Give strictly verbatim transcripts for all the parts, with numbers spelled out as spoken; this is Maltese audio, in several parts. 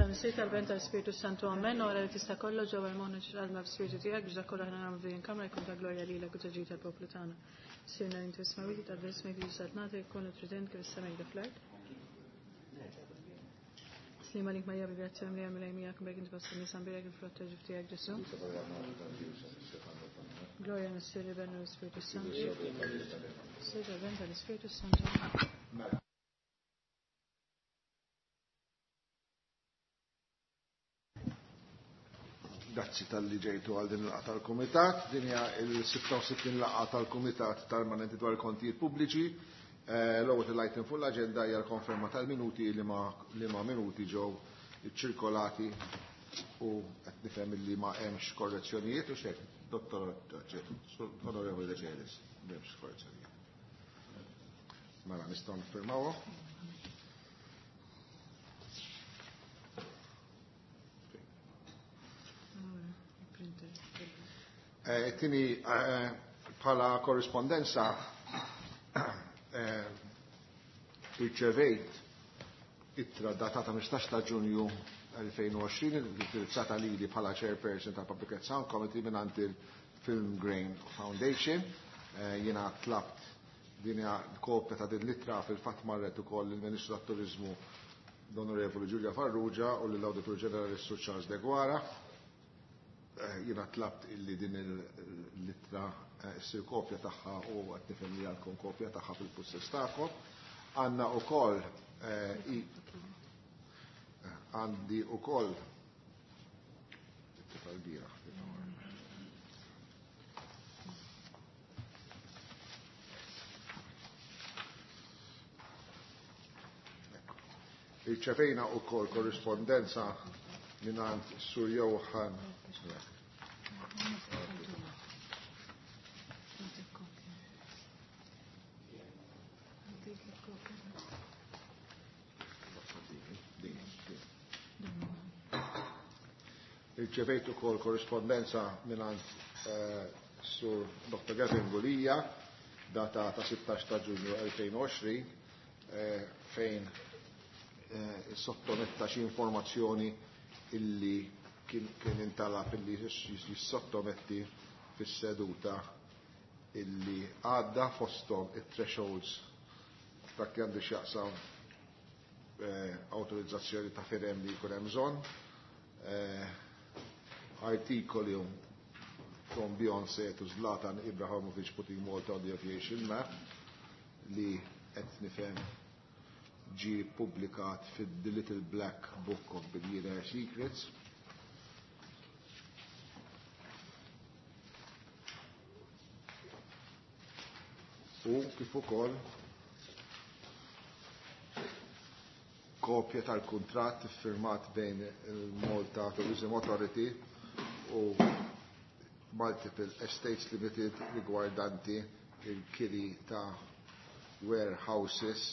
Tal-Missier tal-Ben tal-Spiritu Santu Amen, ora li tista' kollox ġewwa l-moħħ ġalma b'spiritu tiegħek biex dak kollu aħna nagħmlu f'din il-kamra jkun ta' glorja lilek u ta' ġid tal-poplu tagħna. Sirna inti smawiti ta' ismek li saltnata jkun trident kif is-sema jgħid fl-art. Slima lik Marija bi grazzja mlija mill miegħek bejk inti fost in-nisa mbierek il-frott ta' ġuf tiegħek Ġesù. Gloria Missier Ben u l-Spiritu Santu. Missier tal-Ben tal-Ispiritu Santu. Grazzi tal-li ġejtu għal din il-laqgħa tal-Kumitat. Din hija l-sitta u sittin laqgħa tal-Kumitat Permanenti dwar il-Kontijiet Pubbliċi. Eh, l-ewwel item fuq l-aġenda hija l-konferma tal-minuti li ma li ma minuti ġew iċċirkolati u qed nifhem li ma hemmx korrezzjonijiet u xejn. Dottor Onorevoli De Celis, m'hemmx korrezzjonijiet. Mela nistgħu niffirmawhom. Eh, tini eh, bħala korrispondenza eh, irċevejt ittra datata ħmistax ta' Ġunju elfejn u għoxrin indirizzata lili bħala chairperson ta' Public Sound Committee mingħand il-Film Grain Foundation. Eh, jiena tlabt din kopja ta' din l-ittra fil-fatt marret ukoll il-Ministru tat-Turiżmu l-Onorevoli Giulia Farrugia u lill-Awditur Ġenerali Sur Charles Deguara. Eh, jiena tlabt illi din l-ittra eh, ssir kopja tagħha u qed nifhem li għandkom kopja tagħha fil-pussess tagħkom. Għandna wkoll, eh, għandi wkoll it-tifel bieraħ. Irċevejna wkoll korrispondenza mingħand Sur Johan. Irċevejt ukoll korrispondenza mingħand, eh, Sur Doktor Gavin Gulia, data ta' sittax ta' Ġunju elfejn u għoxrin, eh, fejn, eh, sottometta xi informazzjoni illi kien, kien intalab illi jissottometti fis-seduta illi għadda fosthom it-thresholds dak li għandu x'jaqsam, eh, autorizzazzjoni ta' firem li jkun hemm bżonn, eh, artikoli from Beyoncé to Zlatan Ibrahimovic putting Malta on the aviation map li qed nifhem ġie ppubblikat fid-The Little Black Book of Billionaire Secrets. U kif ukoll kopja tal-kuntratt iffirmat bejn il-Malta Tourism Authority u Multiple Estates Limited riguardanti il-kiri ta' warehouses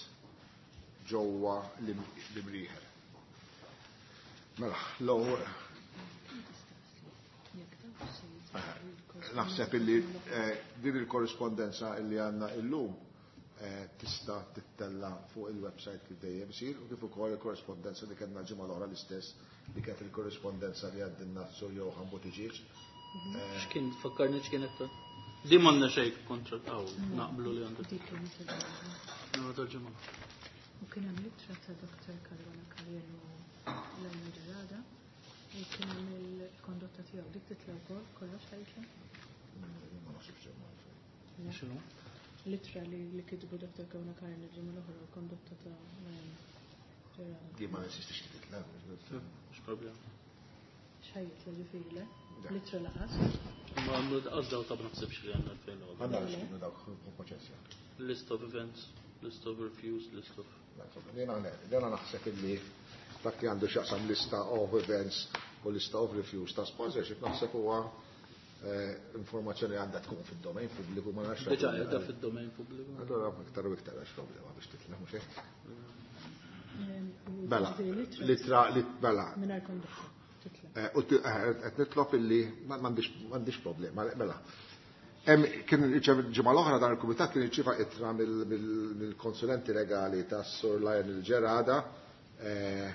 ġewwa l-Imrieħel. Mela, l-ewwel naħseb illi, eh, din il-korrispondenza illi għandna illum, eh, tista' tittella fuq il-website kif dejjem isir u kif ukoll il-korrispondenza li kellna l-ġimgħa l-oħra l-istess li kienet il-korrispondenza li għaddilna Sur Johan Buttigieg. Eh, X'kien fakkarni x'kien qed Di m'għandna xejn kontra taw naqblu li għandu. No, tal-ġimgħa. U kien hemm ittra ta' Doktor Caruana Karrielu l-Elena Ġerada u kien hemm il-kondotta tiegħu dik titla' wkoll kollox ħajtla. Ma naħsibx hemm għalfejn. X'inhu? L-ittra li, li kitbu Doktor Caruana Karrielu l-ġimgħa l-oħra u kondotta ta' Elena Ġerada. Di ma nesistix li titla'. Mhux problema. X'ħajjitla ġifieri le? Le. L-ittra laqas. Ma għandu għaż daw ta' ma naħsibx li għandna fejn għodha. Għandna x'kienu dawk proċessi. List of events, list of refuse, list of Jena jena naħseb illi dak li għandu x'jaqsam lista of events u lista of refuse ta' sponsorship naħseb huwa, eh, informazzjoni għandha tkun fid-domain pubbliku ma nafx. Diġà qiegħda fid-domain pubbliku. Allora iktar u iktar għax problema biex titla' mhux hekk. Ehm, u Mela, ġifieri l-ittra litra, lit-, mela. Mingħajr kondotta titla'. Eh, u t-, eh, qed nitlob illi ma-, m'għandix, m'għandix problema, mela. Hemm kien irċev ġimgħa l-oħra dan il-kumitat kien irċieva ittra mill-, mill-, mill-konsulenti legali tas-Sur Lionel Gerada, eh,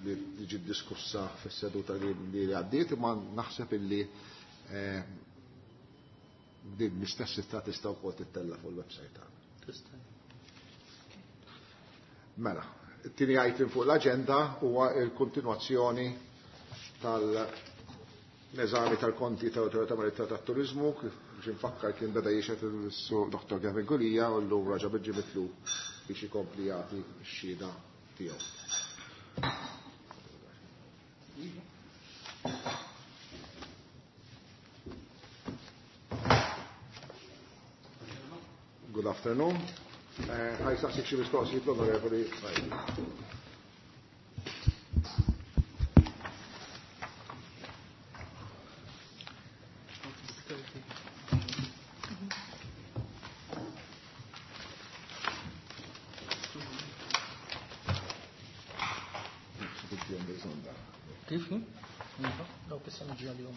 li ġiet diskussa fis-seduta li għaddiet, imma naħseb illi eh, din l-istess ittra tista' wkoll tittella fuq il-website tagħna. Mela, it-tieni item fuq l-aġenda huwa l-kontinwazzjoni tal-eżami tal-konti tal-Awtorità Marittima tat-Turiżmu, kif biex infakkar kien beda jixhed is-Sur Dottor Gavin Gulia u llum raġa' ġie mitlub biex ikompli jagħti x-xhieda tiegħu. Good afternoon. Ħa jsaqsik xi mistoqsijiet l-Onorevoli Saidi. Kif? Dawk issa niġi għalihom.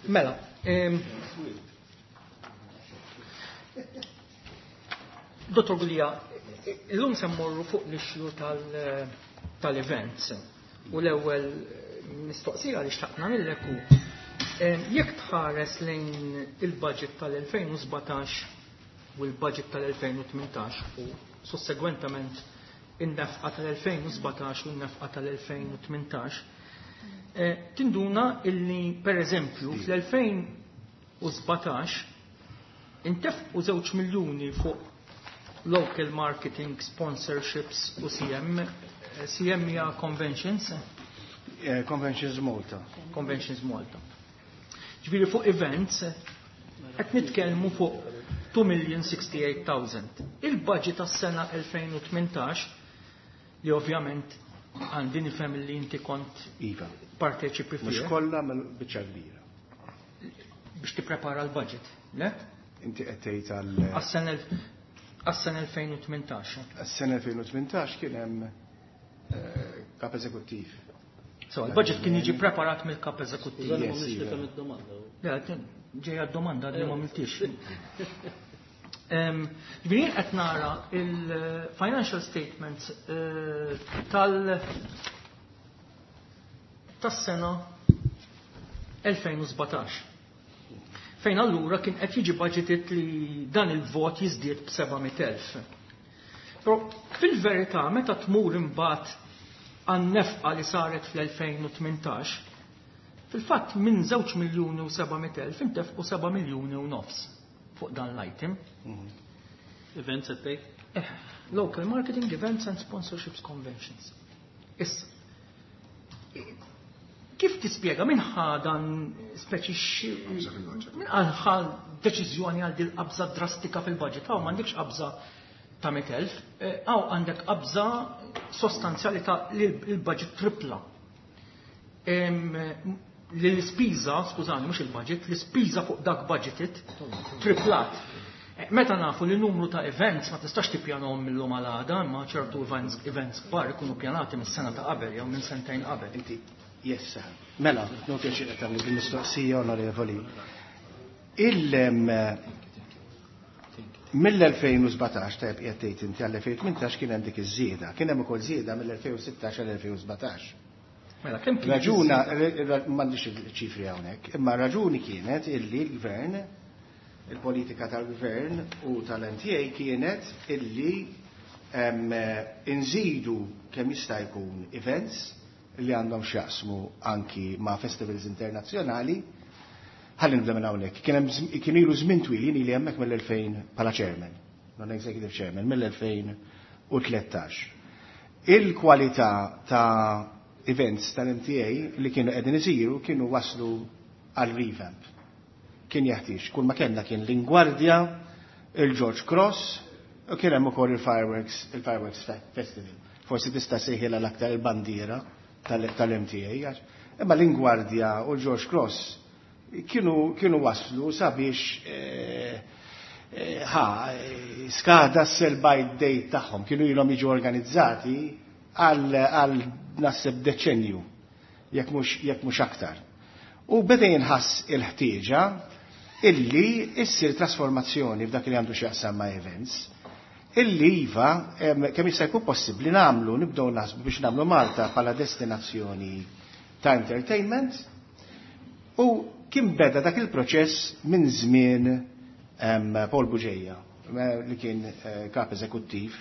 Mela, Dottor Gulia, illum se mmorru fuq l-issue tal-events u l-ewwel mistoqsija li xtaqna nagħmillek hu jekk tħares lejn il-budget tal-elfejn u sbatax u l-budget tal-elfejn u tmintax u sussegwentament in-nefqa tal-elfejn u sbatax u n-nefqa tal-elfejn u tmintax, tinduna illi per eżempju fl-elfejn u sbatax intefqu żewġ miljuni fuq local marketing, sponsorships u C M, C M hija conventions? Eh, Conventions Malta. Conventions Malta. Ġifieri fuq events qed nitkellmu fuq two million sixty-eight thousand. Il-budget tas-sena elfejn u tmintax li ovvjament għandi nifhem li inti kont Iva. parteċipi Mhux fih. kollha mill-biċċa kbira. Biex tipprepara l-budget, le? Inti qed tgħid għal Għas-sena elf-, għas-sena elfejn u tmintax. Għas-sena elfejn u tmintax kien hemm, eh, kap eżekuttiv. So, il-budget kien jiġi preparat mill-kap eżekuttiv. Yes, Yes, mhux iva. nifhem id-domanda. Le, ġejja d-domanda li ma għamiltix. Em, Ġifieri jien qed nara il-financial statements, eh, tal-, tas-sena elfejn u sbatax. Fejn allura kien qed jiġi budgeted li dan il-vot jiżdied b'seba' mitt elf. Però fil-verità meta tmur imbagħad għan-nefqa li saret fl-elfejn u tmintax, fil-fatt minn żewġ miljuni u seba' mitt elf intefqu seba' miljuni u nofs fuq dan l-item. Mhm. Events at take? Eh, local marketing, events and sponsorships conventions. Issa, kif tispjega minn ħadan speċi xi minn ħa deċiżjoni għal dil qabża drastika fil-budget? Hawn m'għandekx qabża ta' mitt elf, eh, hawn għandek qabża sostanzjali ta' li l-budget tripla. Em, li l-ispiża, skużani, mhux il-budget, l-ispiża fuq dak budgeted triplat. Eh, meta nafu li numru ta' events ma tistax tippjanahom mill-lum għal għada, imma ċertu events, events kbar ikunu ppjanati mis-sena ta' qabel jew minn sentejn qabel. Inti, yes, sir. Mela, non pjaċir qed tagħmel il-mistoqsija, onorevoli. Il, em, mill-elfejn u sbatax, tajb qiegħed tgħid inti għall-elfejn u tmintax kien hemm dik iż-żieda, kien hemm ukoll żieda mill-elfejn u sittax għall-elfejn u sbatax. Mela, kemm kien Raġuna, iż-żieda? re-, re-, m'għandix il-ċifri hawnhekk, imma raġuni kienet illi l-gvern, il-politika tal-gvern u tal-N T A kienet illi, em, inżidu kemm jista' jkun events li għandhom x'jaqsmu anki ma' festivals internazzjonali. Ħalli nibda minn hawnhekk. Kien hemm żm-, kien ilu żmien twil, jien ili hemmhekk mill-elfejn bħala chairman, non-executive chairman, mill-elfejn u tlettax. Il-kwalità ta' events tal-M T A li kienu qegħdin isiru kienu waslu għal revamp. Kien jeħtieġ, kull ma kellna kien l-Ingwardja, il-George Cross, u kien hemm ukoll il-Fireworks, il-Fireworks Fe-, Festival. Forsi tista' sejħilha l-aktar il-bandiera tal-, tal-M T A, għax, imma l-Ingwardja u l-George Cross kienu, kienu waslu sabiex, eh, eh, ħa, eh, skada s-sell by date tagħhom, kienu ilhom jiġu organizzati għal, għal naħseb deċenju, jekk mhux, jekk mhux aktar. U beda jinħass il-ħtieġa illi issir trasformazzjoni f'dak li għandu x'jaqsam ma' events. Illi iva, kemm jista' jkun possibbli nagħmlu, nibdew naħsbu biex nagħmlu Malta bħala destinazzjoni ta' entertainment, u kien beda dak il-proċess minn żmien Paul Bugeja, li kien kap eżekuttiv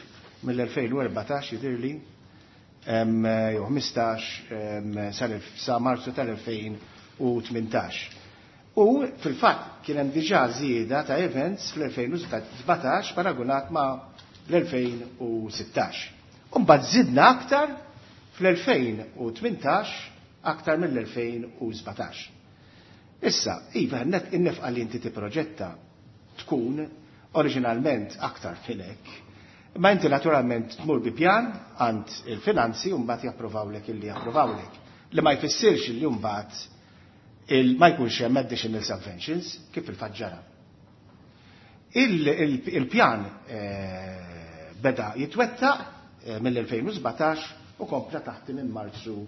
mill-elfejn u erbatax jidhirli, jew ħmistax sa Marzu tal-elfejn u tmintax. U fil-fatt kien hemm diġà żieda ta' events fl-elfejn u sbatax paragunat ma' l-elfejn u sittax. U mbagħad żidna aktar fl-elfejn u tmintax aktar mill-elfejn u sbatax. Issa, iva, in-nefqa li inti tipproġetta tkun oriġinalment aktar filek, ma inti naturalment tmur bi pjan għand il-finanzi u mbagħad japprovawlek illi japprovawlek. Li ma jfissirx illi mbagħad il ma jkunx hemm additional subventions kif il-fatt ġara. Il-pjan beda jitwettaq mill-elfejn u sbatax u kompla taħt minn Marzu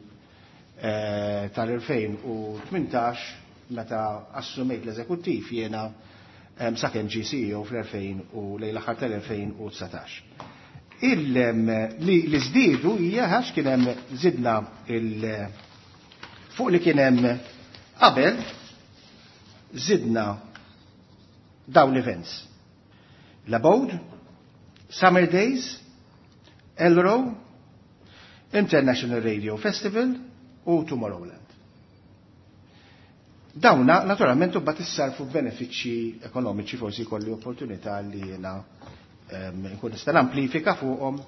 tal-elfejn u tmintax meta assumejt l-eżekuttiv jiena sakemm ġie C E O fl-elfejn u lejn l-aħħar tal-elfejn u dsatax. Li żdiedu hija għax kien hemm żidna il fuq li kien hemm qabel żidna dawn l-events. L-Abode, Summer Days, Elro, International Radio Festival u Tomorrowland. Dawna naturalment u bat issarfu benefiċċji ekonomiċi, forsi jkolli opportunità li jiena nkun nista' namplifika fuqhom,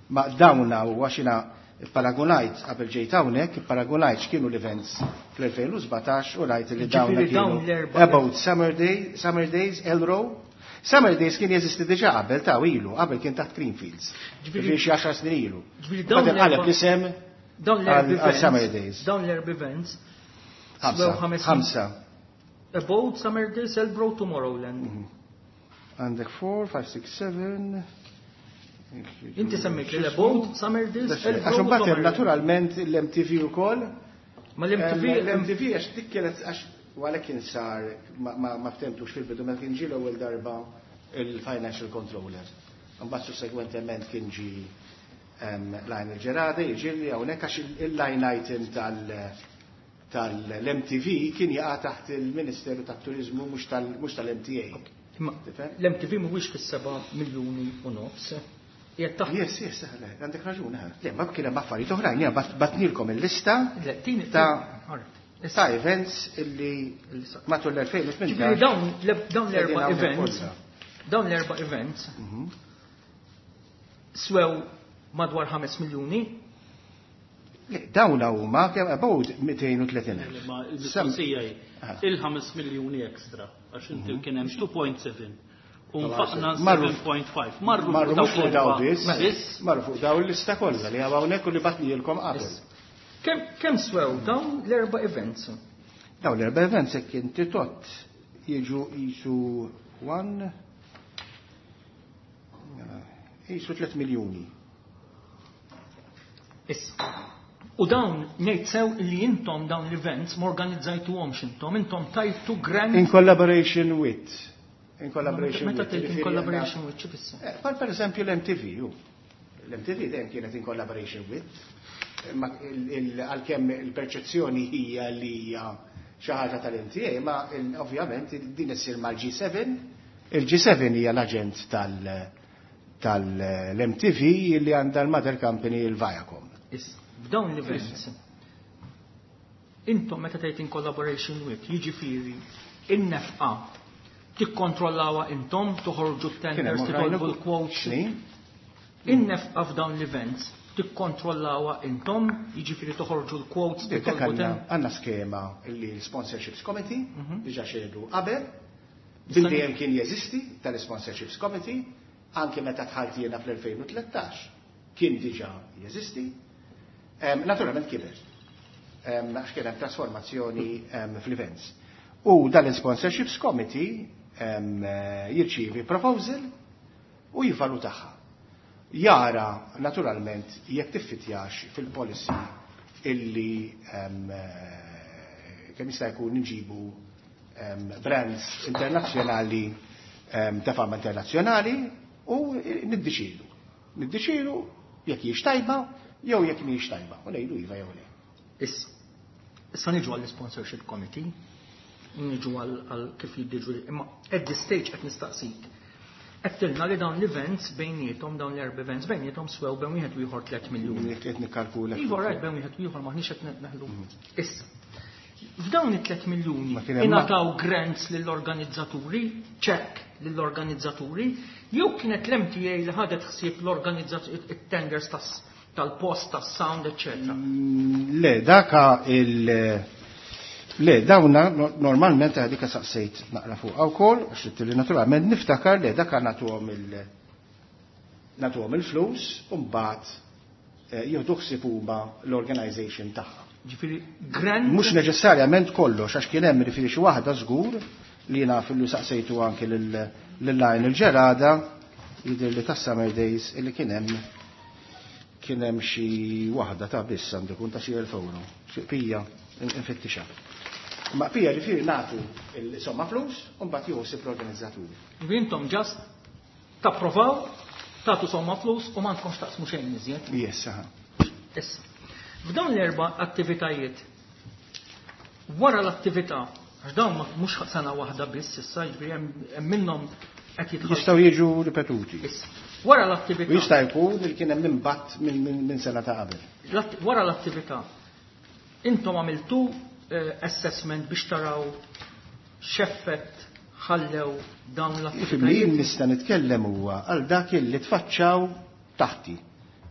ma dawna u għax jiena paragonajt qabel ġejt hawnhekk, paragonajt x'kienu l-events fl-elfejn u sbatax u rajt li dawna Ġifieri dawn kienu l-erba' About Summer Day, Summer Days, Elro. Summer Days kien jeżisti diġà qabel ta' ilu, qabel kien taħt Greenfields. Ġifieri Ġifieri xi għaxar snin ilu. Ġifieri dawn Qabel qaleb l-erba' l-isem dawn l-erba' għal events, Summer Days. Dawn l-erba' events Ħamsa. Swew ħames Ħamsa. About Summer Days, Elro, Tomorrowland. Mhm. Għandek four, five, six, seven. Inti semmejt li l-Abode, Summer Days, Għax Elro, imbagħad hemm Tomorrowland. naturalment l-M T V ukoll. Ma l-M T V L-M T V għax dik kienet għax għalhekk kien sar ma, ma, ma ftemtux fil-bidu meta kien ġie l-ewwel darba il-financial controller. Imbagħad sussegwentement kien ġie, em, Lionel Gerada jiġi hawnhekk għax il-line item tal-, tal-M T V kien jaqa' taħt il-Ministeru tat-Turiżmu mhux tal-, mhux tal-M T A. Imma Tifhem? l-M T V mhuwiex fis-seba' miljuni u nofs. Qiegħed taħt. Yes, yes, le, għandek raġun, eh. Le, ma kien hemm affarijiet oħrajn, jiena bat-, batnilkom il-lista Le, tini, ta' tini, all right. ta' events illi Illi sa- matul l-elfejn u tmintax. Ġifieri dawn l-, dawn l-erba' Qegħdin hawnhekk events, kollha. dawn l-erba' events Mhm. swew madwar ħames miljuni. Le, dawn huma kemm about mitejn u tletin elf. Le, ma il-mistoqsija hi, Ah. il-ħames miljuni ekstra, għax inti Mhm. kien hemm two point seven u nfaqna Marru seven point five. Marru Marru fuq mhux fuq daw l-erba' biss, biss. marru fuq daw l-lista kollha li hawnhekk u li batnilkom qabel. Issa. Kemm, kemm swew dawn l-erba' events? Dawn l-erba' events hekk inti tot jiġu jisu one, jisu tliet miljuni. Issa. U dawn ngħid sew li intom dawn l-events ma organizzajtuhomx intom, intom tajtu grant. In collaboration with. In collaboration Meta with, tgħid in ġifieri collaboration għandna with, xi fisser? Eh, bħal per eżempju l-M T V, ju. L-M T V dejjem kienet in collaboration with. Ma il-, il-, għalkemm il-perċezzjoni hija li hija xi ħaġa tal-M T A, ma il-, ovvjament il-, din issir mal-G seven. Il-G seven hija l-aġent tal-, tal-M T V li għandha l-mother company il-Viacom. Issa, f'dawn l-events, intom meta tgħid in collaboration with, jiġifieri in-nefqa tikkontrollawha intom, toħorġu Kien hemm tenders, oħrajn titolbu ukoll. l-quotes. X'ni? In-nefqa f'dawn l-events tikkontrollawha intom, jiġifieri toħorġu l-quotes, Dik titolbu għandna ten- għandna skema li l-Sponsorships Committee, Mhm. diġà xedu qabel, Nista' bil dejjem kien jeżisti tal-Sponsorships Committee, anke meta dħalt jiena fl-elfejn u tlettax kien diġà jeżisti. Em, naturalment kiber. Em, għax kien hemm trasformazzjoni, em, fl-events. U dan il-Sponsorships Committee, em, jirċievi proposal u jivvalutaha. Jara naturalment jekk tiffitjax fil-policy illi, em, kemm jista' jkun nġibu, em, brands internazzjonali, em, ta' fama internazzjonali u niddeċidu. Niddeċidu jekk hijiex tajba jew jekk mhijiex tajba. U ngħidu iva jew le. Issa, issa niġu għall-sponsorship committee, niġu għal kif jiddiġu, imma at this stage qed nistaqsik. Għedtilna li dawn l-events bejniethom, dawn l-erba' events bejniethom swew bejn wieħed u ieħor tliet miljuni. Qed nikkalkula. Iva rajt bejn wieħed u ieħor maħniex qed neħlu. Issa, f'dawn it-tliet miljuni ingħataw grants lill-organizzaturi, ċekk lill-organizzaturi, jew kienet l-M T A li ħadet ħsieb l-organizzaturi, it-tenders tal-post, tas-sound, eċċetera. Le, daka il- Le, dawna normalment għadika saqsejt naqra fuq wkoll, għax li naturalment niftakar le daka nagħtuhom il nagħtuhom il-flus u mbagħad jieħdu ħsieb huma l-organization tagħha. Ġifieri grant Mhux neċessarjament kollox, għax kien hemm jiġifieri xi waħda żgur li naf li saqsejtu anke lil Lionel Ġerada jidher li tas-Summer Days illi kien hemm kien hemm xi waħda ta' biss għandu jkun ta' xi elf euro, xi pija infittixha. Ma pija ġifieri nagħtu il-somma flus u mbagħad jieħu ħsieb l-organizzaturi. Intom ġast tapprovaw, tagħtu somma flus u m'għandkomx taqsmu xejn iżjed. Yes, aha. Issa, f'dawn l-erba' attivitajiet, wara l-attività, għax dawn mhux sena waħda biss issa, jiġifieri hemm minnhom qed jitħallsu. Jistgħu jiġu ripetuti. Issa, wara l-attività. U jista' jkun li kien hemm impatt minn sena ta' qabel. Wara l-attività, intom għamiltu assessment biex taraw x'effett ħallew dawn l-attivitajiet? Jien nista' nitkellem huwa għal dak li tfaċċaw taħti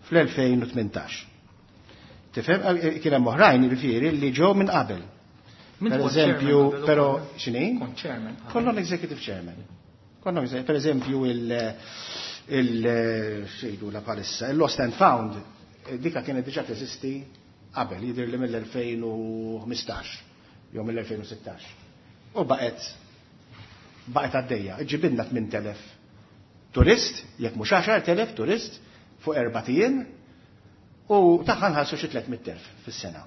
fl-elfejn u tmintax. Tifhem, kien hemm oħrajn jiġifieri li ġew minn qabel. Minn Per kont eżempju, chairman qabel però ukoll. x'inhi? Kont chairman qabel. Konna l-executive chairman. Konna exe-, per eżempju il, il, xejdu la palissa, il-Lost and Found, dika kienet diġà teżisti qabel, jidher li mill-elfejn u ħmistax, jew mill-elfejn u sittax. U baqgħet, baqgħet għaddejja, ġibinna tmien telef turist, jekk mhux għaxar telef turist, fuq erba' ijiem, u tagħha nħallsu xi tliet mitt elf fis-sena.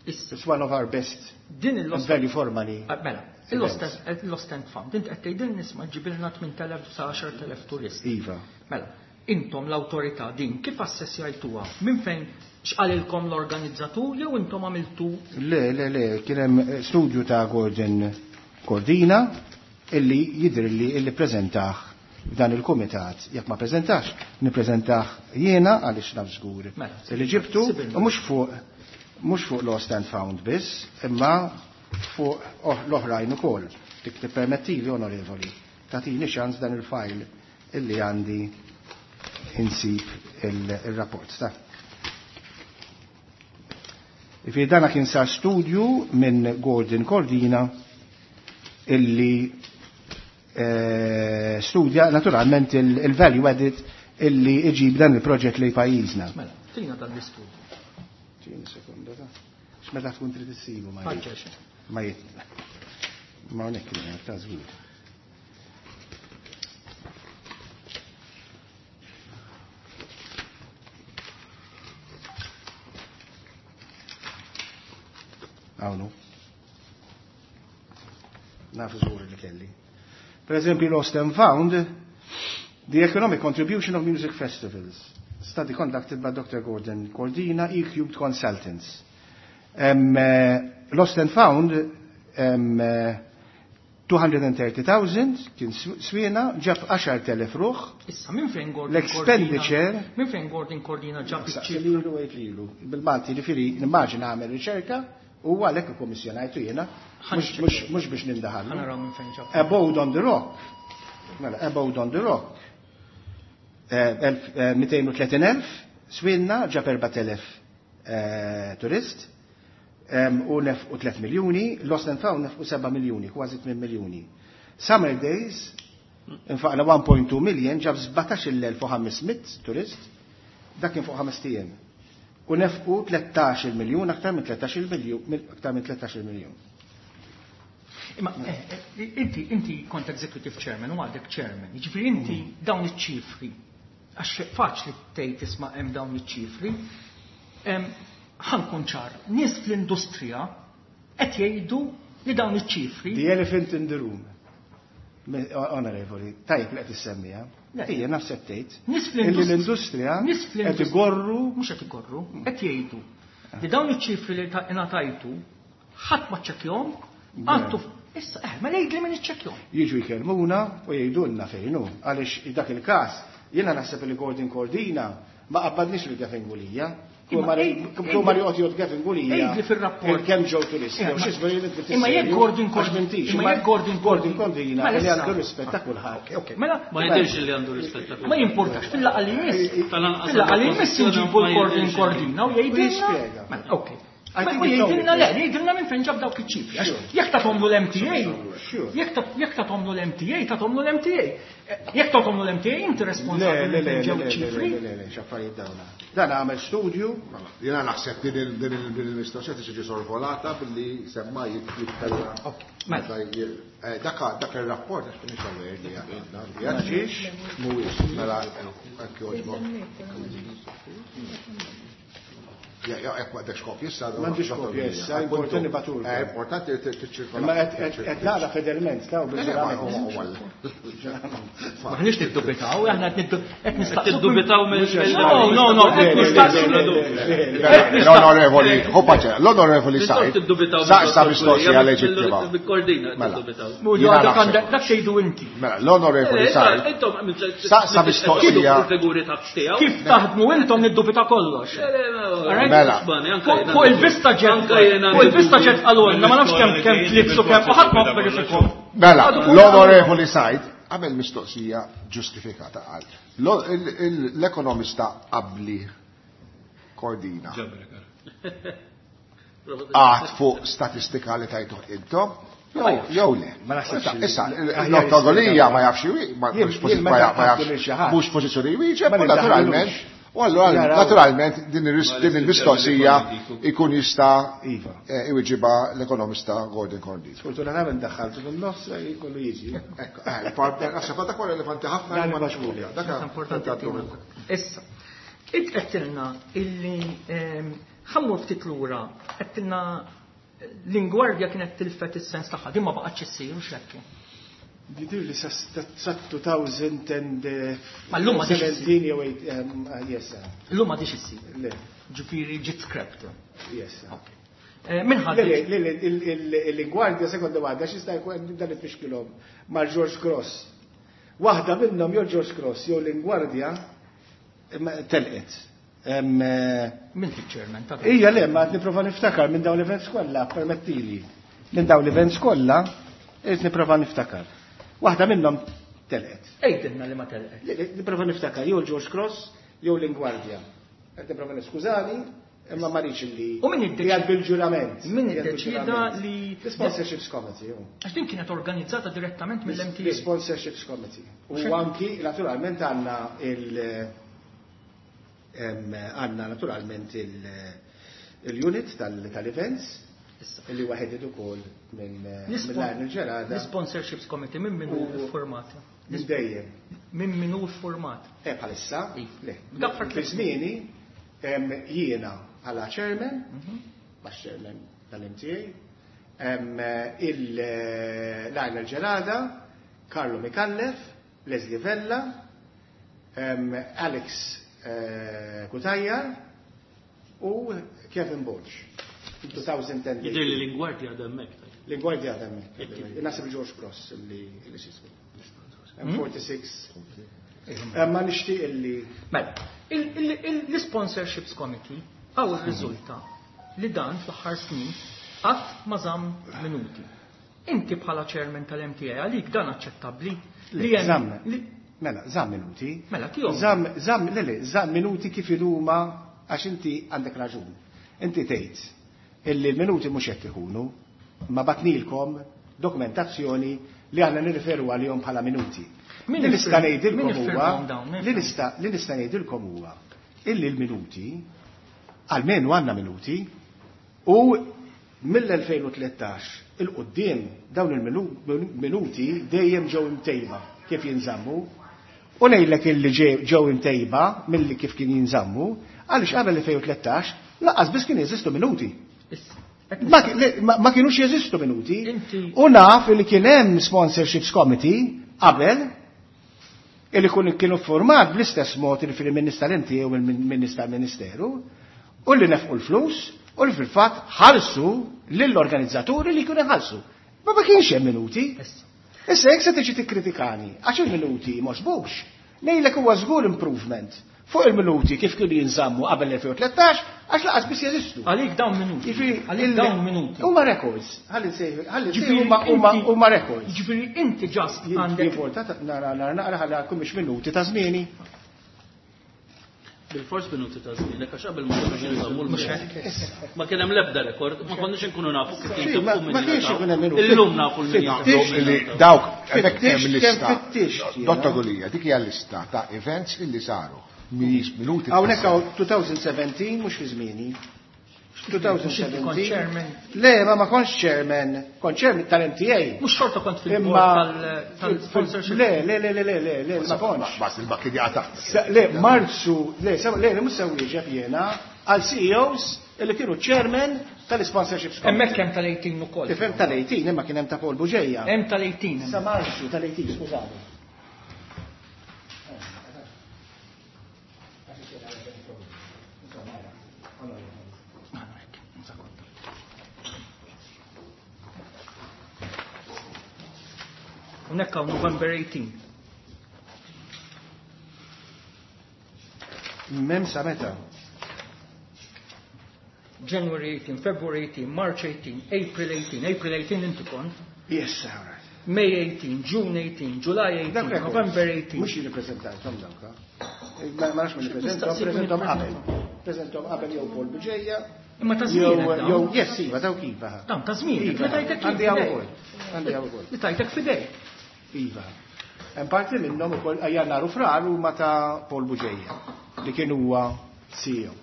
Issa. It's one of our best Din il-Lost and value for money. Ah, mela, il-Lost and, il-Lost and Found, int qed tgħidil nisma' ġibilna tmien telef sa għaxar telef turist. Iva. Mela, intom l-awtorità din kif assessjajtuha? Minn fejn x'qalilkom l-organizzatur jew intom għamiltu? Le, le, le, kien hemm studju ta' Gordon Cordina illi jidher li illi preżentah f'dan il-kumitat. Jekk ma preżentax, nippreżentah jiena għaliex naf żgur Mela, illi ġibtu sibirna. u mhux fuq, mhux fuq Lost and Found biss, imma fuq l-oħrajn ukoll. Dik tippermettili, onorevoli, tagħtini ċans dan il-fajl illi għandi insib il-rapport. Ta' Ifi dana kien sar studju minn Gordon Cordina illi, eh, studja naturalment il-value added illi iġib dan il-proġett li pajjiżna. Mela, tina dan l-istudju. Tina sekonda, ta' x'meta tkun trid issibu ma jit. Ħaġġeġ. Ma jit. Ma hawnhekk kien hemm ta' żgur. Hawn. Naf żgur li kelli. Per eżempju, Lost and Found, The Economic Contribution of Music Festivals, study conducted by Doctor Gordon Cordina, E-Cubed Consultants. Um, uh, Lost and Found, um, uh, two hundred and thirty thousand, kien swina, ġab għaxar telef ruħ. Issa, minn fejn Gordon L-expenditure Cordina, minn fejn Gordon Cordina ġab Issa, iċ-ċifra? lilu, għejt lilu. Bil-Malti, ġifieri, nimmaġina għamel riċerka, u għalhekk ikkommissjonajtu jiena, mhux, mhux, mhux biex nindaħallu. Ħa naraw minn fejn ġab. Abode on the Rock. Mela, Abode on the Rock. Eh, elf, eh, mitejn u tletin elf, swinna ġab erba' telef, eh, turist, em, u nef u tliet miljuni, Lost and Found nef u seba' miljuni, kważi tmien miljuni. Summer Days, infaqna one point two million, ġab sbatax-il elf u ħames mitt turist, dak kien fuq ħames ijiem. U nefqu tlettax-il miljun, aktar minn tlettax-il miljun, minn, aktar minn tlettax-il miljun. Imma, eh, eh, inti, inti kont executive chairman u għadek chairman, jiġifieri inti dawn iċ-ċifri, għax faċli tgħid tisma' hemm dawn iċ-ċifri, em, ħankun ċar, nies fl-industrija qed jgħidu li dawn iċ-ċifri. The elephant in the room. Onorevoli, tajjeb li qed issemmija. Ija nafsek tgħid. Illi l-industrija qed igorru, mhux qed igorru, qed jgħidu li dawn iċ-ċifri li ngħatajtu ħadd ma ċċekkjahom, għandu issa eh mela jgħid li min iċċekkjahom. Jiġu jkellmuna u jgħidulna fejn hu, għaliex dak il-każ jiena naħseb li Gordon Cordina ma qabbadniex li Gavin Gulia. Imma joqgħod jgħod Gavin Gulia. Għidli fir-rapport. Kemm ġew turisti. Imma jekk Gordon Cordina. Imma jekk Gordon Gordon Cordina li għandu rispett ta' kulħadd. Mela ma jidhirx li għandu rispett ta' kulħadd. Ma jimportax fil-laqgħa li jmiss. Fil-laqgħa li jmiss inġibu l-Gordon Cordina u jgħidilna. Mela, okej. Ma jgħidilna le, jgħidilna minn fejn ġab dawk iċ-ċifri. Jekk tagħtomlu l-M T A, jekk tagħtomlu l-M T A, tagħtomlu l-M T A. Jekk tagħtomlu l-M T A, inti responsabbli minn fejn ġew iċ-ċifri. Le, le, le, x'affarijiet dawna. Dan għamel studju. Jiena naħseb din il-mistoqsija tiġi sorvolata billi semma jitkellem. Dak dak ir-rapport għax m'iniex aware li għandna. Ġiex mhuwiex mela hekk jogħġbok. Ja, ja, jekk m'għandekx kopji issa. M'għandix kopji issa, importanti batur. Importanti li tiċċirkola. Imma qed naqra fedelment taw bil-ġurament. Maħniex niddubitaw, aħna qed nistaqsu. Tiddubitaw mill. No, no, no, qed nistaqsu. L-onorevoli, ħu paċe, l-onorevoli Said. Saqsa mistoqsija leġittima. Bil-Cordina tiddubitaw. Dak xejdu inti. Mela, l-onorevoli Said. Saqsa mistoqsija. Kif taħdmu intom niddubita kollox. Mela. Fuq il-vista ġet, fuq il-vista ġet għalunna, ma nafx kemm kemm tlibsu kemm ħadd ma verifikom. Mela, l-onorevoli Said għamel mistoqsija ġustifikata qal. L-ekonomista qabli Cordina. Għad fuq statistika li tajtu intom, jew le. Issa, l-Dottor Gulia ma jafx mhux pożizzjoni jwieġeb, u naturalment. U allora, naturalment, din il-mistoqsija ikun jista' iwiġiba l-ekonomista Gordon Cordina. Sfortunatament daħħaltu fin-nofs jkollu jiġi. Ekku, naħseb dak huwa relevanti ħafna li ma nafx. Dak importanti. Issa, int qedtilna illi ħammur ftit lura, qedtilna l-Ingwardja kienet tilfet is-sens tagħha, din ma baqgħetx issir u x'hekk. Jidir li sa two thousand Ma llum ma seventeen jew eight, yes. Llum ma diċ issir. Le. Ġifieri ġiet scrapped. Yes. Min ħadd? Le, le, le, l-Ingwardja sekonda waħda x'jista' jkun dan it-tfixkilhom mal George Cross. Waħda minnhom jew George Cross jew l-Ingwardja telqet. Min fiċ-chairman ta' Ija le, ma qed nipprova niftakar minn dawn l-events kollha, permettili. Minn dawn l-events kollha qed nipprova niftakar. Waħda minnhom telqet. Ejdilna li ma telqet. Nipprova niftakar jew George Cross jew l-Ingwardja. Qed nipprova niskużani, imma ma rridx illi. U min iddeċida? Jgħid bil-ġurament. Min iddeċida li The Sponsorships Committee. Għax din kienet organizzata direttament mill-M T A. The Sponsorships Committee. U anki naturalment għandna il għandna naturalment il-unit tal-events. Illi waħed ukoll minn mill-Arnold Ġerada. L-Sponsorships Committee minn min hu format? Minn dejjem. Minn min hu format? Eh, bħalissa? Le. Dak fart Fi żmieni jiena bħala chairman, bħala chairman tal-M T A, il-Lionel Ġerada, Carlo Micallef, Leslie Vella, Alex Cutajar u Kevin Borg. two thousand ten. Jidher li l-Ingwardja għadha hemmhekk. L-Ingwardja għadha hemmhekk. Naħseb George Cross li xismu. M forty-six. Ma nixtieq illi Mela, l-Sponsorships Committee għaw ir-riżulta li dan fl-aħħar snin qatt ma żamm minuti. Inti bħala chairman tal-M T A għalik dan aċċettabbli li hemm Żamm. li Mela, żamm minuti. Mela, tihom. Żamm, żamm, le, le, żamm minuti kif ilhuma għax inti għandek raġun. Inti tgħid illi l-minuti mhux hekk ikunu, ma batnilkom dokumentazzjoni li aħna nirriferu għalihom bħala minuti. Min Li nista' iffirma- ngħidilkom min huwa iffirmahom dawn? Min li nista' li nista' ngħidilkom huwa illi l-minuti almenu għandna minuti u mill-elfejn u tlettax il-qudiem dawn il-minuti dejjem ġew imtejba kif jinżammu. U ngħidlek illi ġew imtejba milli kif kien jinżammu għaliex qabel elfejn u tlettax lanqas biss kien jeżistu minuti. Ma ki-, le, ma, ma kienux jeżistu minuti. Inti U naf li kien hemm sponsorships committee qabel Illi kun kienu format bl-istess mod li fil-min tal-M T A u min tal-Ministeru u li nefqu l-flus u li fil-fatt ħallsu lill-organizzaturi li kienu ħallsu. Ma ma kienx hemm minuti. Issa jekk se tiġi tikkritikani għax il-minuti m'għoġbux, ngħidlek huwa żgur improvement fuq il-minuti kif kienu jinżammu qabel elfejn u tlettax, għax lanqas biss jeżistu. Għalik dawn minuti. Għalik dawn minuti. Huma records. Ħalli nsejħu, ħalli nsejħu huma huma records. Ġifieri inti just għandek. Jivolta nara nara naqra ħalli mhix minuti ta' żmieni. Bil-fors minuti ta' żmien, għax qabel ma konniex nżammu l-minuti. Ma kien hemm l-ebda rekord, ma konniex inkunu nafu kif Sì, ma ma kienx ikun hemm minuti. Illum nafu l-min. Dawk, hemmhekk hemm Kemm lista. fittixt jiena. Dottor Gulia, dik hija lista ta' events illi saru. Mhijiex minuti. Hawnhekk hawn elfejn u sbatax, mhux fi żmieni. Kont chairman. elfejn u sbatax. Le, ma ma kontx chairman, kont chairman tal-M T A. Mhux xorta kont Imma fil-board tal-sponsorship. Le, le, le, le, le, le, le, ma kontx. Bas il-bakki di taħt. Sa- Le, Marzu, le, sa- le, le, mhux se wieġeb jiena għal C E Os illi kienu chairman tal-sponsorship. Hemmhekk hemm tal-tmintax ukoll. Tifhem, tal-tmintax, imma kien hemm ta' Paul Bugeja. Hemm tal-tmintax. Sa Marzu tal-tmintax, skużani. Hawnhekk hawn November eighteen. Mem sa meta. January eighteen, February eighteen, March eighteen, April eighteen, April eighteen inti kont. Yes, all right. May eighteen, June eighteen, July eighteen, Dak records. November eighteen. Mhux jirrippreżentantom dawk. Ma ma nafx min jippreżentom, preżentom qabel. Preżentom qabel jew Paul Bugeja. Imma ta' Jew żmienek dawn. Jew yes, iva, dawk iva. Dawn ta' żmienek, Iva, li tajtek għandi hawn fidejk. ukoll. Għandi hawn ukoll. Li tajtek fidejk. Iva. Hemm parti minnhom ukoll Jannar u Frar huma ta' Paul Bugeja li kien huwa C E O.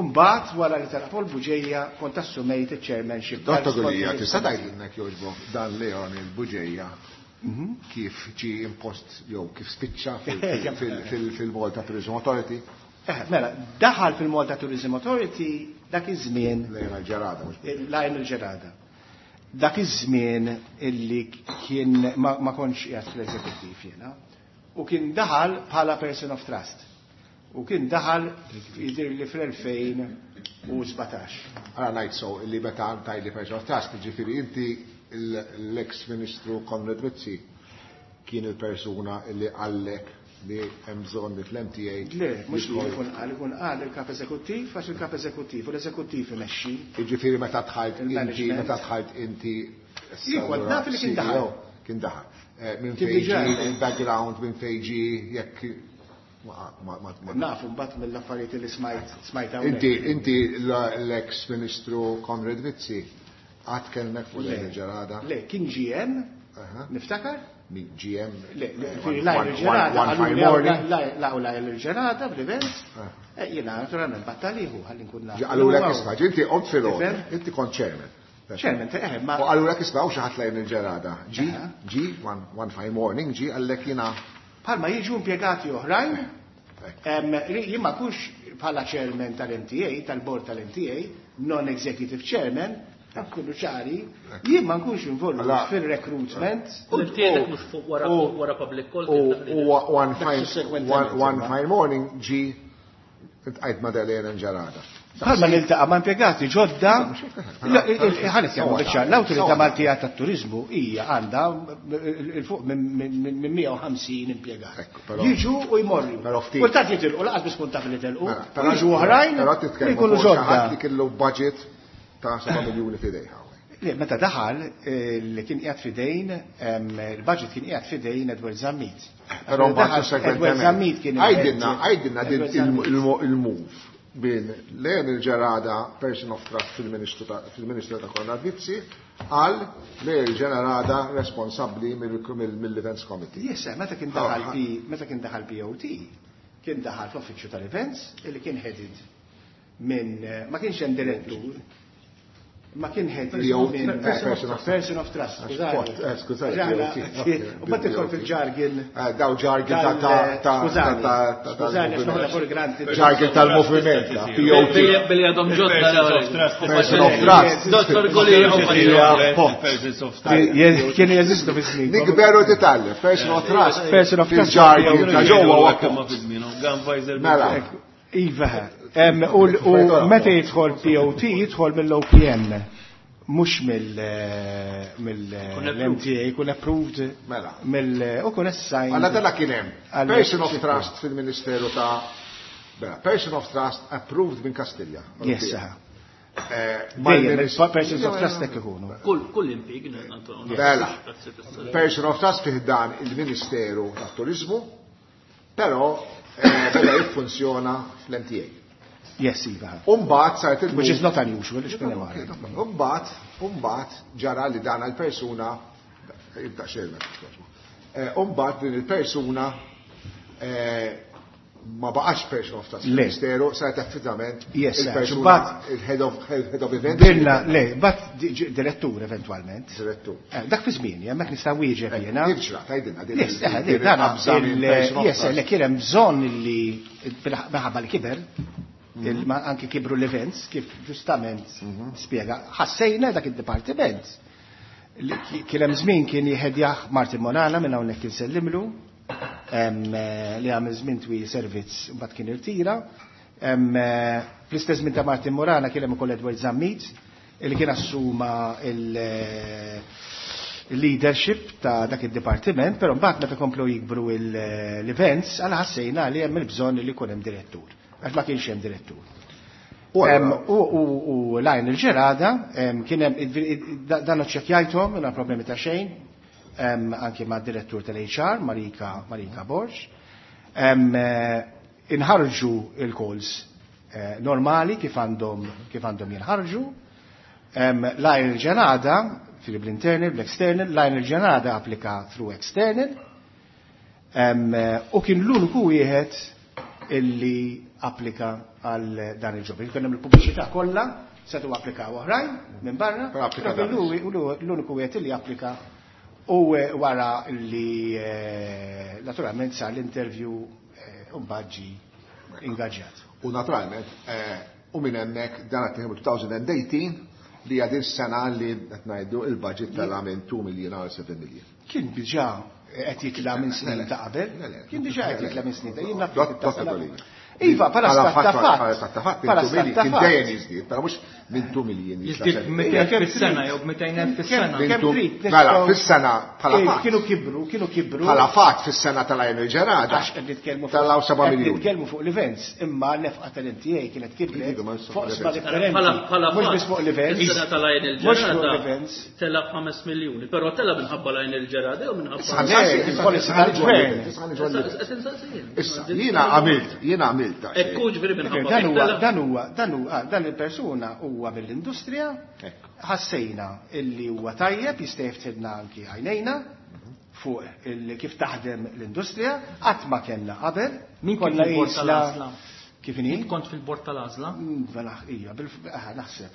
Umbagħad wara li tara Paul Bugeja kont assumejt il-chairmanship. Dottor Gulia, tista' tgħidilna jogħġbok dan Leon il-Bugeja kif ġi impost jew kif spiċċa fil- fil- fil-Malta Tourism Authority? Eh, mela, daħal fil-Malta Tourism Authority dak iż-żmien Lejna l-ġerada, mhux Lajn il-Ġerada. Dak iż-żmien illi kien ma, ma kontx qiegħed fl-eżekuttiv jiena u kien daħal bħala person of trust. U kien daħal jidher li fl-elfejn u sbatax. Għara ngħid so illi meta tajli person of trust, ġifieri inti l-ex ministru Konrad Mizzi kien il-persuna illi qallek li hemm bżonn li fl-M T A Le, mhux li jkun qal, ikun qal il-kap eżekuttiv, għax il-kap eżekuttiv u l-eżekuttiv imexxi. Ġifieri meta dħalt inti, Il-management. meta dħalt inti Jien kont naf li kien daħal. C E O, kien daħal. Eh, Minn Kien fejn diġà. ġie il-background, minn fejn ġie, jekk ma ma ma ma- Nafu mbagħad mill-affarijiet li smajt smajt hawnhekk. Inti inti l-ex ministru Konrad Mizzi għad kellmek fuq Le. Lejn il-Ġerada? Le, kien G M, Aha. niftakar? Min G M? Le, le, eh, fi one- Lajn one- il-Ġerada, one għallu fine li morning. laqgħu Lajn il-Ġerada bl-event. Ah. Eh, Jiena naturalment battaliħu ħalli nkun naf. Qalulek isma', inti qomt fil Tifhem? inti kont chairman. Chairman, eh, ma- U qalulek isma', u xi ħadd Lejn il-Ġerada. Ġi, Aha. ġi, one one fine morning, ġi qallek jiena Bħalma jiġu impjegati oħrajn, em, li jien ma kunx bħala chairman tal-M T A, tal-board tal-M T A, non-executive chairman, kullu ċari, jien ma nkunx involut Alla- fil-recruitment. U tiegħek mhux fuq wara u- wara public call. U u one Dak fine sussequentement, one one imma. fine morning ġi intqajt ma' Lejn Ġerada. Bħalma niltaqa' ma' impjegati ġodda, ħanet jagħmlu biċċa, l-Awtorità Maltija tat-Turiżmu hija għandha il fuq minn mija u ħamsin impjegat. Ekku, però- Jiġu u jmorru. Però ftit. Kultant jitilqu, lanqas biss kun taf li telqu, Mela, u jiġu oħrajn Però li titkellmu jkunu fuq xi ħadd ġodda. li kellu budget ta' seba' miljuni f'idejha. Le, meta daħal, eh, li kien qiegħed fidejn, em, il-budget kien qiegħed fidejn Edward Zammit. Però mbagħad Daħal, Edward sussequentement. Zammit kien il- Għajdilna, għajdilna din Edward Zammit. il-move bin Leon il-Ġerada, person of trust fil-Ministru ta' fil-Ministru ta' Konrad Mizzi, għal Leon il-Ġerada responsabbli mill-Events Committee. Yes, eh, meta kien daħal P, meta kien daħal P O T, kien daħal fl-uffiċċju tal-events, illi kien headed minn, eh, ma kienx hemm direttur. Ma kien head person of trust. Skużani. U bat tidħol fil-jargon. Daw jargon ta' ta' Skużani, skużani, għax noħodha for granted. Jargon tal-moviment. P O T. Billi għadhom ġodda. Person of trust. Dottor Gulia. Kienu jeżistu fi snin. Nikberu titgħallem. Person of trust. Person of trust. Fil-jargon ta' ġewwa Mela. Iva. U meta jidħol P O T jidħol mill-O P N, mhux mill-M T A, jkun approved mela. Mill u kun assigned. Alla dalla kien hemm person of trust fil-Ministeru ta' Person of Trust approved minn Kastilja. Yes, dejjem persons of trust hekk ikunu. Kull kull impjieg. Mela. Person of trust fih dan il-Ministeru tat-Turiżmu, però beda jiffunzjona fl-M T A. Yes, Iva. Umbat saret il Which is not unusual, Umbat, umbat ġara li dan il-persuna jibda xejn. Umbat din il-persuna ma baqax person of trust ministeru, saret effettivament il-persuna il-head of head of event. Dilna, le, bat direttur eventwalment. Direttur. Dak fi żmien, hemmhekk nista' wieġeb jiena. Kif ġrat, għidilna din. Yes, le kien hemm bżonn li minħabba li kiber, anki kibru l-events, kif ġustament spjega, ħassejna dak id-dipartiment. Kien hemm żmien kien jħedjah Martin Monala minn hawnhekk insellimlu, li għamil żmien twil servizz mbagħad kien irtira. Fl-istess żmien ta' Martin Morana kien hemm ukoll Edward Zammit li kien assuma il-leadership ta' dak id-dipartiment, però mbagħad meta komplu jikbru l-events, għal ħassejna li hemm il-bżonn li jkun hemm direttur. Għax ma kienx hemm direttur. U Lionel Gerada kien hemm dan iċċekkjajthom mingħajr problemi ta' xejn, anke ma' direttur tal-H R, Marika Marika Borg. Inħarġu il-calls normali kif għandhom kif għandhom jinħarġu. Lionel Gerada, fil-internal, bl-external, Lionel Gerada applika through external. U kien l-uniku wieħed illi applika għal dan il-ġob. Kien hemm il-pubbliċità kollha, setgħu applikaw oħrajn minn barra, Però applika però dan. l-uniku wieħed illi applika u wara li naturalment sar l-interview u mbagħad ġie ingaġġjat. U naturalment, u minn hemmhekk dan qed nieħdu twenty eighteen li hija din sena li qed ngħidu il-budget tela' minn two million għal seven million. Kien diġà qed jitla' minn snin ta' qabel. Kien diġà qed jitla' minn snin ta' jien naf Dott- kif ta' Dott- qabel. Iva, bħala Bħala stat ta' fatt, fatt. bħala stat ta' fatt, Bħala minn two stat million, ta' kien fatt. dejjem jiżdied, però mhux minn two million jitla' Jiżdied seven. b'mitejn elf fis-sena jew b'mitejn elf fis-sena. Minn Kemm two- trid, Mela, nistgħu- fis-sena bħala Eh, fatt. Kienu kibru, kienu kibru. Bħala fatt fis-sena tal-Lionel Gerada. Għax qed nitkellmu fuq- Talaw seba' qed miljun. nitkellmu fuq l-events, imma l-nefqa tal-M T A kienet kibret Iva, ma nistgħu fuq fuq sba l-events. differenti. Bħala- bħala Mhux fatt, biss fuq l-events. Is-sena tal-Lionel Mhux fuq Gerada l-events. tela' b'ħames miljuni, però tela' minħabba Lionel Gerada jew minħabba Issa, Le, il-policy tal-gvern. Issa, ħa niġu għall-events. Issa, issa, issa, Issa, jiena għamilt, jiena għamilt ta' xejn. Ekku ġifieri minħabba Dan huwa, tela'. dan huwa, dan huwa, dan il-persuna huwa mill-industrija, ħassejna illi huwa tajjeb, jista' jiftilna anki għajnejna fuq il- kif taħdem l-industrija, qatt ma kellna qabel. Min kien Konna fil-bord qisna- tal-għażla? Kif inhi? Int kont fil-bord tal-għażla? Mm, mela, ija, bil-, ah, naħseb.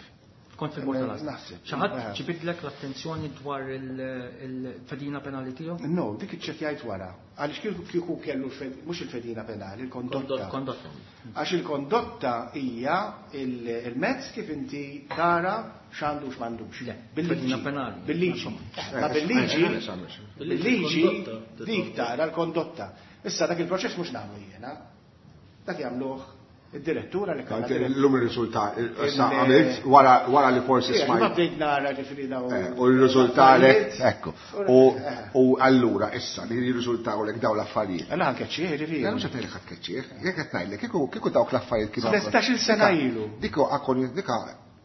Kont fil-bord tal-għażla. Naħseb. Xi ħadd Eh. ġibidlek l-attenzjoni dwar il-, il-fedina penali tiegħu? No, dik iċċekkjajt wara. Għaliex kieku, kieku kellu l-fed-, mhux il-fedina penali, il-kondotta. Kondotta. Għax il-kondotta hija il-, il-mezz kif inti tara x'għandu x'm'għandux. Le, Bil-liġi. fedina penali. Bil-liġi. Ma bil-liġi, bil-liġi dik tara l-kondotta. Issa dak il-proċess mhux nagħmlu jiena. Dak jagħmluh id-direttura li kellha Anke direttur. L-lum ir-riżultat, issa Il- għamilt wara, wara li forsi Ija, smajt. ma bdejt nara ġifieri daw. Eh, u r-riżultat, ekku. U, Eh. u allura issa li jirriżultawlek daw l-affarijiet. Għala anke ċieħ, ġifieri. Jena mhux qed ngħidlek ħadd keċċieħ, jekk qed ngħidlek kieku, kieku dawk l-affarijiet kienu Tlettax-il sena Dika- ilu. Dika akkon, dika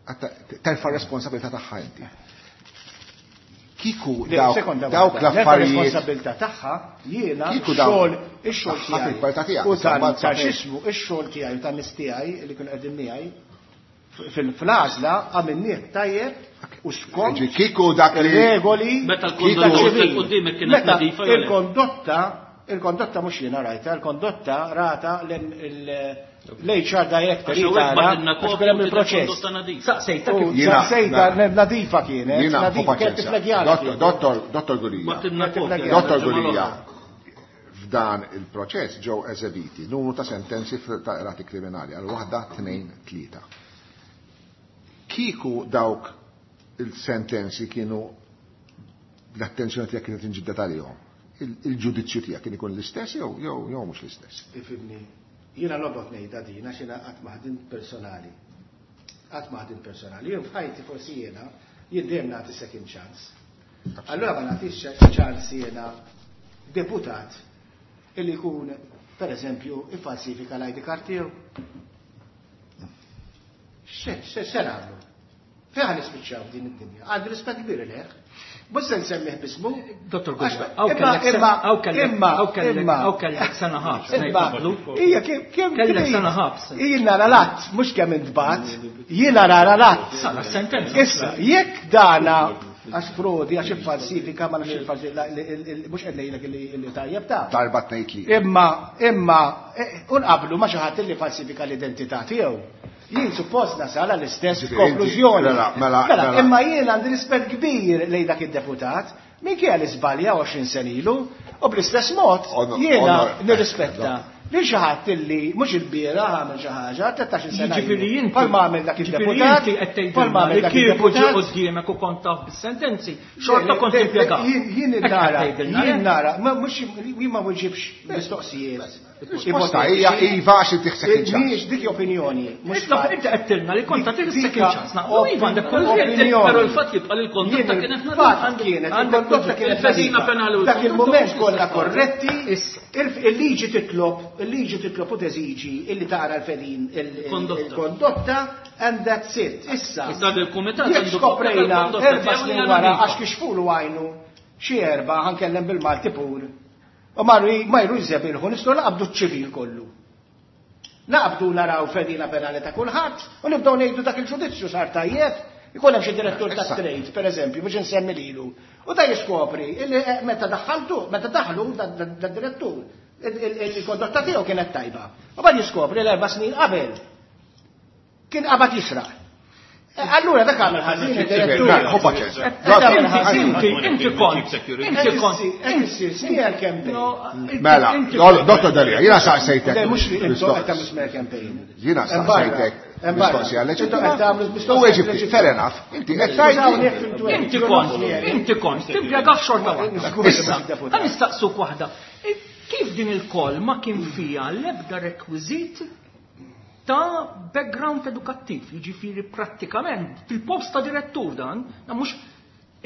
għatta terfa' responsabilità tagħha inti. Kieku Le, dawk sekonda dawk waħda. L-erba' l-affarijiet responsabilità tagħha jiena Kieku dawk x-xogħol, ix-xogħol tagħha tiegħi. fil-kwalità tiegħek, U tal- mbagħad ta' sa fejn. x'ismu, ix-xogħol tiegħi u tan-nies tiegħi li kienu qegħdin miegħi fil-, fl-għażla għamilnieh tajjeb u skont Ġi, kieku dak li regoli Meta kieku l-kondotta ċivili. quddiemek kienet Meta nadifa jew le? il-kondotta, Il-kondotta mhux jiena rajta, il-kondotta rata l-H R Director għax kien hemm il-proċess. Saqsejta saqsejta nadifa kienet, nadifa kienet tiflagjana. Dottor Gulia. Dottor Gulia, f'dan il-proċess ġew eżebiti numru ta' sentenzi ta' rati kriminali għal waħda, tnejn, tlieta. Kieku dawk il-sentenzi kienu l-attenzjoni tiegħek kienet inġibdet għalihom, il-ġudizzju tiegħek kien ikun l-istess jew jew jew mhux l-istess? Ifhimni, jiena nobgħod ngħidha din għax jiena qatt ma ħdimt personali. Qatt ma ħdimt personali. Jien f'ħajti forsi jiena jien dejjem nagħti second chance. Allura ma nagħtix chance jiena deputat illi jkun pereżempju iffalsifika l-I D card tiegħu. X'se nagħmlu? Fejn ħa nispiċċaw f'din id-dinja? Għandi rispett kbir leh. Mhux se nsemmih bismu. Dottor Gulia, hawn kellek hawn kellek sena ħabs. Ija kemm kellek sena ħabs. Jien nara l-att, mhux kemm intbagħat, jien nara l-att. Sara sentenza. Issa, jekk dana għax frodi, għax iffalsifika, ma nafx il-falsifika, mhux qed ngħidlek li tajjeb ta' darba tnejn tlieta. Imma, imma, unqablu ma xi ħadd li falsifika l-identità tiegħu. Jien suppost nasal għall-istess konklużjoni. Mela, mela, imma jien għandi rispett kbir lejn dak id-deputat, minkejja li żbalja għoxrin sena ilu, u bl-istess mod jiena nirrispetta lil xi ħadd illi mhux il-bieraħ għamel xi ħaġa, tlettax-il sena ilu. Bħalma għamel dak id-deputat, bħalma għamel dak id-deputat. Kieku ġie quddiemek u kont taf bis-sentenzi, xorta kont impjegat. Jien nara, jien nara, mhux jien ma nġibx mistoqsijiet. Risposta hija iva għax inti second chance. Mhijiex dik opinjoni. Mhux inti qed tilna li kont tagħti second chance. Naqblu iva għandek kull opinjoni. Però l-fatt jibqa' li l-kondotta kienet kienet il-kondotta kienet il-fedina penali u dak il-mument kollha korretti, il-liġi titlob, il-liġi titlob u teżiġi illi tara l-fedin il-kondotta and that's it. Issa. Issa il-kumitat għandu skoprejna erba' snin wara għax kixfulu għajnu xi erba' ħankellem bil-Malti pur. U marru ma jru jżebilħu, nistgħu naqbdu ċ-ċivil kollu. Naqbdu naraw fedina penali ta' kulħadd u nibdew ngħidu dak il-ġudizzju sar tajjeb. Ikun hemm xi direttur ta' trade, pereżempju, biex insemmi lilu. U da jiskopri illi meta daħħaltu, meta daħlu da direttur, il-kondotta tiegħu kienet tajba. U bad jiskopri l-erba' snin qabel kien qabad jisraq. Allura dak għamel ħażin id-direttur. Inti inti kont, inti kont, inti smear campaign. Mela, Dottor Delia, jiena saqsejtek. Le mhux intom qed tagħmlu smear campaign. Jiena saqsejtek mistoqsija leġittima. U weġibti, fair enough. Inti qed tgħid. Inti kont, inti kont, timpjega f'xorta waħda. Issa, ħa nistaqsuk waħda. Kif din il-koll ma kien fiha l-ebda rekwiżit ta' background edukattiv, jiġifieri prattikament fil-post ta' direttur dan, mhux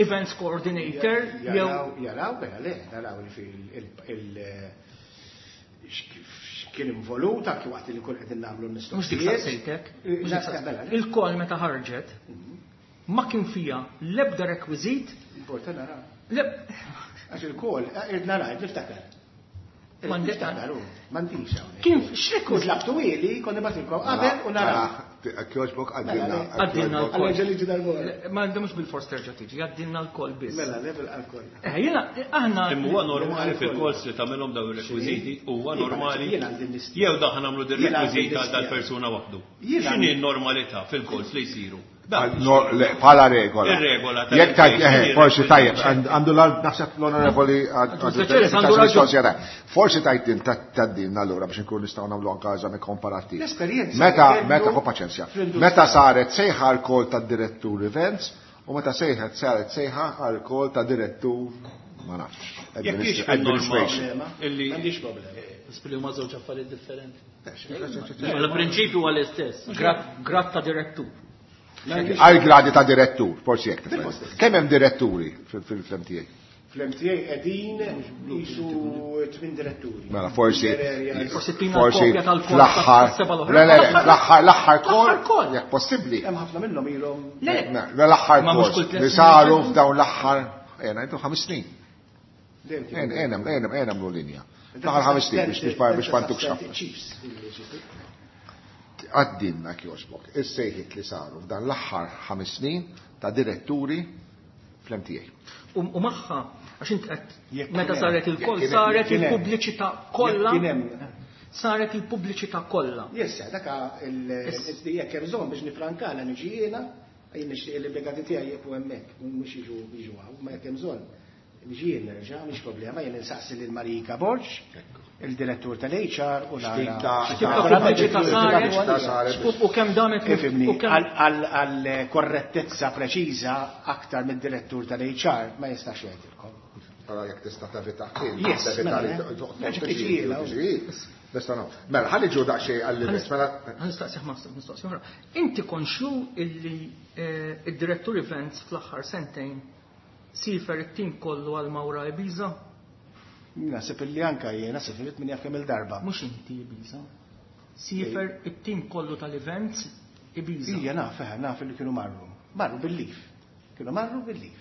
events coordinator jew jaraw mela le, naraw il kien involut anki waqt li kull qegħdin nagħmlu l-mistoqsijiet. Il-koll meta ħarġet ma kien fiha l-ebda rekwiżit. Importa naraw. Għax il-koll irid naraw, niftakar. M'għandix hawnhekk. Kien x'rekwiżit? Tlabtu ili, kont nibgħatilkom qabel u naraw. Kjoġbok għaddilna. Għaddilna l-koll. Għal liġi dal-bora. Ma għandhomx bil-fors terġa' tiġi, għaddilna l-koll biss. Mela, level għal-koll. Eh, jiena aħna. Imma huwa normali fil-kols li tagħmelhom dawn ir-rekwiżiti, huwa normali. Jew daħ nagħmlu dir-rekwiżiti għal dal-persuna waħdu. X'inhi n-normalità fil-kols li jsiru? Bħala regola. Ir-regola. Jekk tajjeb, forsi tajjeb, għandu naħseb l-onorevoli forsi tajtin taddin allura biex nkun nistgħu nagħmlu anke eżami komparattiv. L-esperjenza. Meta meta ħu paċenzja. Meta saret sejħa għall-kol tad-direttur events u meta sejħet saret sejħa għall-kol ta' direttur ma nafx. Jekk hix Administration. M'għandix problema. Nisbli huma żewġ affarijiet differenti. Il-prinċipju huwa l-istess. Grad ta' direttur. Għal gradi ta' direttur, forsi jekk. Kemm hemm diretturi fil-M T A? Fl-M T A qegħdin jisu tmien diretturi. Mela forsi forsi tina forsi kopja tal-kol fl-aħħar tas-seba' l-oħra. Le, le, le, fl-aħħar, l-aħħar kol, L-aħħar kol. jekk possibbli. Hemm ħafna minnhom ilhom. Le, Le, l-aħħar Ma mhux kol kull tliet li snin saru jġeddu. f'dawn l-aħħar, ejja ngħidu ħames snin. Dejjem kien. Ejja, ejja, ejja, ejja nagħmlu linja. L-aħħar ħames snin biex biex biex ma ntukx ħafna. Chiefs. Għaddinna kjoġbok, is-sejħiet li saru f'dan l-aħħar ħames snin ta' diretturi fl-M T A. U magħha Għax int qed meta saret il-call saret il-pubbliċità kollha. Saret il-pubbliċità kollha. Yes, daka jekk hemm bżonn biex nifrankala niġi jiena, jien nixtieq l-impjegati tiegħi jieqfu hemmhekk, mhux jiġu jiġu hawn, ma jekk hemm bżonn. Niġi jien nerġa', mhix problema, jien insaqsi lil Marika Borg, il-direttur tal-H R u nara. X'tip saret u kemm damet Ifhimni, għal korrettezza preċiża aktar mid-direttur tal-H R ma jistax jgħidilkom. Allora jekk tista' tevita Mela, ħalli ġu daqsxejn għall-events. Mela ħanistaqsih ma mistoqsija oħra. Inti konxju illi id-direttur events fl-aħħar sentejn sifer it-tim kollu għal Mawra Ibiza? Naħseb illi anka jiena sifirit minn jaf kemm il-darba. Mhux inti Ibiza. Sifer it-tim kollu tal-events Ibiza. Ija naf, eh, naf li kienu marru. Marru bil-lif. Kienu marru bil-lif.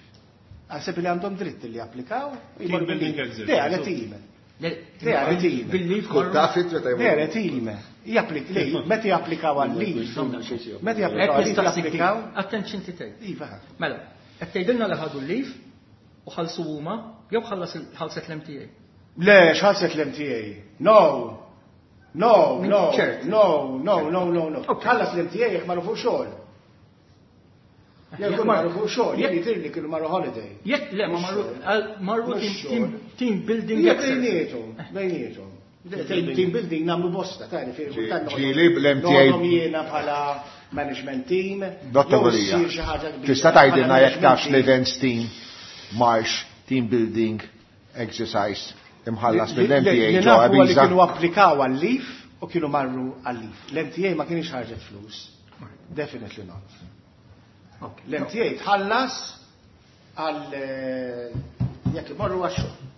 Naħseb li għandhom dritt li japplikaw. Team building exercise. Le, għale team. Le, għale team. Bil-lif Kull taf it meta jmorru. Le, għale team. Japplik, le, meta japplikaw għal-lif. Meta japplikaw għal-lif, japplikaw. Attenzjoni tgħid. Iva. Mela, qed tgħidilna li ħadu l-lif u ħallsu huma jew ħallset l-M T A? Le, x'ħallset l-M T A? No. No, no, no, no, no, no, no. Ħallas l-M T A jekk marru fuq xogħol. Jekk marru fuq xogħol, jekk jidhirli kienu marru holiday. Jekk le, ma marru, marru team building. Jekk bejniethom, bejniethom. Team building nagħmlu bosta, ta' ġifieri kultant Ġieli bl-M T A. noħodhom jiena bħala management team. Dottor Gulia, tista' tgħidilna jekk tafx l-events team marx team building exercise imħallas mill-M T A Li ġo nafu li Ibiza? kienu applikaw għal-lif u kienu marru għal-lif. L-M T A ma kienx ħarġet flus. Definitely not. L-M T A tħallas għal jekk imorru għax-xogħol.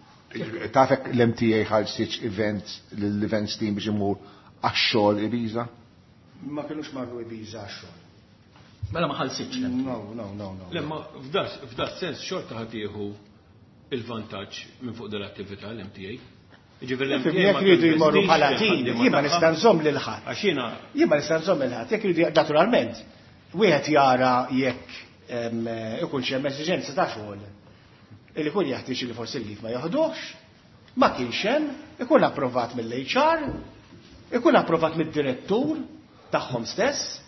Tafek l-M T A ħallsitx events l-events team biex imur għax-xogħol Ibiza? Ma kienux marru Ibiza għax-xogħol. Mela ma ħallsitx l-M T A. No, no, no, no. Le, ma f'da sens xorta ħadd jieħu il-vantaġġ minn fuq dell-attività l-M T A. Ġifieri l-M T A Jekk ma jridu jmorru tinvestix bħala fil team, ħaddiema jien ma tagħha. nista' nżomm lil ħadd. Għax jiena Jien ma nista' nżomm lil ħadd, jekk jridu naturalment, wieħed jara jekk ikun xi hemm esiġenza ta' xogħol illi kun jeħtieġ li forsi l-lif ma joħduhx, ma kienx hemm, ikun approvat mill-H R, ikun approvat mid-direttur tagħhom stess.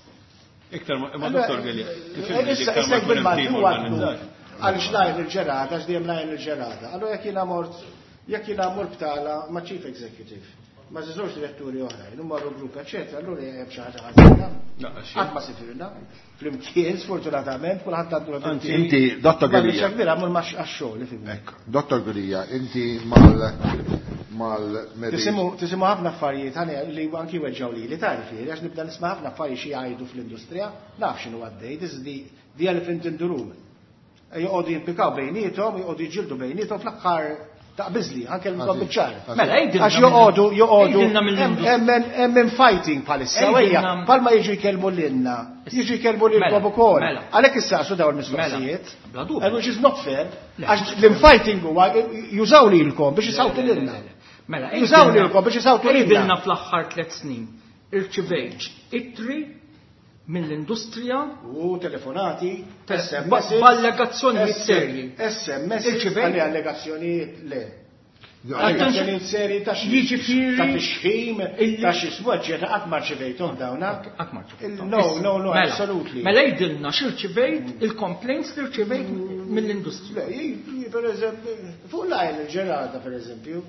Iktar ma, ma Allora, Dottor Galea, kif eh, issa, iktar issa ma jkun hemm bil-Malti team huwa organizzat. Għaliex lajn il-ġerata, għax dejjem lajn il-ġerata. Allora jekk jiena mort, jekk jiena mort btala ma' chief executive, ma' żewġ diretturi oħrajn, u marru grupp, eċetera, allura hemm xi ħaġa ħażina. Naqra xejn. Qatt ma sifirna. Flimkien, sfortunatament, kulħadd għandu l Anzi, inti, Dottor Ma Gulia. biċċa kbira, mur ma' għax-xogħol, ifhimni. Ekk, Dottor Gulia, inti mal mal-Mary. Tisimu, tisimu ħafna affarijiet ħani li anki weġġaw li li tagħrif li għax nibda nisma' ħafna affarijiet xi jgħidu fl-industrija, naf x'inhu għaddej, this is the, the elephant in the room. Joqogħdu jimpikaw bejniethom, joqogħdu jiġġieldu bejniethom fl-aħħar taqbiżli, anke l-bżonn biċ-ċar. Mela, għidilna Għax joqogħdu, joqogħdu, għidilna mill-industrija. hemm, hemm, hemm fighting bħalissa, Għidilna ejja, palma jiġu jkellmu lilna, jiġu jkellmu lilkom Mela, ukoll. mela. Għalhekk issaqsu dawn il-mistoqsijiet. Mela, bla dubju. And which is not fair, Le. għax l-infighting huwa jużaw lilkom biex isawtu Le, le, lilna. le, le. Mela, Jużaw għidilna- lilkom biex isawtu lilna. Għidilna fl-aħħar tliet snin irċivejt ittri mill-industrija U telefonati, Te- S M ba- S, b'allegazzjonijiet S- serji. S M S, Irċivejt? għalli allegazzjonijiet le. No, Allegazzjonijiet serji ta' xi- Jiġifieri ta' tixħim, illi- ta' xi ismu, eċċetera, qatt ma rċivejthom dawna. Qatt ma rċivejthom. No, no, no, Mela, absolutely. Mela jgħidilna x'irċivejt il-complaints li rċivejt mill-industrija. Le, ji-, ji-, per eżempju, fuq lajn il-ġerata, per eżempju.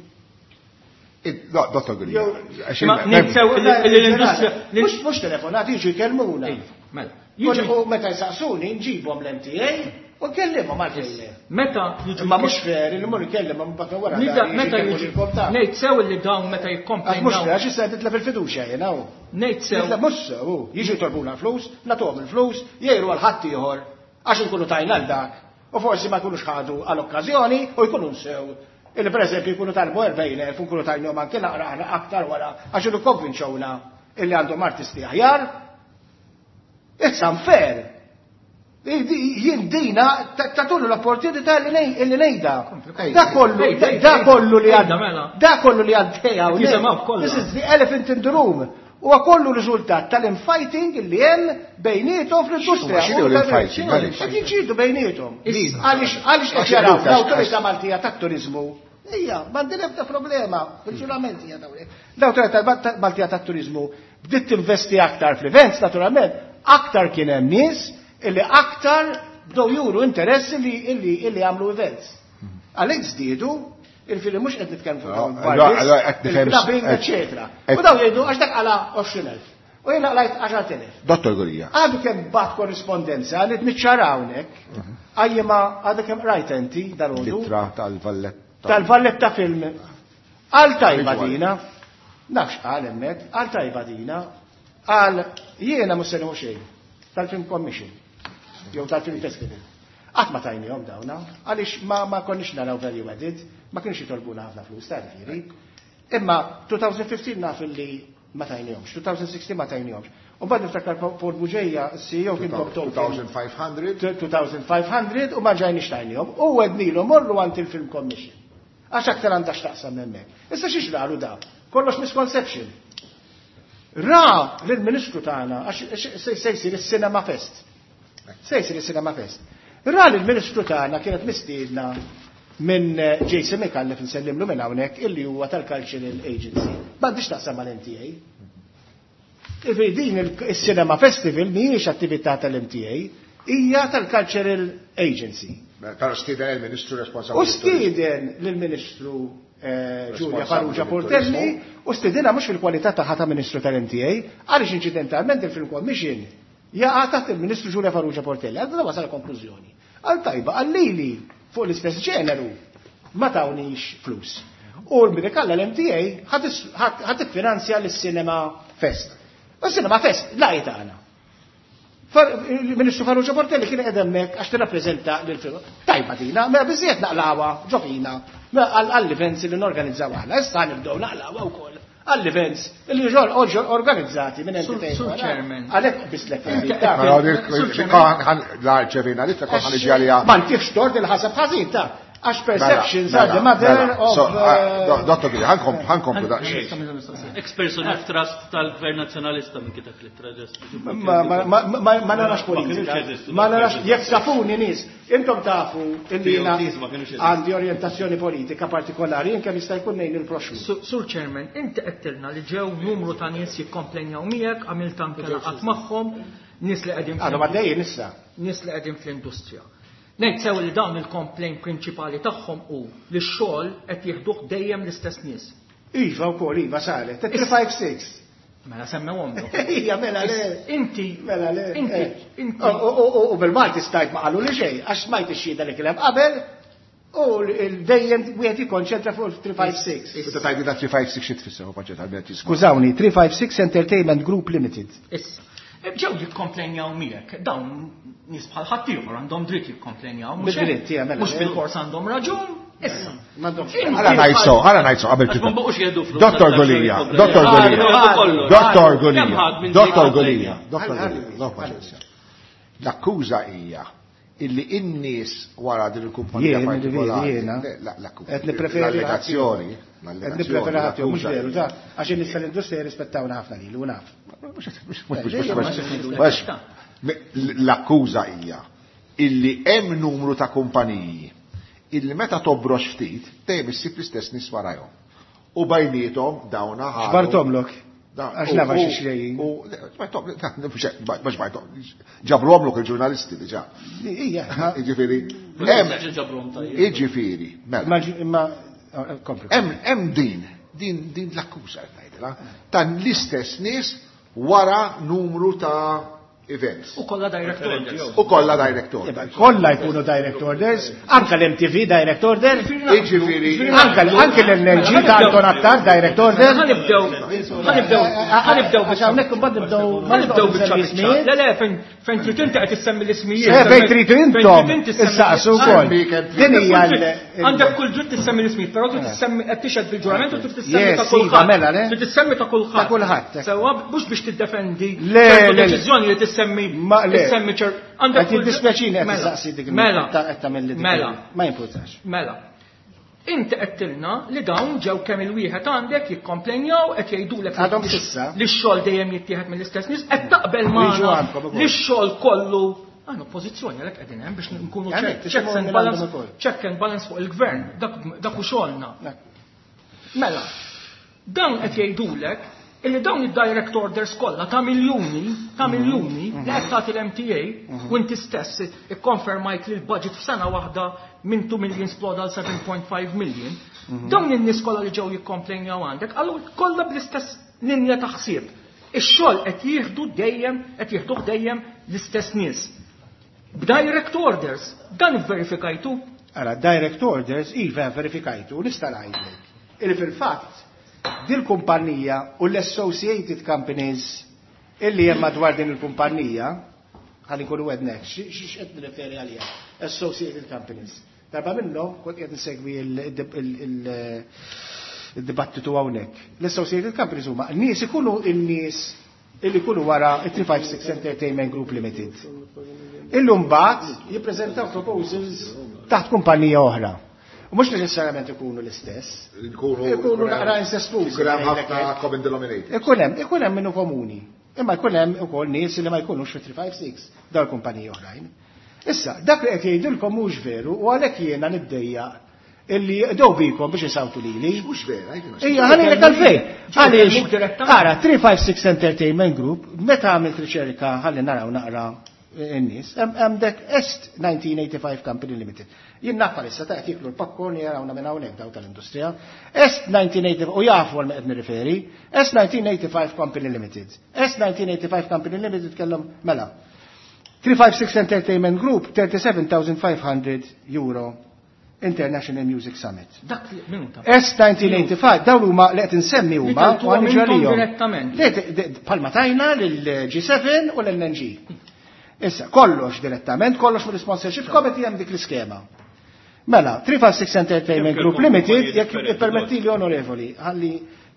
No, Dottor Gulia. Jew- Għax Ma il- ninsew Fuq li- lajn li l-industrija il-ġerata. Mhux, mhux telefonati jiġu jkellmuna. Ej, mela. Jiġu Jiġu u meta jsaqsuni nġibhom l-M T A u nkellimhom għalfejn le. Meta jiġu Imma mhux fair li mmur ikellem mbagħad wara Nibda dan jiġi meta jkellmu jiġu lilkom ta' ngħid sew li dawn meta Għax mhux jikkomplejnaw. fair, għax issa titlef il-fiduċja jiena hu. Ngħid sew. Titlef mhux sew, hu. Jiġu jtorbuna l-flus, nagħtuhom il-flus, jgħiru għal ħadd ieħor għax inkunu tajna għal dak. U forsi ma jkunux ħadu għall-okkażjoni u jkunu nsew. Illi per eżempju jkunu talbu erbgħin elf u nkunu tajnhom anke naqra aħna aktar wara għax ilu konvinċewna illi għandhom artisti aħjar. It's unfair. Jien dina tatulu l-opportunità li ngħidha. Da kollu, da kollu li għad, Mela. da kollu li għaddejja hawnhekk. Jisimgħu kollha. This is the elephant in the room. Huwa kollu riżultat tal-infighting li hemm bejniethom fl-industrija. X'inhu l-infighting? Qed jiġġieldu bejniethom. Għaliex għaliex qed jaraw l-Awtorità Maltija tat-Turiżmu. Ija, m'għandi l-ebda problema, fil-ġurament hija dawn. L-Awtorità Maltija tat-Turiżmu bdiet tinvesti aktar fl-events, naturalment, aktar kien hemm nies illi aktar bdew juru interess illi illi illi għamlu events. Għalhekk żdiedu, il-fili mhux qed nitkellmu fuq dawn il-clubbing, eċetera. U dawn jgħidu għax dak qala għoxrin elf. U jiena qlajt għaxart elef. Dottor Gulia. Għadu kemm bat korrispondenza li tniċċara hawnhekk, għajjima għadu kemm rajt inti dal-għodu. Littra tal-Valletta. Tal-Valletta Film. Għal tajba dina, nafx qal hemmhekk, għal tajba dina, għal jiena mhux se nieħu xejn tal-Film Commission jew tal-Film Festival. Qatt ma tajnihom dawna, għaliex ma, ma konniex naraw value added, ma kienx jitolbuna ħafna flus ta' ġifieri. Imma twenty fifteen naf li ma tajnihomx, twenty sixteen ma tajnihomx. U mbagħad niftakar Paul Bugeja, C E O kien Bob Tolkien. two thousand five hundred. two thousand five hundred u ma ġajniex tajnihom. U għednilu morru għand il-Film Commission. Għax aktar għandha x'taqsam hemmhekk. Issa xi ġralu da? Kollox misconception. Ra lill-Ministru tagħna għax se jsir is-Cinema Fest. Se jsir is-Cinema Fest. Ra lill-Ministru tagħna kienet mistiedna minn Jason Micallef nsellimlu minn hawnhekk illi huwa tal-Cultural Agency. M'għandix taqsam mal-M T A. Ivi din il-Cinema Festival mhijiex attività tal-M T A, hija tal-Cultural Agency. Però stieden il-Ministru responsabbli. U stieden lill-Ministru, eh, Giulia Farrugia Portelli u stiedinha mhux fil-kwalità tagħha ta' Ministru tal-M T A, għaliex inċidentalment il-Film Commission jaqa' taħt il-Ministru Giulia Farrugia Portelli. Għal wasal konklużjoni. Għal tajba, għal lili fuq l-istess ġeneru ma tawnix flus. U l-Mirikalla l-M T A ħad tiffinanzja l-Cinema Fest. U l-Cinema Fest laqgħet tagħna. Il-Ministru Farrugia Portelli kien qed hemmhekk għax tirrappreżenta lil-film. Tajba dina, mela biżejjed naqlawha ġofina għall-events li norganizzaw aħna. Issa nibdew naqlawha wkoll għall-events li ġol organizzati minn Sur entitajiet oħra. Chairman. Għalhekk bislek Inti fil-verità. Mela, dik- Sur dik- Chairman. ħan-, la rċevina li tkun ħan iġi għalija. Ma ntifx tort il-ħasab ħażin ta' għax perceptions Mela, are the mother mela. of, So, ah, uh, do-, Dottor Gili, ħankom-, ħankomplu daqsxejn. Ex-person of trust tal-Gvern Nazzjonalista minn kitab li traġest. Ma, ma, ma, ma, ma narax Ma politika. kienux jeżistu Ma narax, dawk jekk tafuni nies, intom tafu illi jiena P O Ts ma kienux jeżistu. għandi orjentazzjoni politika partikolari, jien kemm jista' jkun ngħin il-proxxmu. Sur, Sur Chairman, inti qedtilna li ġew numru ta' nies jikkomplenjaw miegħek, għamilt anke laqgħat magħhom, nies li qegħdin Għadhom għaddejjin issa. Nies li qegħdin fl-industrija. Ngħid sew li dawn il-complaint prinċipali tagħhom hu li x-xogħol qed jieħduh dejjem l-istess nies. Iva wkoll, iva saret, three five six. Mela semmewhom dok. Ija, mela le. Inti, Mela le. inti, eh. inti. U, u, u, u bil-Malti stajt ma qalu li xejn, għax smajt ix-xhieda li kien hemm qabel, u l-, dejjem wieħed jikkonċentra fuq three five six. Meta tgħidli da three five six xi tfisser, u paċċet għal biex tisma'. Skużawni, three five six Entertainment Group Limited. Issa, ġew jikkomplenjaw miegħek, dawn nies bħal ħaddieħor għandhom dritt jikkomplenjaw, mhux hekk? Bid-dritt, ija, mela, Mhux le. bil-fors għandhom raġun, issa. M'għandhomx. Inti Ħala ngħid so, ħala ngħid so qabel Għax ma tibda. baqgħux jieħdu flus Dottor għal Gulia, xogħol Dottor jikkomplenjaw. Gulia. Jieħdu kollox. Dottor Kemm Gulia, ħadd minn Dottor dik Gulia, il-komplejn? Dottor Ħalli, Gulia, ħalli, no paċenzja. L-akkuża hija illi in-nies wara din il-kumpanija Jien, partikolari. jiena. Le, la, l-akkuża. Qed nippreferi L-allegazzjoni, Qed l-allegazzjoni, nippreferi ħadd mhux l-akkuża veru, hija. ta' għax in-nies tal-industrija jirrispettawna ħafna lilu, u naf. L-akkuża hija illi hemm numru ta' kumpaniji illi meta tobrox ftit dejjem issib l-istess nies warajhom. U bejniethom dawna ħadu. Xbartomlok. Da- Għax u- naf għax u- ixrejjin. u- le, xbartom, mhux hekk, mhux xbartom, ġabruhomlok il-ġurnalisti diġà. Ija, ma- Jiġifieri, Ma hemm- nistax ġabruhom tajjeb. Jiġifieri, mela. Ma ġi-, imma, eh, kompli. Hemm, hemm din, din, din l-akkuża qed ngħidilha, ta' l-istess nies wara numru ta' events. U kollha direct orders. U kollha direct orders. Kollha jkunu direct orders, anke l-M T V direct order, Jiġifieri, anke l-, anke l-N L G ta' Anton Attard direct order. Ħanibdew, ħanibdew, ħanibdew Għax hawnhekk imbagħad nibdew ħanibdew biċċa nsemmi biċċa. ismijiet. Le, le, fejn, fejn trid inti qed issemmi l-ismijiet. Eh, fejn trid intom, Fejn trid inti issemmi issaqsu wkoll. Semmi Din hija Kull l- dritt. Għandek kull dritt tissemmi l-ismijiet, però trid tissemmi qed tixhed bil-ġurament u trid tissemmi Yes, ta' iva, kulħadd. mela, le? Trid tissemmi ta' kulħadd. Ta' kulħadd. Sewwa mhux biex tiddefendi Le, ċertu le, le. deċiżjoni li tissemmi Ma le. tissemmi ċer għandek Qed kull dritt- jiddispjaċini qed Mela, tistaqsi dik Mela. ta' qed tagħmel li dik Mela. Ma jimpurtax. Mela. Inti qedtilna li dawn ġew kemm il-wieħed għandek jikkomplenjaw qed jgħidulek li x-xogħol dejjem jittieħed mill-istess nies, qed taqbel magħna li x-xogħol kollu għandna oppożizzjoni għalhekk qegħdin hemm biex nkunu checks and balance, check and balance fuq il-gvern, dak hu xogħolna. Mela, dawn qed jgħidulek illi dawn id-direct orders kollha ta' miljuni, ta' miljuni li qed tagħti l-M T A u inti stess ikkonfermajt li l-budget f'sena waħda minn two million sploda għal seven point five million. Dawn in-nies kollha li ġew jikkomplejnjaw għandek, allura kollha bl-istess linja ta' ħsieb. Ix-xogħol qed jieħdu dejjem, qed jieħduh dejjem l-istess nies. B'direct orders, dan ivverifikajtu? Ara, direct orders iva verifikajtu, nista' ngħidlek. Illi fil-fatt dil-kumpanija u l-associated companies illi hemm madwar din il-kumpanija, ħalli nkunu għednek, x'qed nirreferi għaliha, associated companies. Darba minnhom kont qed insegwi il-dibattitu hawnhekk. L-associated companies huma n-nies ikunu n-nies illi jkunu wara three five six Entertainment Group Limited. Illum mbagħad jippreżentaw proposals taħt kumpanija oħra. U mhux neċessarjament ikunu l-istess. Ikunu naqra incestużi. Ikun hemm ħafna common denominators. Ikun hemm, ikun hemm minnu komuni. Imma jkun hemm ukoll nies li ma jkunux fi three five six dawn kumpaniji oħrajn. Issa, dak li qed jgħidilkom mhux veru u għalhekk jiena niddejjaq illi jqdew bikom biex isawtu lili. Mhux vera, jgħidilna. Ejja, ħanilek għalfejn. Għaliex, ara, three five six Entertainment Group, meta għamilt riċerka ħalli naraw naqra n-nies, hemm dek Est nineteen eighty-five Company Limited. Jien naf issa ta' qed jiklu l-popcorn jarawna minn hawnhekk daw tal-industrija. Est nineteen eighty-five, u jafu għal ma qed nirriferi, Est nineteen eighty-five Company Limited. Est nineteen eighty-five Company Limited kellhom mela. three five six Entertainment Group thirty-seven thousand five hundred euro International Music Summit. Dak li minuta. S nineteen eighty-five, dawn huma li qed insemmi huma Li teltuha u għandi minnhom ġarihom. direttament. Li qed, de, palma tajna lil G seven u l-N N G. Issa, kollox direttament, kollox mill-sponsorship committee hemm dik l-iskema. Mela, three five six Entertainment Jekk Group il-kumpaniji Limited, jekk differenti ippermetti li onorevoli, ħalli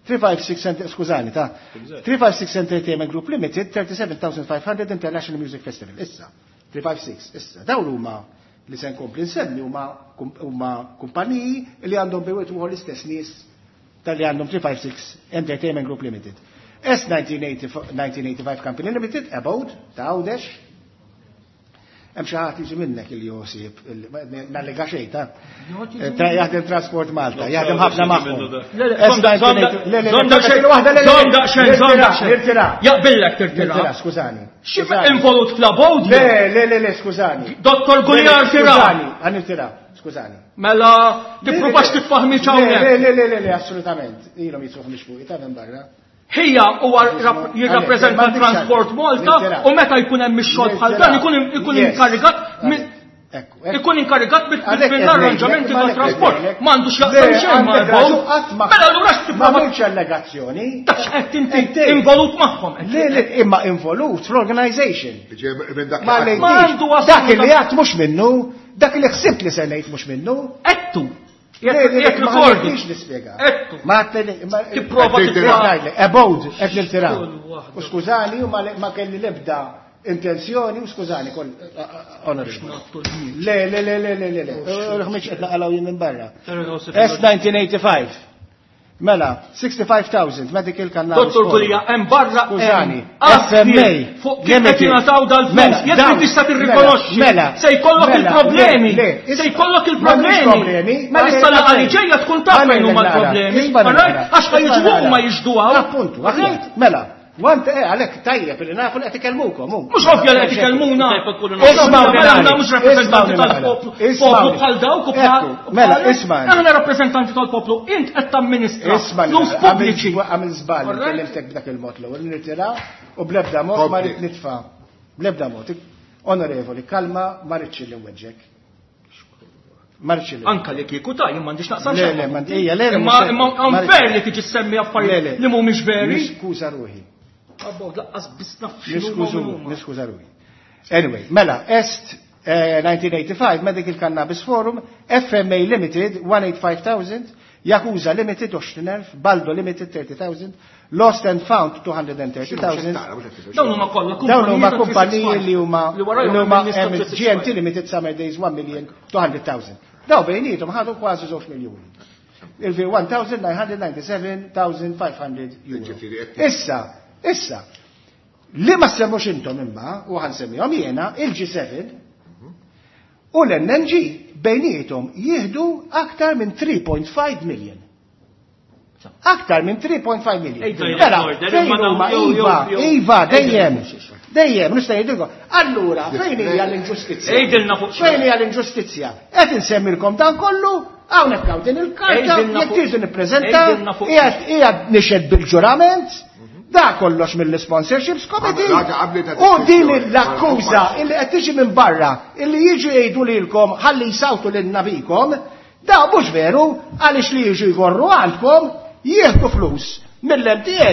three five six Enter-, skużani, ta' Eżatt. three five six Entertainment Group Limited, thirty-seven thousand five hundred International Music Festival. Issa, three five six, issa, dawn huma li se nkompli nsemmi huma kum-, huma kumpaniji li għandhom bejwet uħor l-istess nies tal-li għandhom three five six Entertainment Group Limited. S nineteen eighty-five Company Limited, Abode, ta' Għawdex. Hemm xi ħadd jiġi minnek il Josip, nallega xejn, ta' Ta' jaħdem Transport Malta, jaħdem ħafna magħhom. Le, le, S żomm da- nineteen eighty-, le, le, le, żomm da xejn, waħda, le, le, żomm da xejn, żomm da xejn. Nirtira. Jaqbillek tirtira. Nirtira, skużani. Xi Skużani. involut fl-Abode? Le, le, le, le, skużani. Dottor Guliar Le, le, tira. Skużani, għan nirtira, skużani. Mela, tippruvax tifahmi hawnhekk. Le, le, le, le, le, assolutament. Ilhom jitsuħ mhix fuqi, ta' minn barra. Hija huwa rap-, jirrappreżenta Għalek, Transport Malta Nirtira. u meta jkun hemm ix-xogħol bħal dan ikun ikun Yes. inkarigat minn Ekku, ekku. ikun inkarigat bil- Għalek bil- qed mill-arranġamenti ngħidlek, ta' trasport. għalek qed Ma għandux jaqsam Le, xejn ma' għandek l-bow. raġun, qatt ma- Mela allura Ma x'tipprova għamilx allegazzjoni. Ta' x'qed inti Inti. involut magħhom. Le, le, imma involut fl-organization. Ġej minn dak Ma li ngħidix. Ma għandu Dak assolutament- li għadt mhux minnu, dak li ħsibt li se ngħid mhux minnu. Ettu. Le, le, le, Jekk ma recording. ħallitnix nispjega. Ettu. Ma għatteli, ma- Tipprova Qed tipprova. Ngħidlek, Abode, qed nirtira. Kull waħda. U skużani, u ma le-, ma kelli l-ebda intenzjoni, u skużani, kol, onorevoli. Le, le, le, le, le, le, le. Ħmiġ qed naqalgħu jien minn barra. S nineteen eighty-five. Mela, sixty-five thousand medical cannabis. Dottor Gulia, hemm barra Skużani, hemm F M A, fuq kif qed jingħataw dal-flus, Mela, jekk dawn, inti tista' tirrikonoxxi, mela, se jkollok mela, il-problemi, le, le, se jkollok m'għandix il-problemi. problemi, Mela issa għalli laqgħa li ġejja tkun taf fejn huma nara, l-problemi, isma' nara, alright? Għax ħa isma' jiġu nara. huma jiġdu hawn. Appuntu, aħjar. Mela, want, eh, għalhekk tajjeb li nafu li qed ikellmukom, hu. Mhux ovvja li qed ikellmuna. Isma' Isma' nara. aħna mhux rappreżentanti Isma' nara. tal-poplu, Isma' poplu nara. bħal dawk u bħal Ekku, mela, bħal- isma' nara. Aħna rappreżentanti tal-poplu, int qed tamministra Isma' flus nara. pubbliċi. Għamil għamil żball, Alright? kellimtek b'dak il-mod l-ewwel, nirtira u bl-ebda mod ma Kompli. rrid nitfa'. Bl-ebda mod. Onorevoli, kalma, ma rridx li nweġġek. Ma rridx li Anka li kieku ta' jien m'għandix naqsam Le, xejn. le, m'għandi- ija, le, le, Imma mhux- imma ma rridx- unfair li tiġi semmi Le, affarijiet le. li mhumiex veri. Niskuża ruħi. Abbo, laqqas biss naf x'inhu Niskużu, huma. niskuża ruħi. Anyway, mela, Est, eh, nineteen eighty-five, Medical Cannabis Forum, F M A Limited, one eight five thousand, Yakuza Limited, għoxrin elf, Baldo Limited, thirty thousand, Lost and Found, two hundred and thirty thousand. Dawn huma kollha Dawn huma kumpaniji kumpaniji li huma li warajhom li huma hemm il-lista hemm three six G M T five. Limited Summer Days one million two hundred thousand. Daw bejnietom ħadu kważi żewġ miljuni. Il-fi one thousand nine hundred ninety-seven thousand five hundred euro. Issa, issa, li ma semmux intom imma, u ħansemmihom jiena, il-G seven u l-N N G bejnietom jieħdu aktar minn three point five million. Aktar minn three point five million. Mela, fejn huma iva, iva, dejjem, dejjem, nista' ngħidilkom. Allura, fejn hija l-inġustizzja? Fejn hija l-inġustizzja? Qed insemmilkom dan kollu, hawnhekk hawn din il-karta, jekk tridu nippreżenta, qiegħed qiegħed nixhed bil-ġurament, da kollox mill-sponsorships committee. U din l-akkuża illi qed tiġi minn barra, illi jiġu jgħidu lilkom ħalli jsawtu lil nabikom, da mhux veru, għaliex li jiġu jgorru għandkom jieħdu flus mill-M T A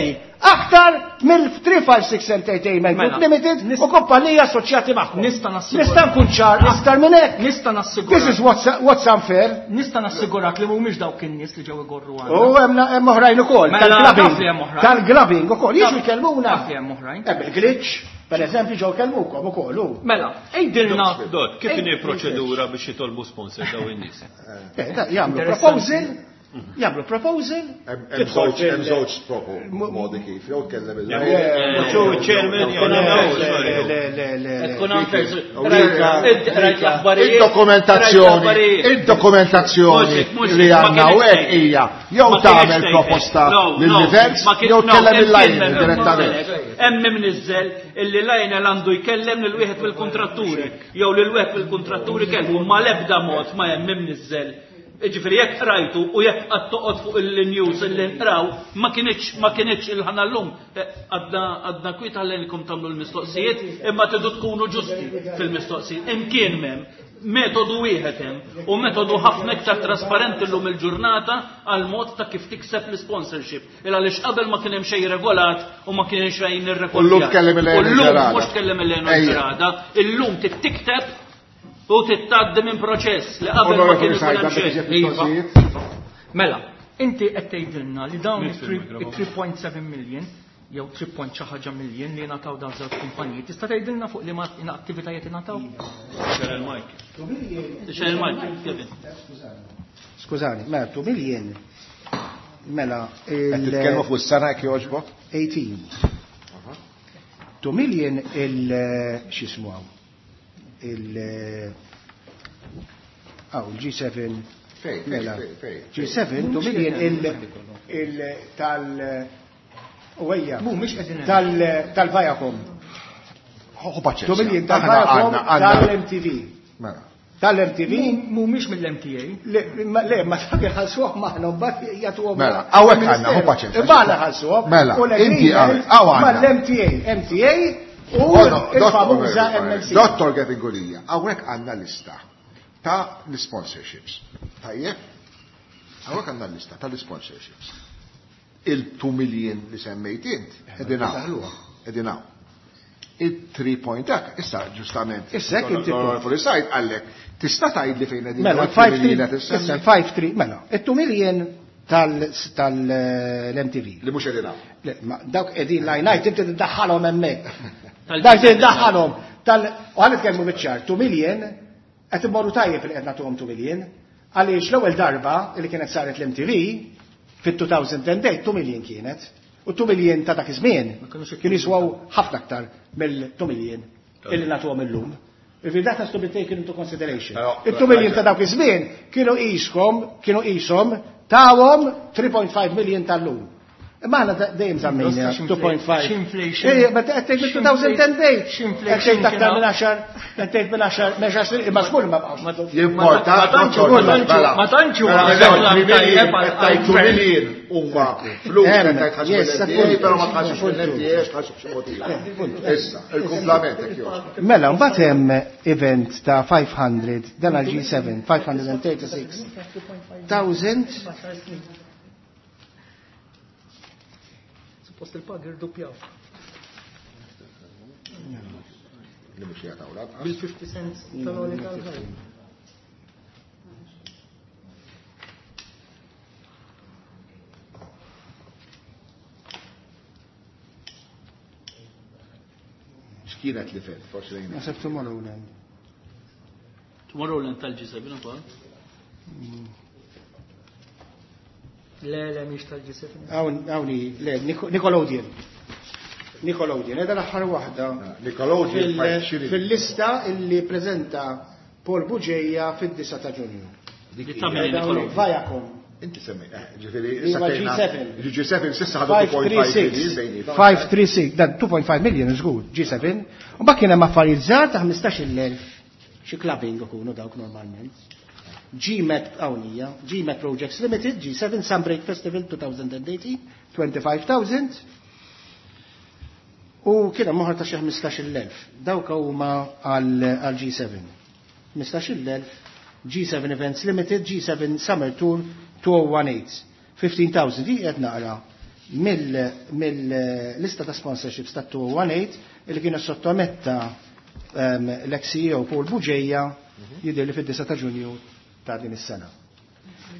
aktar mill three five six Entertainment Group Limited u kumpanija assoċjati magħhom. Nista' nassigura. Nista' nkun ċar aktar minn hekk. Nista' nassigura. This is what's, what's unfair. Nista' nassigurak li mhumiex dawk in-nies li ġew igorru għandna. U hemm hemm oħrajn ukoll, Mela, tal-clubbing. naf li hemm oħrajn. Tal-clubbing ukoll, jiġu Naf- jkellmuna. Naf li hemm oħrajn. Hemm il-glitch, per eżempju, ġew kellmukom ukoll hu. Mela, ejdilna. Dot, kif inhi proċedura biex jitolbu sponsor daw in-nies? Eh, da, jagħmlu proposal, jagħmlu proposal. Hemm żewġ hemm żewġ propo modi kif jew tkellem il- Jew chairman jew Le, le, le, le. Tkun unfair. Rika, Rajt l-aħbarijiet. Il-dokumentazzjoni, il-dokumentazzjoni li għandna hawnhekk hija jew tagħmel proposta lill-events jew tkellem il-Lionel direttament. Hemm imniżżel illi Lionel għandu jkellem lil wieħed mill-kontratturi jew lil wieħed mill-kontratturi kellmu ma l-ebda mod ma hemm imniżżel. Ġifieri jekk qrajtu u jekk qatt toqgħod fuq il-news illi nqraw, ma kienx, ma kienx il-ħana llum. Għadna, għadna kwiet ħallejnkom tagħmlu l-mistoqsijiet, imma tridu tkunu ġusti fil-mistoqsijiet. Imkien m'hemm metodu wieħed hemm u metodu ħafna iktar trasparenti llum il-ġurnata għal mod ta' kif tikseb l-sponsorship. Il għaliex qabel ma kien hemm xejn regolat u ma kien hemm xejn irregolat. U llum tkellem il-Lejn U llum Ġerada. mhux tkellem il-Lejn Ejja. Ġerada, illum tikteb u tittaddi minn proċess li qabel ma kien ikun hemm xejn. Iva. Mela, inti qed tgħidilna li dawn Minn fil-mikrofon. it-three point seven million jew three point xi ħaġa million li ngħataw dawn żewġ kumpaniji, tista' tgħidilna fuq liema attivitajiet ingħataw? Xer il-mic. Xer il-mic, Kevin. Skużani, mela two million. Mela, Qed il- titkellmu fuq is-sena jekk jogħġbok? eighteen. Two million il x'ismu hawn? Il Aw, il-G seven. Fej, fej, Mela, fej, fej, G seven, two million il, il tal, u ejja. Mhumiex qegħdin hemm. Tal, tal-Viacom. Ħu paċenzja. Two million Aħna tal-Viacom, għandna, għandna. tal-M T V. Mela. Tal-M T V. Mhumiex mill-M T A. Le, ma, le, ma dak iħallsuhom maħna, mbagħad jagħtuhom Mela, hawnhekk għandna, ħu paċenzja. Imma aħna ħallsuhom. Mela, U l-agreement inti hawnhekk, hawn għandna. mal-M T A, M T A u Oh, no, il-famuża Dottor M L C. Dottor Gavin Gulia, hawnhekk għandna lista ta' l-sponsorships. Tajjeb? Hawnhekk għandna lista ta' l-sponsorships. Il-two million li semmejt int, qegħdin hawn. Qegħdin hawn. Il-three point dak, issa ġustament. Issa hekk inti Onorevoli Said għallek, tista' tgħidli fejn qegħdin Mela, dawn five it-two million three, qed issemmi? issa five three, mela, it-two million tal-, tal-M T V. Li mhux qegħdin hawn. Le, ma dawk qegħdin line item inti tiddaħħalhom hemmhekk. Tal- Dawk tiddaħħalhom tal-, u ħa nitkellmu biċ-ċar, two million qed immorru tajjeb li qed nagħtuhom two million, għaliex l-ewwel darba li kienet saret l-M T V fit-two thousand and eight, two million kienet. U two million ta' dak iż-żmien kienu jiswaw ħafna aktar mill-two million illi nagħtuhom illum. If that has to be taken into consideration. Però, Il-two million ta' dawk iż-żmien kienu qishom, kienu qishom tawhom three point five million tal-lum. Imma aħna da-, dejjem żammejna X'infl- two point five. x'inflation? Ejja, ma qed tgħid two thousand and eight. X'inflation Qed tgħid aktar kien minn għaxar, qed tgħid minn għaxar, minn għaxar snin, imma żgur ma baqgħux. Jimporta, Ma tantx Dottor, ma tantx mela. ma tantx huwa Mela, mela, three million, tajjeb għal- qed tgħid two għal- million huma flus Hemm, qed tgħid ħaġa yes, mill-M T A, appunto. però ma tħassux mill-M T A, tħassu b'xi mod ieħor. Issa, il-kumplament hekk jogħġbok. Mela, mbagħad hemm event ta' five hundred, dan għal G seven, five hundred and thirty-six thousand. Suppost il-pag irdoppjaw. Li mhux jagħtaw lanqas. Bil-fifty cents tal-oli tal-ħajja. X'kienet li fed, forsi lejn. Naħseb Tomorrowland. Tomorrowland tal-G seven ukoll. Le, le, mhix tal-G seven. Hawn, le, Nickelodeon. Nickelodeon, edha l-aħħar waħda. Nickelodeon fil-lista illi preżenta Paul Bugeja fid-disa ta' Ġunju. Viacom. Inti semmi, ġifieri G seven. G seven s'issa ħadu two point five million. five three six, dan two point five million żgur, G seven. U mbagħad kien hemm affarijiet żgħar ta' ħmistax-il elf xi clubbing ikunu dawk normalment. G-Met hawnija, G-Met Projects Limited, G seven Sunbreak Festival twenty eighteen, twenty-five thousand. U kien hemm oħra ta' xi ħmistax-il elf. Dawk huma għal G seven. ħmistax-il elf, G seven Events Limited, G seven Summer Tour two oh one eight, fifteen thousand. Di qed naqra mill-lista ta' sponsorships ta' two oh one eight illi kienu sottometta l-ex C E O Paul Bugeja jidher li fid-disa ta' Ġunju ta' din is-sena.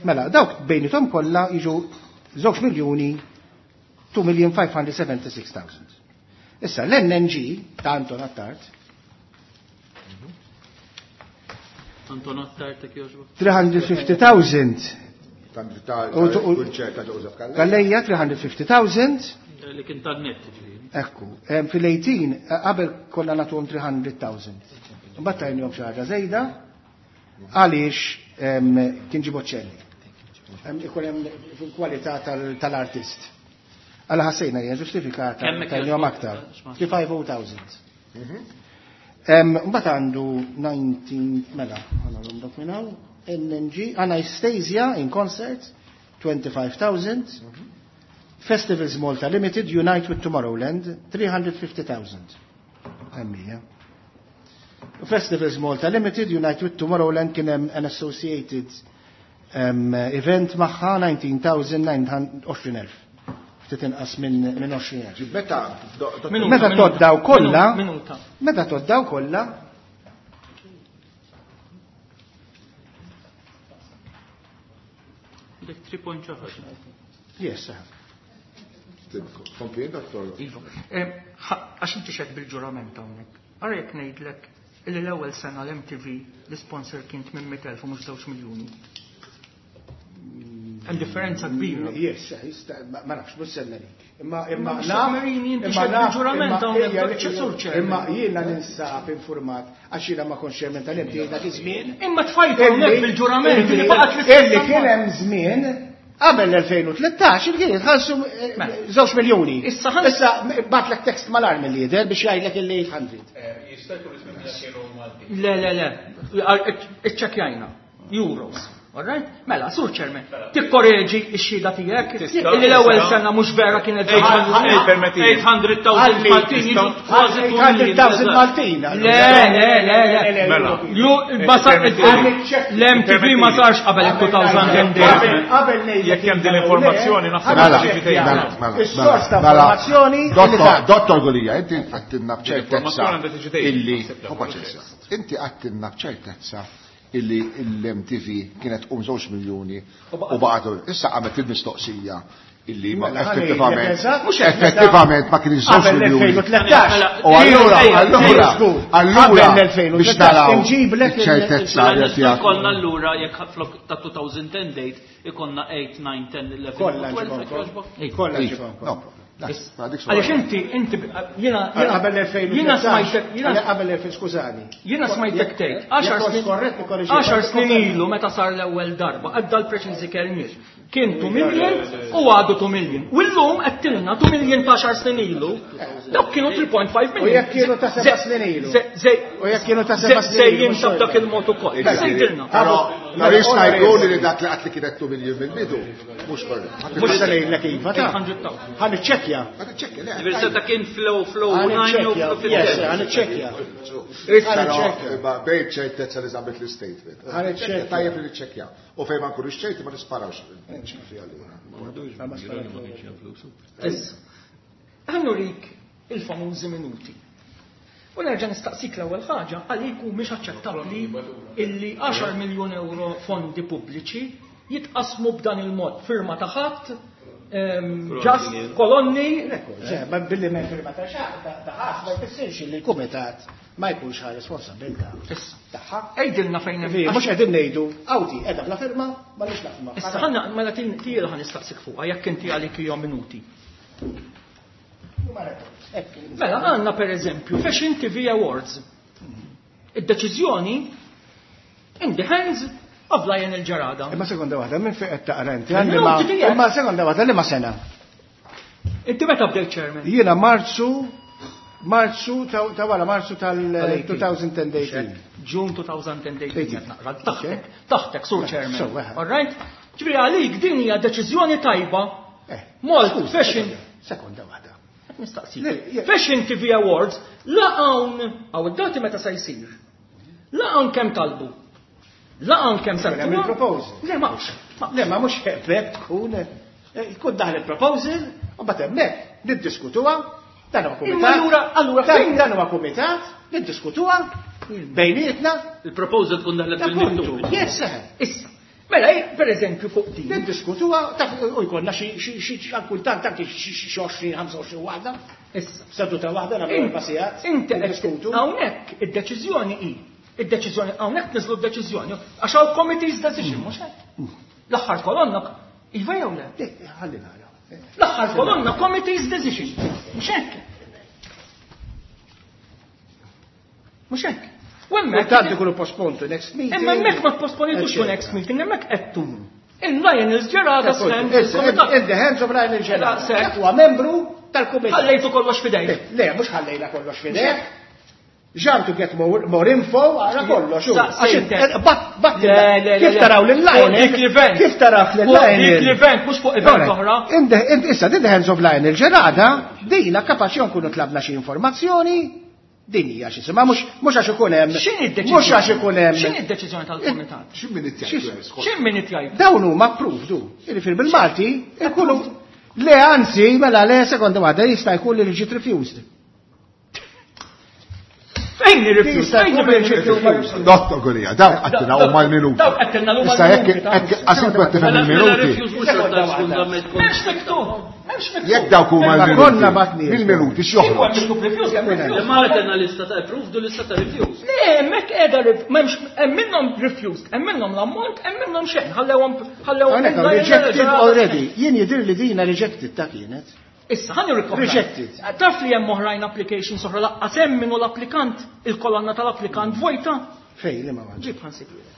Mela, dawk bejnithom kollha jiġu żewġ miljuni two million five hundred seventy-six thousand. Issa l-N N G ta' Anton Attard. Anton Attard ta' jogħġbok. three hundred fifty thousand. Calleja three hundred fifty thousand. Li kien tan-net, ġifieri. Ekku, fil-eighteen qabel konna nagħtuhom three hundred thousand. Mbagħad tajnihom xi ħaġa żejda għaliex kien ġie Bocelli. Ikun hemm fil-kwalità tal-artist. Għala ħassejna hija ġustifikata tajnihom aktar. Three five oh thousand. Mbagħad għandu nineteen, mela, ħana dak minn hawn, N N G, Anastasia in concert, twenty-five thousand. Festivals Malta Limited, Unite with Tomorrowland, three hundred fifty thousand. Emmija. Festivals Malta Limited, Unite with Tomorrowland kien hemm an associated um, event magħha nineteen thousand nine hundred għoxrin elf. Ftit inqas minn minn għoxrin elf. Meta meta toddaw kollha, meta toddaw kollha, Dik three point xi ħaġa. Yes, sir. Kompli, doktor. Iva. Għax inti xed bil-ġurament hawnhekk. Ara jekk ngħidlek illi l-ewwel sena l-M T V l-sponsor kien tmien mitt elf u mhux żewġ miljuni. Hemm differenza kbira. Yes, ma nafx, mhux se ngħid. Imma imma naf, inti xed bil-ġurament hawnhekk, ċesur ċer. Imma jiena ninsab informat għax jiena ma kontx chairman tal-M T V dak iż-żmien. Imma tfajt hawnhekk bil-ġurament li baqgħet l-istess. Illi kien hemm żmien qabel l-elfejn u tlettax il-kien jitħallsu żewġ miljuni. Issa Issa batlek tekst mal-armi li jidher biex jgħidlek il eight hundred. Jista' jkun ismi kienu Malti. Le, le, le. Iċċekkjajna. Euros. All right? Mela, sur chairman, tikkoreġi x-xhieda tiegħek illi l-ewwel sena mhux vera kienet eight hundred thousand Maltin jiġu kważi eight hundred thousand Maltin. Le, le, le, le. Mela. L-M T V ma sarx qabel il-two thousand and eight. Qabel ngħidlek Jekk hemm din l-informazzjoni naħseb li ġifieri. Is-sors ta' informazzjoni. Dottor Gulia, inti għattilna b'ċertezza illi inti għattilna b'ċertezza illi l-M T V kienet um żewġ miljuni u baqgħet issa għamet il-mistoqsija illi ma effettivament effettivament ma kienx żewġ miljuni. U allura allura allura biex naraw ċertezza li tiegħek. Ikollna allura jekk flok ta' two thousand ten date ikollna eight, nine, ten, eleven, twelve. Kollha ġibhom. Għaliex inti, inti, jiena, qabel l-elfejn jiena smajtek, jiena qabel l-elfejn, skużani. Jiena smajtek tgħid, għaxar snin ilu meta sar l-ewwel darba, għadda l-preċiżi kelmiet. Kien two million u għadu two million. U llum qed tilna two million ta' għaxar snin ilu, dawk kienu three point five million. U jekk kienu ta' seba' snin ilu. U jekk kienu ta' seba' snin ilu. Sejjin ta' dak il-mod ukoll. Sejtilna. Però ma jista' jkun li dak li qatt li kienet two million mill-bidu, mhux korrett. Mhux se ngħidlek iva ta' Ħa niċċekkja. Ħa niċċekkja, le. Ġifieri seta' kien flow, flow, nine jew flow fifteen. Yes, ħa niċċekkja. Issa, bejn ċertezza li żammet l-statement. Ħa niċċekkja. Tajjeb li niċċekkja. U fejn ma nkunux ċerti ma nisparawx. Issa, ħa nurik il-famużi minuti. U nerġa' nistaqsik l-ewwel ħaġa għalik hu mhix aċċettabbli illi għaxar miljun euro fondi pubbliċi jitqasmu b'dan il-mod firma ta' ħadd, ġast kolonni. Ma billi ma firma ta' ħadd ma jfissirx li l-kumitat ma jkunx ħa responsabilità. Tagħha. Għidilna fejn hemm. Mhux qegħdin ngħidu awti qiegħda bla firma, m'għandix nafma. Issa ħanna mela tiela ħa nistaqsik fuqha jekk inti għalik hija minuti. Mela għandna pereżempju Fashion T V Awards. Id-deċiżjoni in the hands of Lionel Gerada. Imma sekonda waħda, minn fejn qed taqra inti? Imma sekonda waħda, liema sena? Inti meta bdejt chairman? Jiena Marzu, Marzu ta' wara Marzu tal-twenty eighteen. June two thousand eighteen. Taħtek, taħtek, sur chairman. All right? Ġifieri għalik din hija deċiżjoni tajba. Molt Fashion. Sekonda waħda. Nistaqsik. Fashion T V Awards la hawn hawn id-dati meta se jsir. La hawn kemm talbu. La hawn kemm sartu. Hemm il-proposal. Le m'hawnx. Le ma mhux hekk tkun jkun daħal il-proposal u mbagħad hemmhekk niddiskutuha. Dan huwa kumitat. Imma allura allura fejn dan huwa kumitat niddiskutuha bejnietna. Il-proposal tkun daħlet bil-miktub. Yes, issa. Mela, per eżempju, fuq din. Niddiskutuha u jkollna xi xi kultant anke xi għoxrin ħamsa u għoxrin waħda. Issa. Seduta waħda nagħmlu erba' sigħat. Inti qed hawnhekk id-deċiżjoni hi. Id-deċiżjoni hawnhekk niżlu d-deċiżjoni għax hawn committee's decision mhux hekk. L-aħħar kolonna iva jew le? Ħalli nara. L-aħħar kolonna committee's decision. Mhux hekk. Mhux hekk. U hemmhekk Kultant ikunu postponed to next meeting. Imma hemmhekk ma posponitux to next meeting, hemmhekk qedtu. In Lionel Gerada stand. In the hands of Lionel Gerada. Huwa membru tal-kumitat. Ħallejtu kollox f'idejk. Le, mhux ħallejna kollox f'idejk. Ġan to get more, more info, għara kollox. Kif taraw lil-Lionel? Kif taraw lil-Lionel? Dik l-event, mhux fuq event oħra. Issa, in the hands of Lionel Gerada, dina kapaċi nkunu tlabna xi informazzjoni. Din hija xi sema mhux mhux għax ikun hemm. Mhux għax ikun hemm. X'inhi d-deċiżjoni tal-kumitat? X'in min jgħid? X'in min jgħid? Dawn huma approved. Jiġifieri bil-Malti ikunu le anzi mela le sekonda waħda jista' jkun li ġiet refused. Fejn irrifjuz? Fejn irrifjuz? Dottor Gulia, dawk qattilna huma l-minuti. Dawk qattilna huma Issa jekk għax qed tifhem il-minuti. M'hemmx miktub. M'hemmx miktub. Jekk dawk huma l-minuti. Il-minuti x'joħroġ? Imma għandna lista ta' approved u lista ta' refused. Le, hemmhekk qiegħda m'hemmx hemm minnhom refused, hemm minnhom l-ammont, hemm minnhom xejn. Ħallewhom ħallewhom rejected already. Jien jidhir li dina rejected ta' kienet. Issa, ħan nirrikopra. Rejected. Taf li hemm oħrajn applications oħra laqqas hemm minnu l-applikant, il-kolonna tal-applikant vojta. Fej, li ma għandx. Ġib ħansibilek.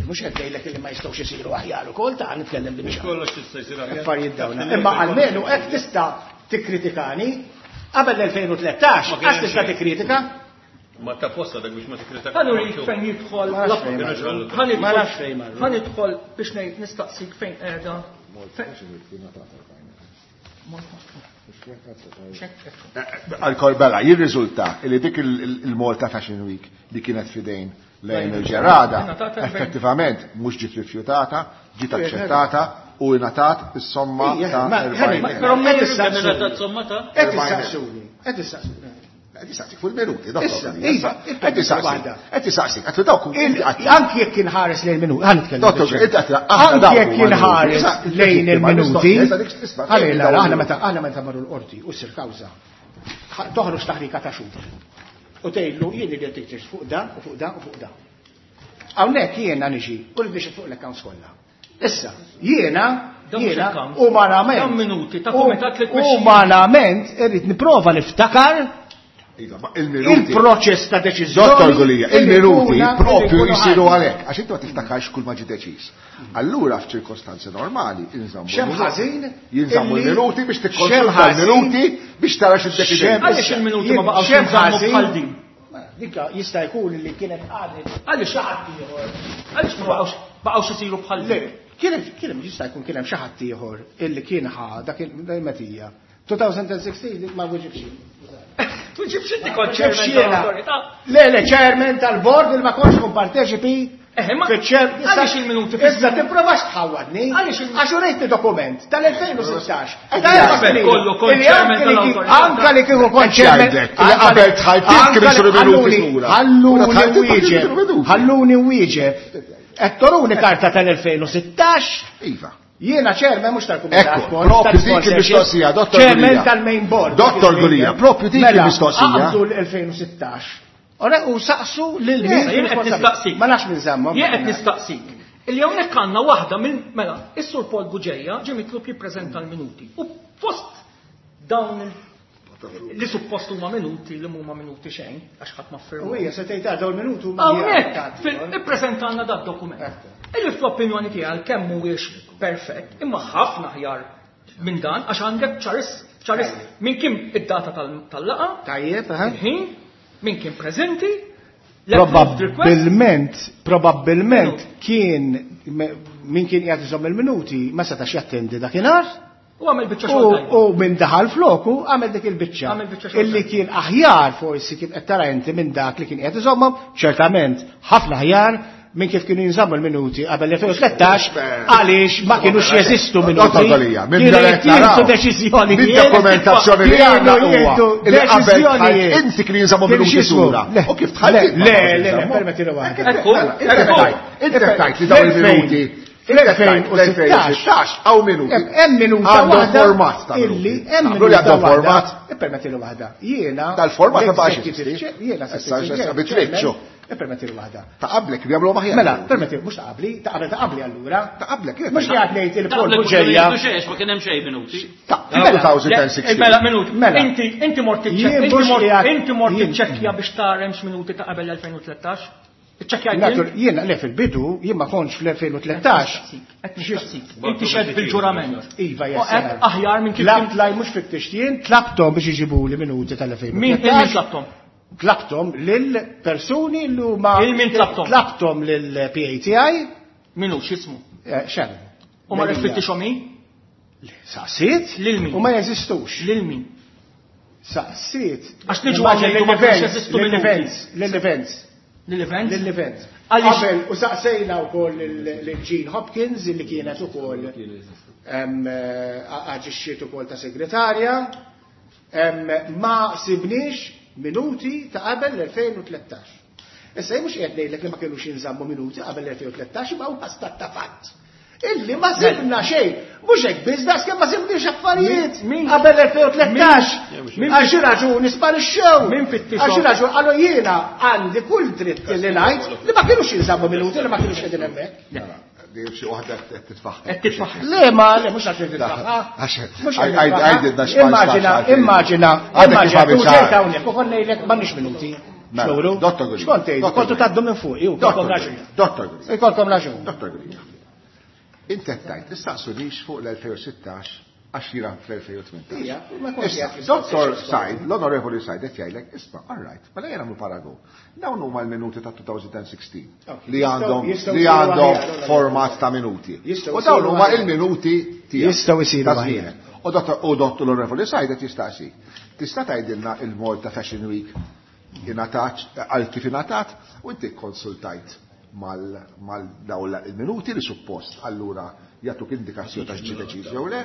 Mhux qed ngħidlek li ma jistgħux isiru aħjar ukoll ta' nitkellem bil Kollox tista' jsir aħjar. Affarijiet dawna. Imma almenu hekk tista' tikkritikani qabel l-elfejn u tlettax, għax tista' tikkritika. Ma ta' posta dak biex ma tikkritika. Ħa nurik fejn jidħol. Ma nafx fejn marru. Ħa nidħol biex ngħid nistaqsik fejn qiegħda. Għal-korbella, jirriżulta li dik il-Malta Fashion Week li kienet fidejn lejn il-Gerada, effettivament mhux ġiet rifjutata, ġiet aċċettata u ingħatat is-somma ta' erbgħin. Però qed issaqsuni, qed issaqsuni. Qed issaqsik fuq il-minuti, Qed issaqsik. Qed issaqsik, qed dawk anki jekk inħares lejn minuti, ħa nitkellem. Dottor, anki jekk inħares lejn il-minuti. Ħalli aħna meta aħna meta marru l-qorti u ssir kawża. Toħroġ taħrika ta' xhur. U tgħidlu jien irid tiktir fuq dan u fuq dan u fuq dan. Hawnhekk jiena niġi u rrid nixed fuq l-accounts kollha. Issa, jiena jiena umanament minuti ta' kumitat li tmexxi. Umanament irrid nipprova niftakar il-proċess ta' deċiżjoni. Dottor Gulia, il-minuti propju jisiru għalhekk, għax inti ma tiftakarx kull ma ġie deċiż. Allura f'ċirkostanzi normali inżammu. Xemm ħażin? Jinżammu l-minuti biex tikkonsulta l-minuti biex tara x'iddeċidejt. Għaliex il-minuti ma baqgħux jinżammu bħal din? Dika jista' jkun li kienet għadet. Għaliex ħadd ieħor? Għaliex ma baqgħux baqgħux isiru bħal din? Kien kien jista' jkun kien hemm xi ħadd ieħor illi kien ħa dak il-metija. twenty sixteen ma weġibx. Tuġibx inti kont chairman tal-awtorità. Le, le, chairman tal-board il ma kontx kun parteċipi. Għaliex il-minuti? Issa tipprovax tħawwadni. Għax urejtni dokument tal-elfejn u sittax. Kollu kont chairman tal-awtorità. Anka li kieku kont chairman. Li qabel tħajtik kien isiru minuti lura. Ħalluni wieġeb. Ħalluni wieġeb. Qed toruni karta tal-elfejn u sittax. Iva. Jiena chairman mhux tal-kumitat. Ekku, propju dik il-mistoqsija, Dottor Chairman Gulia. tal-main board. Dottor Gulia, propju dik Mela, il-mistoqsija. Aqbdu l-elfejn u sittax. Ora, u saqsu lil min Issa, jien qed nistaqsik. Ma nafx min żammhom. Jien qed nistaqsik. Illi hawnhekk għandna waħda minn mela, is-Sur Paul Bugeja ġie mitlub jippreżenta l-minuti. U fost dawn il- li suppost huma minuti li huma minuti xejn, għax ħadd ma ffirma. U hija se tgħid dawn il-minuti huma Hawnhekk ippreżentalna dat dokument. Illi fl-opinjoni tiegħi għalkemm mhuwiex perfett, imma ħafna aħjar minn dan għax għandek ċaris, ċaris minn kien id-data tal-laqa, Tajjeb, aha. il-ħin, minn kien preżenti, l-approved request. Probabbilment, probabbilment kien min kien qiegħed iżomm il-minuti ma setax jattendi dakinhar. U għamel biċċa U xogħol tajba. u minn daħal floku għamel dik il-biċċa. Għamel biċċa xogħol Illi tajba. kien aħjar forsi kif qed tara inti minn dak li kien qiegħed iżommhom, ċertament ħafna aħjar minn kif kienu jinżammu l-minuti qabel elfejn u tlettax għaliex ma kienux jeżistu minuti. Dottor Gulia, minn Kienu dak qed jittieħdu naraw. deċiżjonijiet. Minn dokumentazzjoni li Kienu għandna huwa jieħdu li qabel deċiżjonijiet. tħall inti kienu jinżammu Kienu minuti x'jismu? sura. Le, U kif tħall Le, inti ma le, kienux le, jinżammu? permettili waħda. Ekku, Mela, inti ekku. tajt, inti tajt li dawn il-minuti Fl-elfejn u sittax għaw minuti. Hemm minuta Għandhom waħda format ta' illi minuti. hemm Għamlu li minuta għandhom waħda. format. Ippermettili waħda. Jiena Dal-format ma baqax l-executive jeżisti. chair- Jiena Issa, assistant issa, bitritxu. chairman, ippermettili waħda. Ta' qablek li għamlu maħjar. Mela, permetti, mhux ta' qabli, ta' qabel ta' qabli allura. Ta' qablek, jien. Mhux li qed ngħid il-Paul Ta' qablek Bugeja. ma kienu ma kien hemm xejn minuti. Ta' Mela, elfejn u sittax. Mela, minuti. Mela. Inti, inti mort Jien iċċekkja, inti mhux mort, qiegħed- inti mort jien- iċċekkja biex tara hemmx minuti ta' qabel elfejn u tlettax. Iċċekkjajt Natur, int? jiena le fil-bidu, jien ma kontx fl-elfejn u tlettax. Qed nistaqsik. Inti xed bil-ġurament. Iva, U yes. qed aħjar minn kif Tlabt laj mhux fit-tixtien, tlabtom biex iġibuli minuti tal-elfejn u Min tlettax. min tlabtom? Tlabtom lil persuni li huma Il min tlabtom? Tlabtom lil P A T I. Minu x'ismu? Eh, Sharon. U ma rfittixhom hi? Saqsiet? Lil min? U ma jeżistux. Lil min? Saqsiet. Għax niġu Immaġina għal ngħidu ma lil kienx events, jeżistu lil minuti. events, lil events. Lil events? Lil events. Għaliex- Qabel u saqsejna wkoll lil Jean Hopkins illi kienet ukoll em, eh, aġixxiet ukoll ta' segretarja. Em, ma sibniex minuti ta' qabel l-elfejn u tlettax. Issa jien mhux qed ngħidlek li ma kinux jinżammu minuti qabel l-elfejn u tlettax, imma huwa stat ta' fatt. Illi ma sibna xejn, mhux hekk biss daqs kemm ma sibniex affarijiet Min- qabel l-elfejn u tlettax. Min- Għal xi raġuni sparixxew. Min fittixhom? Għal xi raġuni qalu jiena għandi kull dritt li ngħid li ma kinux jinżammu minuti li ma kinux qegħdin hemmhekk. Di xi waħda qed titfaħħa. Qed titfaħħa. Le, ma, le, mhux għax titfaħħa. Għax- Mhux għaj- qed għaj- titfaħħa. għajdilna x'ma Immaġina, nistax għalfejn. immaġina, Għadek kif immaġina, għamil tu ċar. ġejt hawnhekk u kont ngħidlek m'għandniex minuti. Mela, X'nuru? Dottor Gulia. X'kont tgħidu? Dottor Kontu Gulia. tgħaddu minn fuqi, u Dottor kolkom Gulia. raġun. Dottor Gulia. Ikolkom raġun. Dottor Gulia. Inti qed tgħid, issaqsunix fuq l-elfejn u sittax għax jiena fl-elfejn u tmintax. Ija, ma kontx Issa, qiegħed fl-istess Dottor xogħol. Said, l-Onorevoli Said qed jgħidlek, isma', all right, mela jien nagħmlu paragun. Dawn huma l-minuti ta' elfejn u sittax Ok, li jistgħu- għandhom jistgħu li jsiru għandhom aħjar, allora. format ta' minuti. Jistgħu U dawn jsiru huma aħjar. il-minuti tiegħek. Jistgħu jsiru Ta' aħjar. żmienek. U dottor u dottor l-Onorevoli Said qed jistaqsi. Tista' tgħidilna il-Malta Fashion Week ingħatat għal kif ingħatat u inti konsultajt mal mal dawn il-minuti li suppost allura jagħtuk indikazzjoni ta' x'ġie deċiż jew le,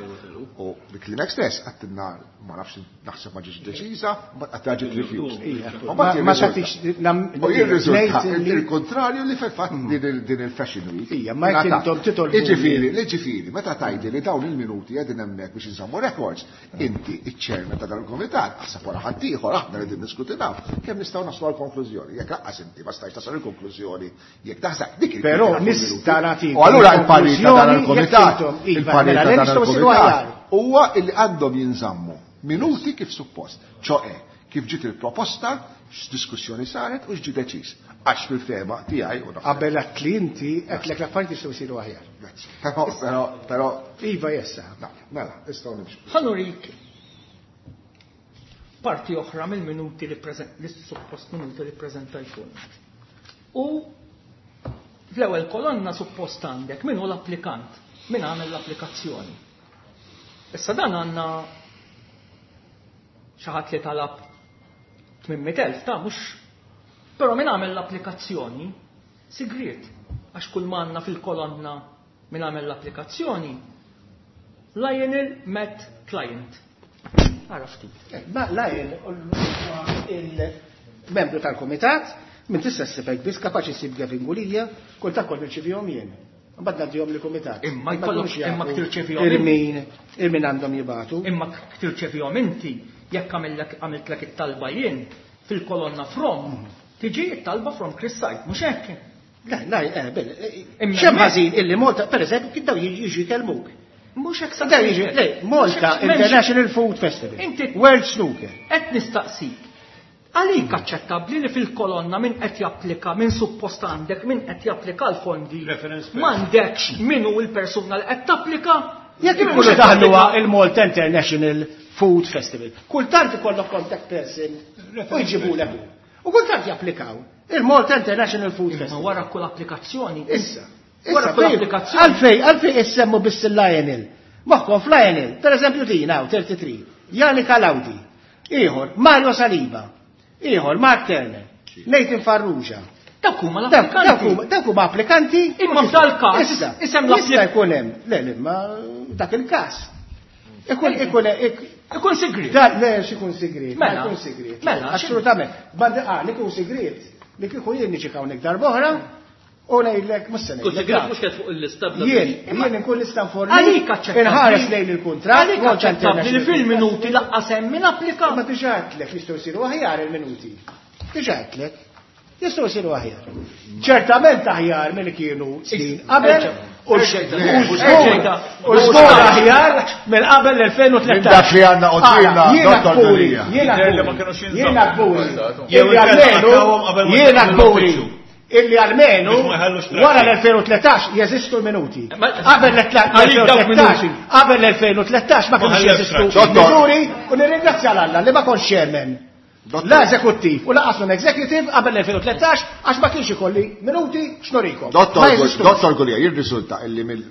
u bi klimek stess għattinna ma nafx naħseb ma ġietx deċiża, mbagħad qatt ġiet refused. Ija. U mbagħad Ma- ma jirriżulta- tagħtix nam- U jirriżulta ngħid li- il-kontrarju li fil-fatt din il- din il-Fashion Week. Ija, ma jekk ingħatat. intom titolbu- Iġifieri, iġifieri, meta tgħidli li dawn il-minuti qegħdin hemmhekk biex inżammu records, inti iċ-chairman ta' dan il-komitat, aħseb wara ħadd ieħor aħna qegħdin niskutinaw, kemm nistgħu naslu għal konklużjoni. Jekk lanqas inti ma stajx tasal il-konklużjoni, jekk taħseb dik il- Però dik nista' il-minuti. nagħtikom U allura il-parir ta' dan konklużjoni il-komitat, jekk intom- iva, il-parir mela, ta' le dan nistgħu nsiru il-komitat aħjar. huwa illi għandhom jinżammu minuti kif suppost, ċoqe kif ġiet il-proposta, x'diskussjoni saret u x'ġi deċiż. Għax fil-fema tiegħi u naħseb. Qabel għat li inti qedlek l-affarijiet jistgħu jsiru aħjar. Grazzi. Però, però, però, Iva jessa. no, mela, nistgħu nimxu. Ħanurik parti oħra mill-minuti li preżent, li suppost minuti li preżentajtulna. U fl-ewwel kolonna suppost għandek min hu l-applikant, min għamel l-applikazzjoni. Issa dan għandna xi ħadd li talab tmien mitt elf ta' mhux. Però min għamel l-applikazzjoni sigriet, għax kull ma għandna fil-kolonna min għamel l-applikazzjoni Lionel Met Client. Ara ftit. Eh, ma Lionel huwa il-membru tal-komitat, minn tista' ssibek biss kapaċi ssib Gavin Gulia, kull ta' kol nirċivihom jien. Mbagħad ngħaddihom lill-kumitat. Imma jkollok imma tirċevihom Il-min il-min għandhom jibatu. Imma tirċevihom inti jekk għamiltlek it-talba jien fil-kolonna from tiġi it-talba from Chris Said, mhux hekk? Le, le, eh, bil. X'hemm ħażin illi Malta, pereżempju, kif daw jiġu jkellmuk. Mhux hekk Daw jiġu, le, Malta International Food Festival. Inti World Snooker. Qed nistaqsik. Għalik aċċettabbli li fil-kolonna min qed japplika, min suppost għandek, min qed japplika l-fondi, m'għandekx min hu l-persuna li qed tapplika? Jekk ikunu daħluha il-Malta International Food Festival. Kultant ikollok contact person u jġibulek hu. U kultant japplikaw il-Malta International Food Festival. Wara kull applikazzjoni. Issa. Wara kull applikazzjoni. Għalfej, għalfej issemmu biss il-Lionel. Moħħkom f'Lionel, per eżempju din hawn tlieta u tletin, Janika Laudi, ieħor Mario Saliba, ieħor Mark Turner, Nathan Farrugia. Dawk huma l-applikanti. Dawk huma applikanti. Imma f'dal-każ Issa, isem jista' jkun hemm, le, le, ma dak il-każ. Ikun ikun ikun sigriet. Da, le, x'ikun sigriet. Ma Mela. jkun sigriet. Mela, Assolutament. Bandi ah, li jkun sigriet. Li kieku jien niġi hawnhekk darb'oħra u ngħidlek mhux se Kun ngħidlek. sigriet mhux kien fuq il-lista bla Jien, jien inkun nista' nforni. Għalik aċċettabbli. Inħares lejn il-kuntratt. Għalik aċċettabbli li fil-minuti laqqas hemm min applika. Ma diġà għedtlek jistgħu jsiru aħjar il-minuti. Diġà għedtlek. Jistgħu jsiru aħjar. Ċertament aħjar milli kienu snin qabel u u żgur aħjar minn qabel l-elfejn u tlettax. Minn dak li għandna qudiemna, Jiena Dottor kburi, Gulia. jiena Jidher li ma kburi, kinux jinżammu. jiena kburi. Jew Illi inkella almenu, qattawhom qabel ma jiena jidħlu kburi. l-uffiċċju. Illi almenu Biex ma jħallux traffic. wara l-elfejn u tlettax jeżistu l-minuti. Qabel Għalik dawk l-elfejn u tlettax, minuti. qabel l-elfejn u tlettax ma Ma kienux ħallewx jeżistu traffic. miżuri u nirringrazzja l-Alla li ma kontx chairman. Dottor. La eżekuttiv u lanqas non executive qabel l-elfejn u tlettax għax ma kienx ikolli minuti x'nurikom. Dottor Ma jeżistux. Dottor Gulia, jirriżulta illi mill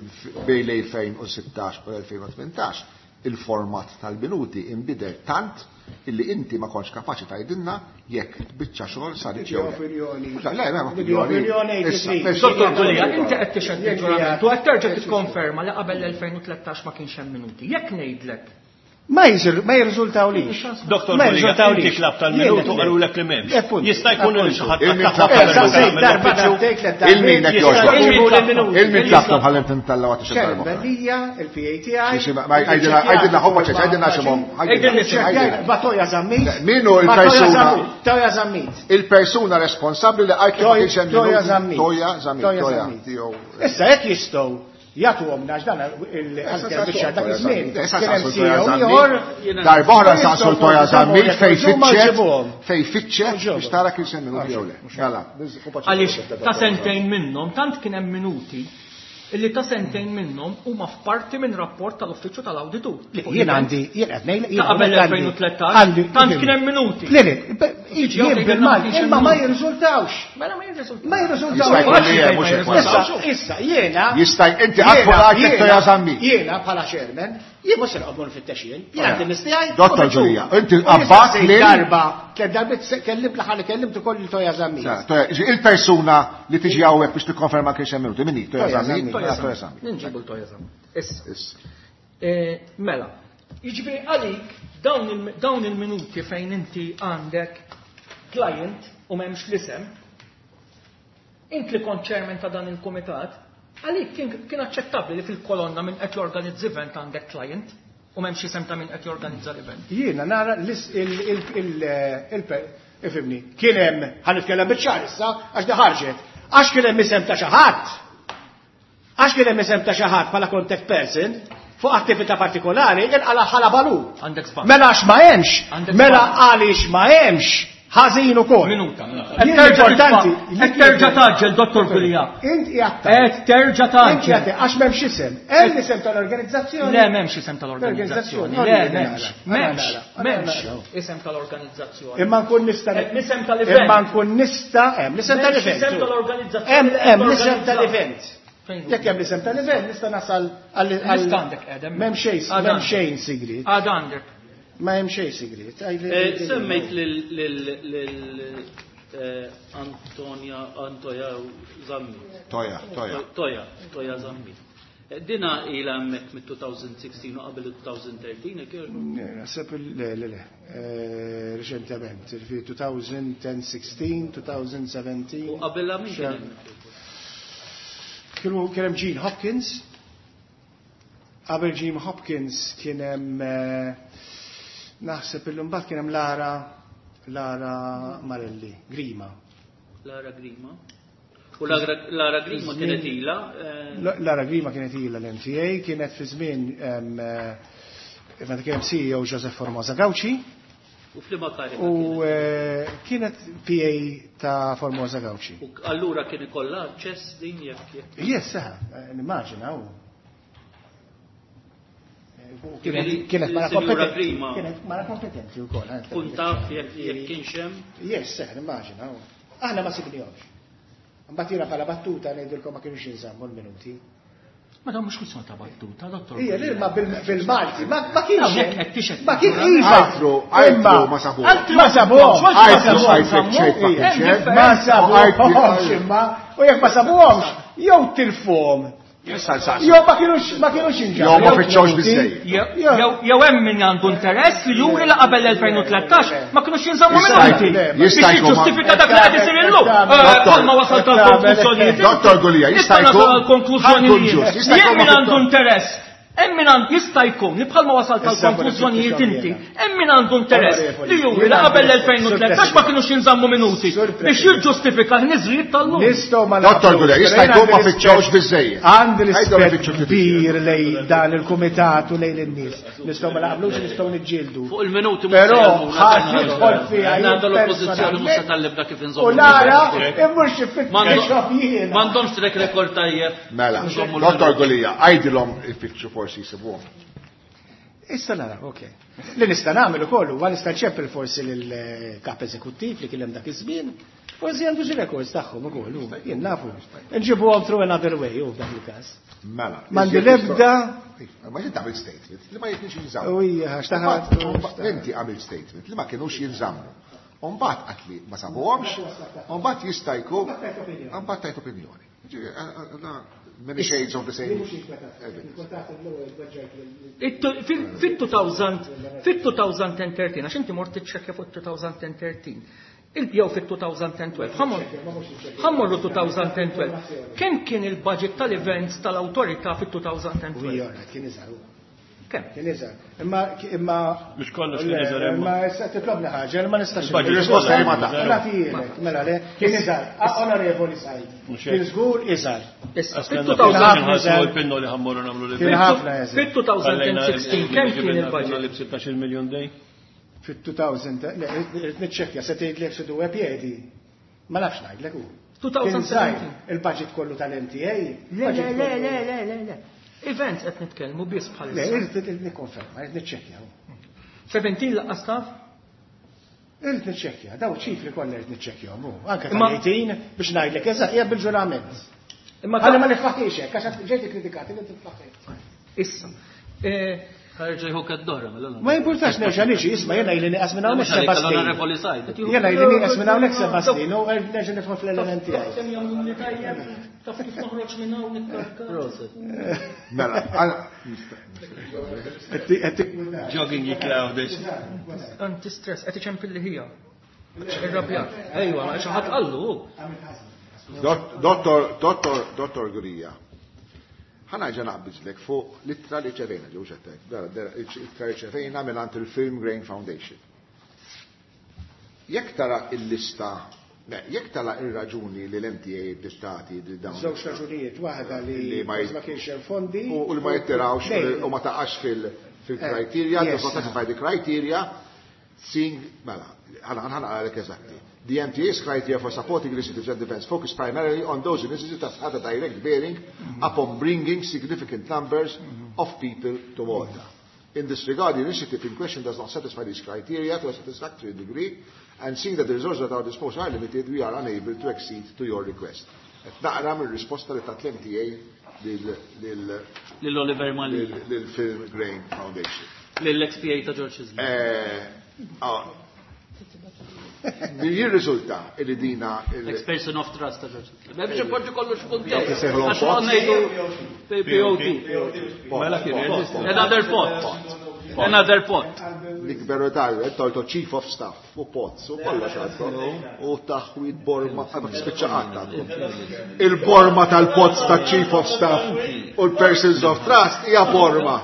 bejn l-elfejn u sittax u l-elfejn u tmintax il-format tal-minuti imbidel tant illi inti ma kontx kapaċi tgħidilna jekk biċċa xogħol saret jew le. Opinjoni. Le, le, ma Opinjoni opinjoni. Issa, eighty-three. Dottor Gulia, inti qed tixhed Jien il-ġurament u qed terġa' tikkonferma li qabel l-elfejn u tlettax ma kienx hemm minuti. Jekk ngħidlek Ma jizir, ma jirriżultaw lix. Dottor Ma Gulia, jirriżultaw inti lix. tlab tal-minutu Jien- qalulek li m'hemmx. Eh, punt. Jista' jkun li xi ħadd Il-min tagħha tlab qabel Eh, saqsejt ma darba l-uffiċċju. darbtejn, tliet darbiet, Il-min qed jista' jogħġbok. jġibu l-minuti. Il-min tlabtom ħalli tintallaw għat Karen Bellija, il-P A tiegħi. Għajdilna għajdilna ħobba ċeċ, għajdilna ximhom. Batoja Zammit. Min hu il-persuna? Batoja Zammit. Toja Zammit. Il-persuna responsabbli li għajt li ma kienx hemm Toja minuti. Zammit. Toja Zammit. Toja Toja. Zammit. Tiegħu. Issa jekk jistgħu jagħtuhom nax dan il-ħanker dak iż-żmien. Kien hemm C E O ieħor. Darb'oħra saqsu l-Toja Zammit fej fitxet, Ġibuhom. fej fitxet biex tara kien hemm minuti jew le. Mela, Għaliex ta' sentejn minnhom tant kien hemm minuti illi ta' sentejn minnhom huma f'parti minn rapport tal-Uffiċċju tal-Awditur. Jien għandi, jien qed ngħid, Ta' qabel l-elfejn u tlettax, għandi- tant kien hemm minuti. Le, le, Jiġi jien għaw bil-Malti, tgħidilna imma ma ma kienx jirriżultawx. Mela ma jirriżultawx. Ma jirriżultawx. Jista' jkun li hemm, mhux hekk wara. Issa, issa, jiena. Jista' inti qatt fuq jiena- għajtek Toja Zammit. Jiena bħala chairman, jien mhux se noqgħod nfittex jien. Jien għandi l-istijaj. Dottor Gulia, inti qabbat lil- darba, tliet darbiet se- kellimt l-aħħar li kellimt ukoll il Toja Zammit. Sa, Toja, il-persuna li tiġi hawnhekk biex tikkonferma kien hemm minuti, min hi? Toja Toja Zammit? Zammit. Toja Toja Zammit. Ninġibu l-Toja Zammit. Issa. Issa. Eh, Mela, jiġifieri għalik dawn il- dawn il-minuti fejn inti għandek client u m'hemmx l-isem, int li kont chairman ta' dan il-kumitat, għalik kien, kien aċċettabbli li fil-kolonna minn qed jorganizza event għandek client u m'hemmx isem ta' min qed jorganizza l-event. Jiena nara l-is il il il il ifhimni, kien hemm ħa nitkellem biċ-ċar issa għax di ħarġet. Għax kien hemm isem ta' xi ħadd. Għax kien hemm isem ta' xi ħadd bħala contact person fuq attività partikolari inqala ħala balu. Għandek żball. Mela għax ma hemmx, Għandek mela żball. għaliex ma hemmx ħażin ukoll. Minuta. Jien importanti. Qed terġa' tgħaġġel, Dottor Gulia. Int qiegħed Qed terġa' Int tgħaġġel. qiegħed għax m'hemmx isem. Hemm isem tal-organizzazzjoni. Le, m'hemmx isem tal-organizzazzjoni. Le, m'hemmx. M'hemmx. M'hemmx isem tal-organizzazzjoni. Imma nkun nista' Hemm isem tal-event. Imma nkun nista' hemm l-isem M'hemmx tal-event. isem tal-organizzazzjoni. Hemm hemm l-isem Organizza. tal-event. Fejn hu? Jekk hemm l-isem tal-event nista' nasal għal Lista għandek qiegħda. M'hemm xejn, Għad m'hemm għandek. xejn sigriet. Għad għandek. Ma hemm xejn sigriet. Eh, Semmejt lil lil lil eh, Antonia Antoja Zammit. Toja, Toja. Toja, Toja Zammit. Eh, Dina ila hemmhekk mit-elfejn u sittax u qabel il-elfejn u tlettax, jekk jogħġbok? Naħseb le le le. Eh, Reċentement, fi elfejn u sittax, elfejn u sbatax. U qabelha min kien hemm? Kienu kien hemm Gene Hopkins. Qabel Gene Hopkins kien hemm naħseb illum mbagħad kien hemm Lara Lara Marelli, Grima. Lara Grima. U Lara Grima kienet ilha? Lara Grima kienet ilha l-M T A, kienet fi żmien meta kien hemm C E O Joseph Formosa Gauci. U f'liema karika U kienet P A ta' Formosa Gauci. U allura kien ikollha aċċess din jekk jekk? Yes, seħa, nimmaġina u. Kienet mara kompetenti. Kienet mara kompetenti wkoll. Kun taf jekk kienx hemm? Yes, seħa, nimmaġina u. Aħna ma sibnihomx. Mbagħad jiena bħala battuta ngħidilkom ma kienux jinżammu l-minuti. Ma dan mhux kwistjoni ta' battuta, dottor. Ija, le, ma bil-Malti, ma kienx. Ma kien iva. Altru, altru ma sabuhomx. Ma sabuhomx. Altru ma sabuhomx. Ma sabuhomx imma, u jekk ma sabuhomx, jew tilfuhom. Jew ma kienux ma kienux inġabu. Jew ma fittxewx biżejjed. Jew hemm min għandu interess li juri li qabel elfejn u tlettax ma kienux jinżammu minuti. Biex jiġġustifika dak li qed isir illum. Bħalma wasal tal-konklużjonijiet. Dottor Gulia, jista' jkun konklużjonijiet. Jekk min għandu interess, hemm min għandu jista' jkun li bħalma wasal tal-konklużjonijiet inti, hemm min għandu interess li juri li qabel elfejn u tlettax ma kienux jinżammu minuti biex jiġġustifika l-niżrijiet tal-lum. Dottor Gulia, jista' jkun ma fittxewx biżejjed. Għandi rispett kbir lej dan il-kumitat u lejn in-nies. Nistgħu ma naqblux, nistgħu niġġieldu. Fuq il-minuti però ħadd jidħol fiha għandu l-oppożizzjoni mhux se tallibna kif inżommu. U nara immur xi fitxob jiena. M'għandhomx track record tajjeb. Mela, Dottor Gulia, għajdilhom ifittxu forsi jisibuhom. Issa nara, ok. Li nista' nagħmel ukoll huwa nista' nċeppel forsi lill-kap eżekuttiv li kien hemm dak iż-żmien, forsi għandu xi records tagħhom ukoll, jien nafu. Nġibuhom through another way hu f'dak il-każ. Mela. M'għandi l-ebda. Ma inti għamilt statement li ma kienx jinżammu. U hija għax taħat. Inti għamilt statement li ma kienux jinżammu. U mbagħad qatt li ma sabuhomx, u mbagħad jista' jkun, mbagħad tajt opinjoni. Many shades of the same. Fit-two thousand and thirteen, għax inti mort tiċċekkja fuq two thousand and thirteen, jew fit-two thousand and twelve, ħammorru two thousand and twelve. Kemm kien il-budget tal-events tal-awtorità fit-two thousand and twelve? Kien iżgħar. Kemm? Kien iżgħar. Imma imma mhux kollox kien iżgħar imma. Imma issa titlobni ħaġa li ma nistax. Il-risposta hi ma taf. Nagħtihielek, mela le, kien iżgħar. Onorevoli Said. Kien żgur iżgħar. Issa, Kien ħafna iżgħar. Fit-two thousand and sixteen kemm kien il-budget? Li b'sittax-il miljun dej? Fit-two thousand, le, irrid niċċekkja, se tgħidlek se duwe piedi. Ma nafx ngħidlek hu. two thousand seventeen. Il-budget kollu tal-M T A. Le, le, le, le, le, le, le. Events qed nitkellmu biss bħalissa. Le, irrid nikkonferma, irrid niċċekkja. Seventeen laqqas taf? Irrid niċċekkja, daw ċifri kollha irrid niċċekkjahom hu. Anke tal-eighteen biex ngħidlek eżatt hija bil-ġurament. Imma Ħalli ma niflaħiex hekk għax ġejt ikkritikati li tiflaħ. Issa. Ħarġa jħu kad-dora, mela Ma jimpurtax nerġa' niġi, isma' jiena ili nieqas minn hawnhekk seba' snin. Onorevoli Said. Jiena ili nieqas minn hawnhekk seba' snin u nerġa' nidħol fl-element tiegħi. Kemm jagħmluni tajjeb, taf kif noħroġ minn hawn nikkarka. Proset. Mela, għal Jogging jiklawdex. Anti-stress, qed iċempilli ħija. Irrabjat. Ejwa, xi ħadd qallu. Dottor, Dottor, Dottor Gulia. Ħana ġa naqbiżlek fuq l-ittra li ċevejna, ġew xettek, l-ittra li ċevejna mingħand il-Film Grain Foundation. Jekk tara il-lista, ne, jekk tara ir-raġuni li l-M T A bl-istati li dawn. Żewġ raġunijiet, waħda li Li ma ma kienx hemm fondi. U li ma jittirawx Le. u ma taqax fil-, fil-criteria, Eh, yes. does not satisfy the criteria, seeing, mela, ħana, ħana għalek eżatti. The M T A's criteria for supporting initiatives and events focus primarily on those initiatives that had a direct bearing Mm-hmm. upon bringing significant numbers Mm-hmm. of people to Malta. In this regard, the initiative in question does not satisfy these criteria to a satisfactory degree, and seeing that the resources at our disposal are limited, we are unable to accede to your request. Et naqra mir-risposta li tat l-M T A lil, lil, Lil Oliver Mallia. lil, lil Film Grain Foundation. Lil ex P A ta' George Chisholm. Eh, ah, Jirriżulta li dina il- Ex-person of trust ta' George Chisholm. Biex ipoġġu kollox f'kuntest. Jekk isejħlu Għax pot. għandna ngħidu P O T. Mela kien jeżisti. Another pot. Another pot. Nikberu tal, tolto chief of staff u pots u kollox għandkom. U taħwid borma, spiċċa qatt għandkom. Il-borma tal-pots ta' chief of staff u l-persons of trust hija borma.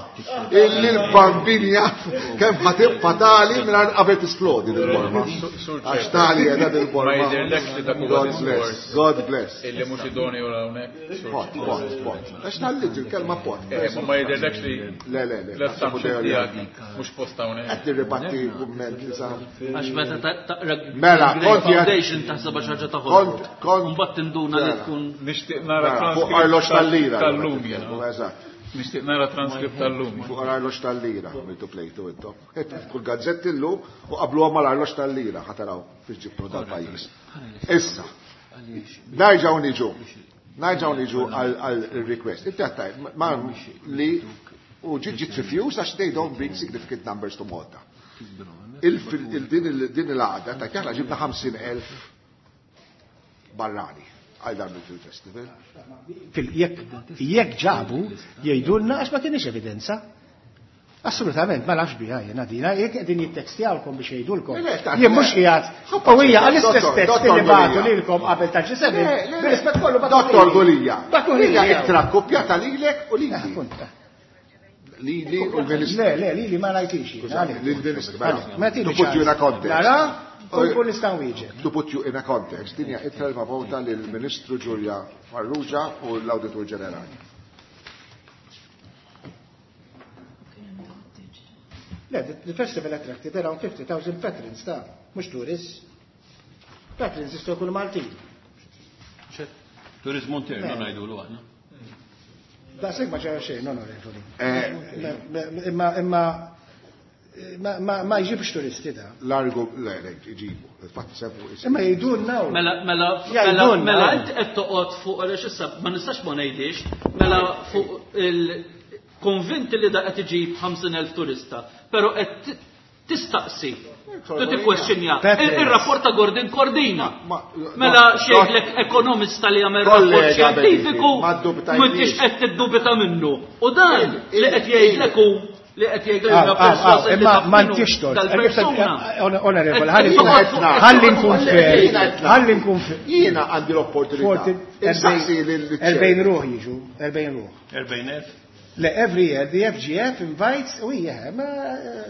Illi l-bambin jaf kemm ħa tibqa' tali mingħajr qabel tisplodi dil-borma. Għax tali qiegħda dil-borma. Ma jidhirlekx li dak huwa God bless. diskors. God bless. Illi mhux idoneu hawnhekk. Pot, pot, pot. Għax tallit il-kelma pot. Eh, ma ma jidhirlekx li Le, le, le. l-assumption tiegħek mhux post hawnhekk. Qed nirribatti kumment li sa. Għax meta taqra Mela, Great kont jgħid- Foundation taħseb xi ħaġa ta' Kont, kont. Mbagħad tinduna li Mela. tkun Nixtieq nara Mela, fuq arloġ transkript tal-lira. tal-lum jiena. Eżatt. Nixtieq nara transkript tal-lum. Fuq arloġ tal-lira, għamiltu plejtu intom. Kull gazzetti llum u qabluha mal-arloġ tal-lira, ħataraw fiex ġibtu dal-pajjiż. Issa, nerġgħu niġu. Nerġgħu niġu għal request. Inti għattaj, ma li u ġiet ġiet refused għax they don't bring significant numbers to Malta. Il-din il-għada ta' kjaħna ġibna ħamsin elf barrani għal dan il-Film Festival. Jekk jekk ġabu jgħidulna għax ma kienx evidenza. Assolutament, ma nafx biha jiena dina, jekk qegħdin jittekstjawkom biex jgħidulkom. Le, le, ta' Jien mhux qiegħed. U hija għall-istess Dottor, tekst Dottor li bagħtu Gulia. lilkom qabel ta' G seben. Le, le, le. Bir-rispett kollu bagħtu Dottor lili. Gulia. Bagħtu lili. Hija ittra kopjata lilek u lili. Appunt. Lili u l-Ministru. Le, le, lili ma rajtix. Skużani, lill-Ministru. Mela, Ma tini To put you in a context. Nara, u nkun nista' nwieġeb. To put you in a context, din hija ittra li mabgħuta lill-Ministru Julia Farrugia u l-Awditur Ġenerali. Le, the, the festival attracted around fifty thousand patrons ta' mhux tourists. Patrons jistgħu jkunu Maltin. Turizmu internu ngħidulu aħna. Daqshekk ma ġara xejn, onorevoli. Eh, Imma imma ma ma ma jġibx turisti da. Largo, le, le, iġibu. Infatti sebu. Imma jgħidulna u. Mela, mela, mela, Jgħidulna. mela, inti qed toqgħod fuq għaliex issa ma nistax ma ngħidix, mela fuq il konvinti li da qed iġib ħamsin elf turista, però qed tistaqsi. Tu tikkwestjonja. Patrons. Il-rapport ta' Gordon Cordina. Ma- Mela ma- xejlek ekonomista li jagħmel rapport Kollega xjentifiku, Beniti, ma ddubitajniex. m'intix qed tiddubita minnu. U dan Il- li qed il- jgħidlek hu li qed jgħidlek Ah, huwa ah, ah, perswas li imma taf ma minnu ntix tort. dal-persuna. Onorevole, ħalli Qed toqgħod fuq- ħalli nkun fair. Jiena qed Ħalli nkun fair. Jiena għandi l-opportunità. Insaqsi lil- erbgħin ruħ jiġu, erbgħin ruħ. erbgħin elf? Le, every year the F G F invites, u hija, ma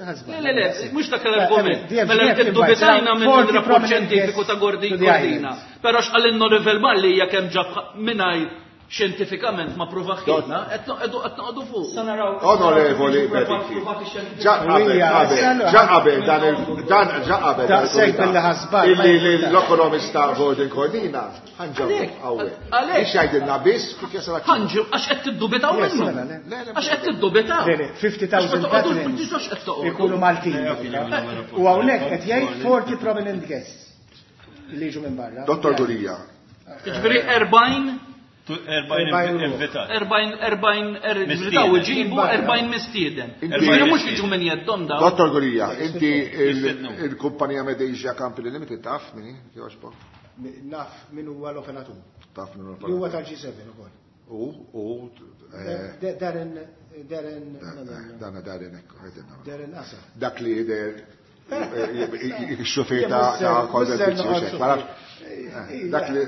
ħasba. Le, le, le, mhux dak l-argument. Mela tiddubitajna minn il-rapport xjentifiku ta' Gordon Cordina. Però x'qal Rivel Malli hija kemm ġab mingħajr xjentifikament ma pruvaħilna, qed noqogħdu fuq. Sa naraw. Onorevoli Beniti. Ġa qabel, qabel, ġa qabel dan il dan ġa qabel dan Daqshekk il-kumitat. billi ħasbal, ma Illi jimpurtax. l-ekonomista Gordon Cordina ħanġabu hawnhekk. Għalhekk. Biex jgħidilna biss kif jasal Ħanġu għax qed tiddubitaw Yes, minnu. mela, le. Għax qed tiddubitaw. Le, le, fifty thousand patrons ikunu Maltin. U hawnhekk qed jgħid forty prominent guests li jiġu minn barra. Dottor Gulia, Ġifieri erbgħin erbgħin invitat. erbgħin erbgħin Mistieden. daw iġibu erbgħin mistieden. Inti- Ġifieri mhux jiġu minn jeddhom daw. Dottor Gulia, inti il- Mistednu. il-kumpanija Medesia Company Limited taf minni? Jogħġbok? Naf min huwa l-operatur. Taf minnu Li huwa tal-G seben ukoll. U, u, eh, Da- Darren, Darren, no, no, no. dana Darren ekku, għedinna. Darren Asa. Dak li jider il-xufir ta' ta' Gordon Pizzi, dak li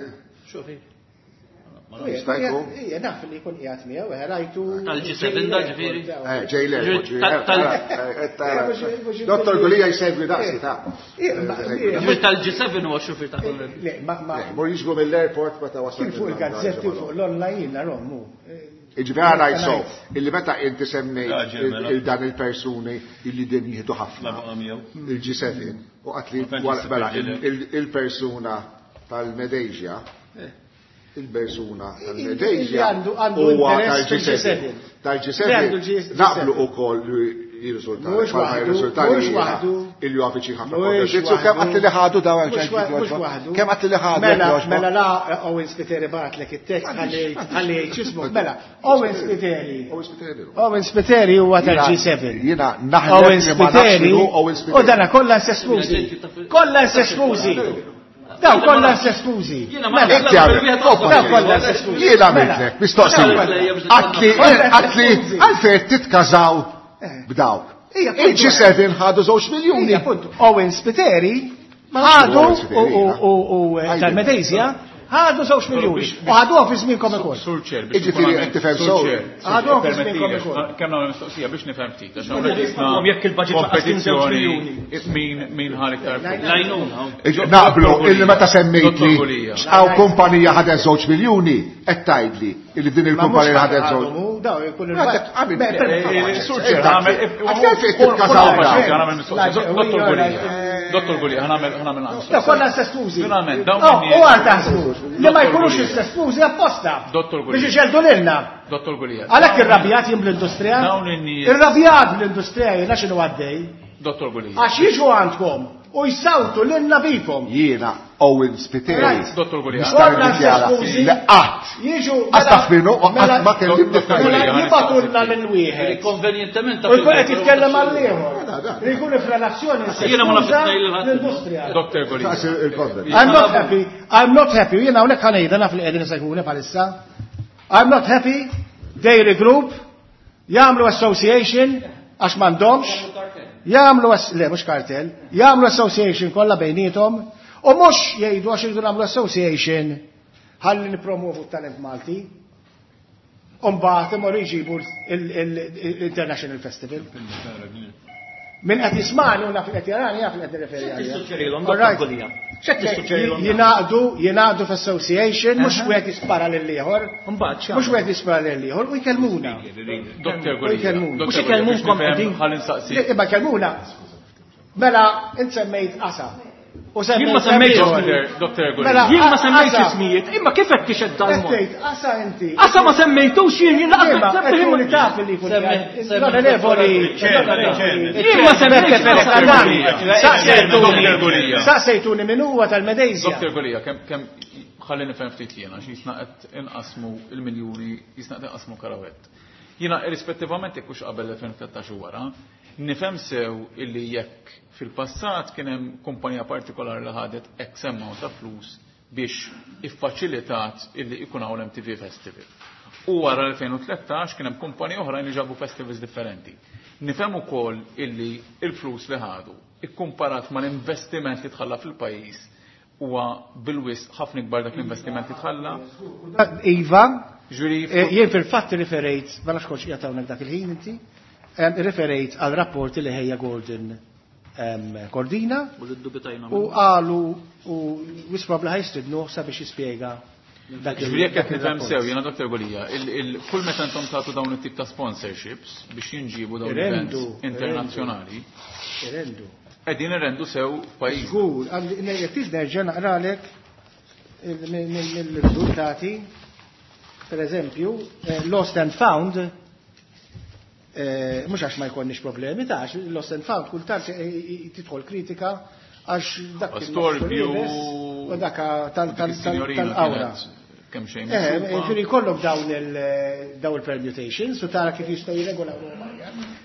Jista' jkun? Ija, naf li jkun qiegħed miegħu, eh, rajtu. Tal-G seven da ġifieri? Eh, ġej l-airport, ġej Tal- tal- eh, Dottor Gulia jsegwi daqsi ta' Ġifieri tal-G seben huwa xufier ta' Gordon. Le, ma ma Mur jiġbu mill-airport meta wasal. Kien fuq il-gazzetti, fuq l-online narahom. Iġifieri għana so, illi meta inti semmejt Raġel, mela. il dan il-persuni illi din jieħdu ħafna. La baqa' miegħu. Il-G seben, u għatli, Ma tantx wara- mela, jista' il- il-persuna tal-Medesia, il-persuna Illi tal-Medesia għandu- għandu huwa interess tal-G seben. fil-G seben. Tal-G seben Li għandu G seven. naqblu ukoll li jirriżultali. Mhux Bħalma waħdu, jirriżultali mhux jiena waħdu. illi huwa viċin ħafna Mhux Konferenzi. Kemm waħdu. għatti li ħadu daw Mhux wa- mhux waħdu. Kemm għatti li ħadu? Mela, jekk jogħġbok? mela la Owen Spiteri bagħatlek it-tekst ħalli ħalli jgħid x'ismu. Mela, Owen Spiteri. Owen Spiteri. Owen Spiteri huwa tal-G seven. Jiena naħlef Owen li ma nafx Spiteri. min hu Owen Spiteri. U dana kollha incestużi. Kollha incestużi. Daw kollha incestużi. Jiena ma Mela, Inti għamil, Daw kollha incestużi. Jiena għamiltlek, mistoqsija. Mela. Għatli, għatli, għalfejn titkażaw b'dawk. Il-G seben ħadu żewġ miljuni. Owen Spiteri ħadu u tal-Medezja ħadu żewġ miljuni. U ħaduha fi żmienkom ukoll. Sur Chair, Jiġifieri qed tifhem sew. Ħaduha fi żmienkom ukoll. Kemm nagħmel mistoqsija biex nifhem ftit, għax hawnhekk jisna jekk il-budget laqas kien żewġ miljuni. Min min ħa iktar flus. Lajnuna. Naqblu illi meta semmejtli x'hawn kumpanija ħadet żewġ miljuni qed tgħidli illi din il-kumpanija ħadet żewġ. Daw jkun il Sur Chair, nagħmel Dottor Gulia. Dottor Gulia, ħa nagħmel ħa nagħmel Da kollha incestużi. Finalment, dawn U għal taħsbu li ma jkunux incestużi apposta. Dottor Gulia. Biex iġeldu lilna. Dottor Gulia. Għalhekk irrabjat jien bl-industrija. Dawn in-nies. Irrabjat bl-industrija jiena x'inhu għaddej. Dottor Gulia. Għax jiġu għandkom u jsawtu lilna bikom. Jiena Owen Spiteri. Dottor Gulia. Nista' niddikjara li qatt. Jiġu Qatt minnu u qatt ma kellimni Jibatulna lil wieħed. Konvenjentement U jkun qed jitkellem għal ieħor. Li jkun f'relazzjoni Jiena ma nafx l-industrija. Dottor Gulia. I'm not happy. I'm not happy. Jiena hawnhekk ħa ngħidha naf li qegħdin isegwuni bħalissa. I'm not happy. Dairy Group jagħmlu association għax m'għandhomx. Jagħmlu le mhux kartel, jagħmlu association kollha bejniethom u mhux jgħidu għax iridu nagħmlu association ħalli nippromovu t-talent Malti. U mbagħad imorru jġibu l-International Festival. Min qed jismani u naf li qed jarani jaf li qed nirreferi għalija. Tissuġġerilhom Dottor Gulia. X'qed tissuġġerilhom? Jingħaqdu, jingħaqdu f'association, mhux wieħed jispara lil ieħor. Mbagħad Mhux wieħed jispara lil ieħor u jkellmuna. Dottor Gulia. Jkellmuna. Mhux ikellmukom qegħdin. Ħalli nsaqsi. Imma kellmuna. Mela, int semmejt qasa. U Jien ma semmejtx ismijiet. Dottor Gulia. Jien ma semmejtx ismijiet, imma kif qed tixed dal-mod? Qed tgħid qasa inti. Qasa ma semmejtux jien jien laqas Imma qed tkun taf li jkun l-onorevoli. Jien ma semmejtx Dottor Saqsejtuni min huwa tal-Medezja. Dottor Gulia, kemm kemm ħalli nifhem ftit jiena għax jisna qed inqasmu il-miljuni, jisna qed inqasmu karawett. Jiena irrispettivament jekk hux qabel elfejn u tlettax u wara, nifhem sew illi jekk fil-passat kien hemm kumpanija partikolari li ħadet X amount ta' flus biex iffaċilitat illi ikun hawn M T V Festival. U wara elfejn u tlettax kien hemm kumpaniji oħrajn li ġabu festivals differenti. Nifhem ukoll illi il-flus li ħadu ikkumparat mal-investiment li tħalla fil-pajjiż huwa bil-wisq ħafna ikbar dak l-investiment li tħalla. Iva, Ġuri, jien fil-fatt riferejt, ma nafx kontx qiegħed hawnhekk dak il-ħin inti, riferejt għal rapporti li ħejja Gordon Cordina U li ddubitajna u qalu u wisprob li ħajstidnu sabiex jispjega dak il- Ġifieri jekk qed dak nifhem il-rapport. sew, jiena Dottor Gulia, kull meta intom tagħtu dawn it-tip ta' sponsorships biex jinġibu dawn Irrendu, events internazzjonali, Irrendu. qegħdin irrendu sew f'pajjiż. Żgur, għalli jekk trid nerġa' naqralek mill-riżultati, per eżempju, Lost and Found, mhux għax ma jkollniex problemi ta' għax Lost and Found kultant tidħol kritika għax dak Storbju u dak tal-awra. Kemm xejn. Eh, ġifieri jkollok dawn il dawn il-permutations u tara kif jistgħu jirregolaw ruhom.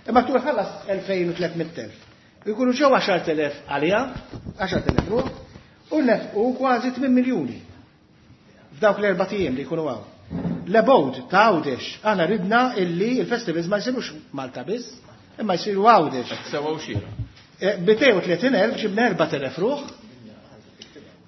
Imma tul ħallas elfejn u tliet mitt elf. Ikunu ġew għaxart elef għalija, għaxart elef ruħ, u nefqu kważi tmien miljuni f'dawk l-erba' ijiem li jkunu hawn. L-abode ta' Għawdex, aħna ridna illi il-festivals ma jsirux Malta biss, imma jsiru Għawdex. Sewa u xira. Mitejn u tletin elf ġibna erbat elef ruħ.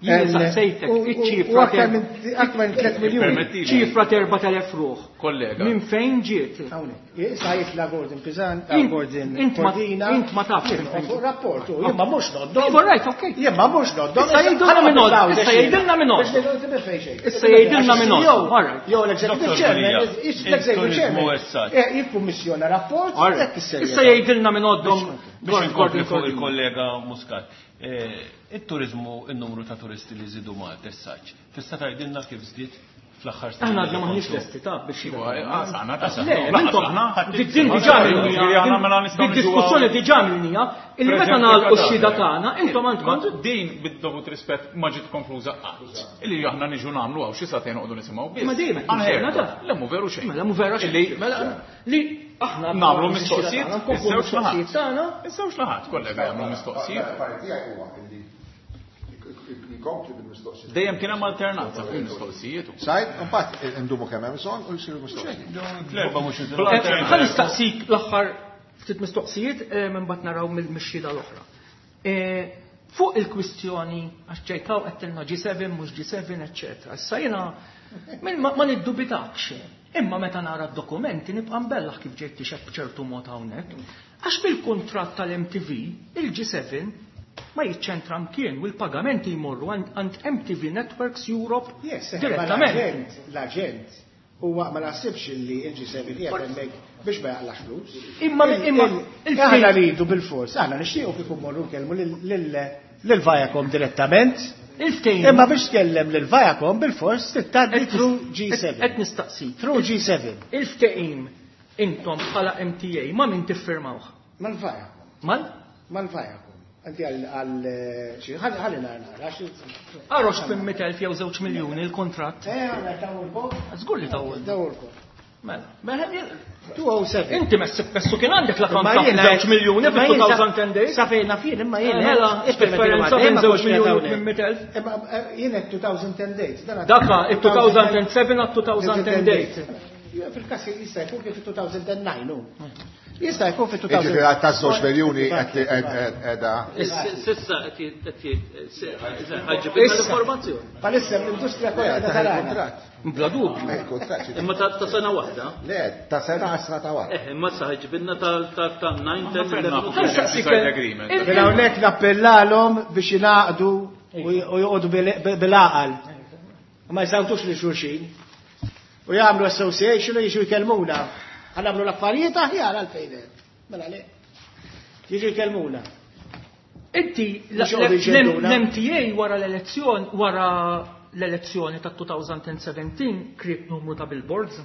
Jien saqsejtek, U- u- iċ-ċifra u aktar ter- minn aktar minn tliet miljuni. Permettili. Ċifra ta' erbat elef ruħ. Kollega. Minn fejn ġiet? Hawnhekk. Issa jitla Gordon Pisan, Int- Gordon int ma- Cordina. int ma tafx Jien minn fejn fuq ġiet. rapport, u jien ma mhux noddom. Iva, right, okay. Jien ma mhux noddom. Issa jgħidulna minn għod, issa jgħidilna minn għod. Biex ngħidu minn fejn xejn. Issa jgħidilna minn għod. Jew- All right. Jew l-executive Dottor chairman, Gulia, l-executive il-turizmu chairman. essaġġ. Eh, jikkummissjona rapport, All right. hekk issejjer. Issa jgħidilna minn għoddhom Biex inkompli fuq il-kollega Muscat. Eh, Il-turizmu, il-numru ta' turisti li żidu Malta essaġġ. Tista' tgħidilna kif żdied fl-aħħar sena? Aħna għadna maħniex lesti ta' biex Iva, aħna ta' Le, intom, din diġà minnija, din diskussjoni diġà minnija, illi meta nagħlqu x-xhieda tagħna, intom għandkom Din bid-dovut rispett ma ġiet konkluża qatt. Illi aħna niġu nagħmlu hawn xi sagħtejn noqogħdu nisimgħu biss. Ma dejjem qed Aħna nisimgħu, hekk. ta' Le mhu veru xejn. Mela mhu vera xejn. Illi Mela li aħna nagħmlu mistoqsijiet, nkomplu iż-żewġ mistoqsijiet naħat. tagħna. Iż-żewġ naħat, kollega jagħmlu mistoqsijiet. Parti tiegħi huwa illi jkompli bil-mistoqsijiet. Dejjem kien hemm alternanza fuq il-mistoqsijiet. Sajt, imbagħad indumu kemm hemm bżonn u jsiru mistoqsijiet. Fl-erba' mhux Ħa nistaqsik l-aħħar Ftit mistoqsijiet imbagħad naraw mill-mixxieda l-oħra. Fuq il-kwistjoni għax ġejtaw qed G seven mhux G seven, eċċetera. Issa jiena ma niddubitakx. Imma meta nara d-dokumenti nibqa' mbellaħ kif ġejt tixeb b'ċertu mod hawnhekk. Għax bil-kuntratt tal-M T V, il-G seven ma jiċċentra mkien u l-pagamenti jmorru għand M T V Networks Europe direttament. L-aġent huwa ma naħsibx li il-G seven qiegħed hemmhekk biex ma jaqlax flus. Imma imma aħna rridu bil-fors, aħna nixtiequ kif immorru nkellmu lil Viacom direttament. Imma biex tkellem lil Viacom bil-fors tgħaddi through G seven. Qed nistaqsi. Through G seven. Il-ftehim intom bħala M T A ma min tiffirmawh? Mal-Viacom. Mal? Mal-Viacom. Anti għal xi ħalli nara. Arox minn elf jew żewġ miljuni l-kontratt. Eh, għandna tawulkom. Żgur li tawulkom. Tawulkom. Mela, mela two oh seven. Inti messi messu kien għandek l-akkont ta' żewġ miljuni fi two thousand ten days. Sa fejn naf jien imma jien. Mela, differenza bejn żewġ miljuni minn elf. Imma jien qed two thousand ten days. Daka, it two thousand seven għat two thousand ten days. Fil-każ jista' jkun kif two thousand nine hu. Jista' jkun fi two thousand. Jiġifieri ta' żewġ miljuni qed qiegħda. Sissa qed ħaġibna l-informazzjoni. Palissa l-industrija kollha tarana. Bla dubju. Imma ta' sena waħda? Le, ta' sena għasra ta' wara. Eh, imma sa ħaġibna ta' nine, ten, eleven. Mela hawnhekk nappellalhom biex jingħaqdu u joqogħdu bil-għaqal. Ma jsawtux lil xulxin. U jagħmlu association u jiġu jkellmuna. Ħanamlu l-affarijiet aħjar għalfejn hemm. Mela le. Jiġu jkellmuna. Inti l-M T A wara l-elezzjoni wara l-elezzjoni ta' two thousand seventeen kriet numru ta' billboards?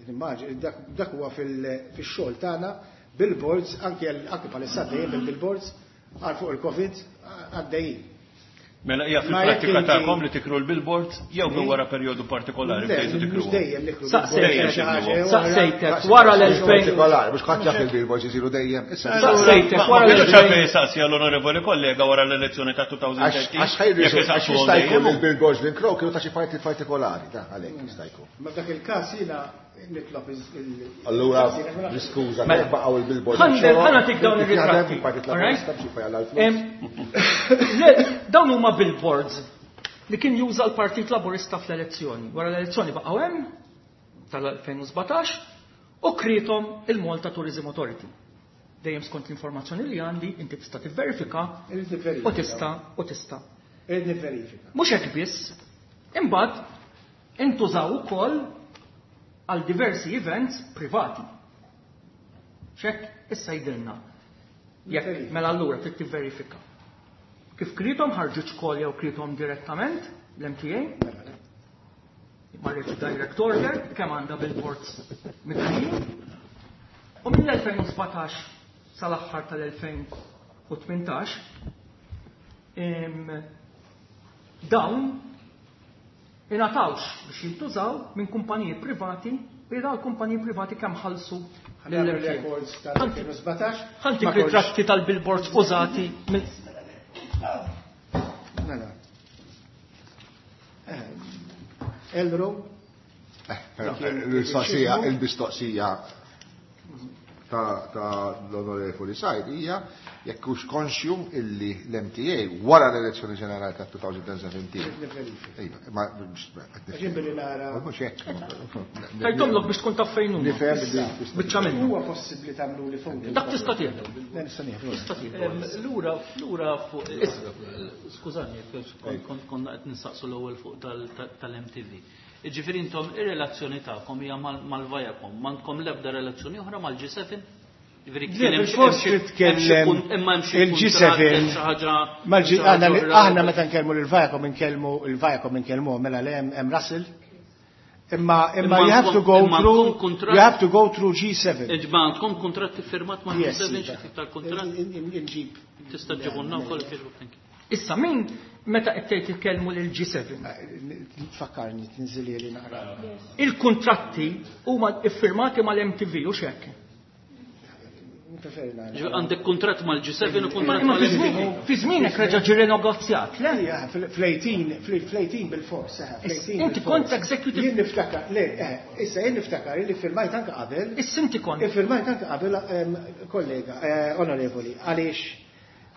Nimmaġi, dak huwa fix-xogħol tagħna, billboards, anke anke bħalissa dejjem il-billboards għal fuq il-Covid għaddejjin. Mela hija fil-prattika tagħkom li tikru l-billboards jew minn wara perjodu partikolari bdejtu tikru. Dejjem nikru. Saqsejtek wara l-elfejn. Partikolari, mhux ħadd jaf il-billboards isiru dejjem. Saqsejtek wara l-elfejn. Saqsi għall-onorevoli kollega wara l-elezzjoni ta' two thousand thirteen. Għax ħajru għax jista' jkun il-billboards li nkrow kienu ta' xi partit partikolari, ta' għalhekk jista' jkun. Ma f'dak il-każ jiena nitlob il- Allura, niskuża, baqgħu il-billboards. Ħa nagħtik dawn ir-ritratti. Dawn huma billboards li kien juża l-Partit Laburista fl-elezzjoni. Wara l-elezzjoni baqgħu hemm tal-elfejn u sbatax u krietom il-Malta Tourism Authority. Dejjem skont l-informazzjoni li għandi, inti tista' tivverifika u tista' u tista'. Irid nivverifika. Mhux hekk biss, imbagħad intużaw ukoll għal diversi events privati. X'hekk issa jidilna. Jekk mela allura trid tivverifika. Kif krietom ħarġu xkol jew krietom direttament l-M T A? Marriċ direct order, kemm għandha billboards mitħijin. U mill-elfejn u sbatax sal-aħħar tal-elfejn u tmintax, dawn ingħatawx biex jintużaw minn kumpaniji privati, u dawn kumpaniji privati kemm ħallsu lill-M T A. Records tal-elfejn u sbatax. Ħantik ritratti tal-billboards użati minn Mela. Elro. Il-mistoqsija, il-mistoqsija ta' l-onorevoli Said hija jekk hux konxju illi l-M T A wara l-elezzjoni ġenerali ta' two thousand seventeen. Iva, ma Ġien billi nara. Mhux hekk. Tajtomlok biex tkun taf fejn huma. Nifhem li Biċċa minnu. Huwa possibbli tagħmlu li fuq. Dak tista' tieħdu. Le, nista' nieħdu. Tista' tieħdu. Lura, lura fuq, skużani, kont konna qed nistaqsu l-ewwel fuq tal-M T V. Jiġifieri intom ir-relazzjoni tagħkom hija mal-Viacom, m'għandkom l-ebda relazzjoni oħra mal-G seven? Jiġifieri kien hemm xi Bil-fors titkellem imma hemm xi il-G seven. xi ħaġa Mal-G, xi ħaġa aħna li- oħra. aħna meta nkellmu lil Viacom inkellmu il-Viacom inkellmuhom mela le hemm, hemm Russell. Imma, imma Imma you have to go imma through, għandkom kuntratt you have to go through G seven. Iġba għandkom kuntratt iffirmat ma' Yes, G seven, iva. xi tip tal-kuntratt? In-, in-, inġib. Tista' ġibunna wkoll kif thank you. Issa min meta qed tgħid titkellmu lil G seven? Tfakkarni, tinżili li naqra. Il-kuntratti huma iffirmati mal-M T V u x'hekk? Preferi nagħlaq. Għandek kuntratt mal-G seven u kuntratt mal-M T V. Fi żmienek reġa' ġie renegozjat, le? Ija, fl-eighteen, fl-eighteen bil-fors, eh, fl-eighteen Inti bil-fors. kont executive. Jien niftakar, le, eh, issa jien niftakar li firmajt anke qabel. Issa inti kont. Firmajt anke qabel, ehm, kollega, eh, onorevoli, għaliex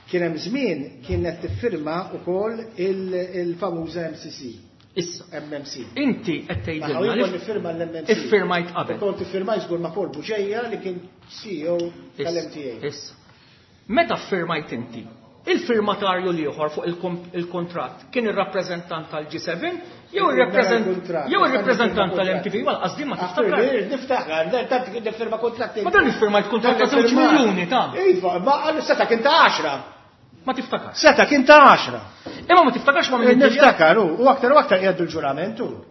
kien hemm żmien kienet tiffirma wkoll il-famuża M C C. Issa. M M C. Inti qed tgħidilna Ma li kont nifirma l-M M C. Iffirmajt qabel. Kont iffirmajt żgur ma' Paul Bugeja li kien C E O tal-M T A. Issa. Meta ffirmajt inti, il-firmatarju l-ieħor fuq il-kontratt kien ir-rappreżentant tal-G seven jew ir-rappreżent-, jew ir-rappreżentant tal-M T V, wal qasdi ma tiftakar. Niftakar, tant kien nifirma kontratti. Ma dan iffirmajt kontratt ta' żewġ miljuni ta'. Iva, ma għallu seta' kien ta' għaxra. Ma tiftakar. Seta' kien ta' għaxra. Imma ma tiftakarx ma' min Niftakar, u aktar u aktar jgħaddu l-ġurament, u.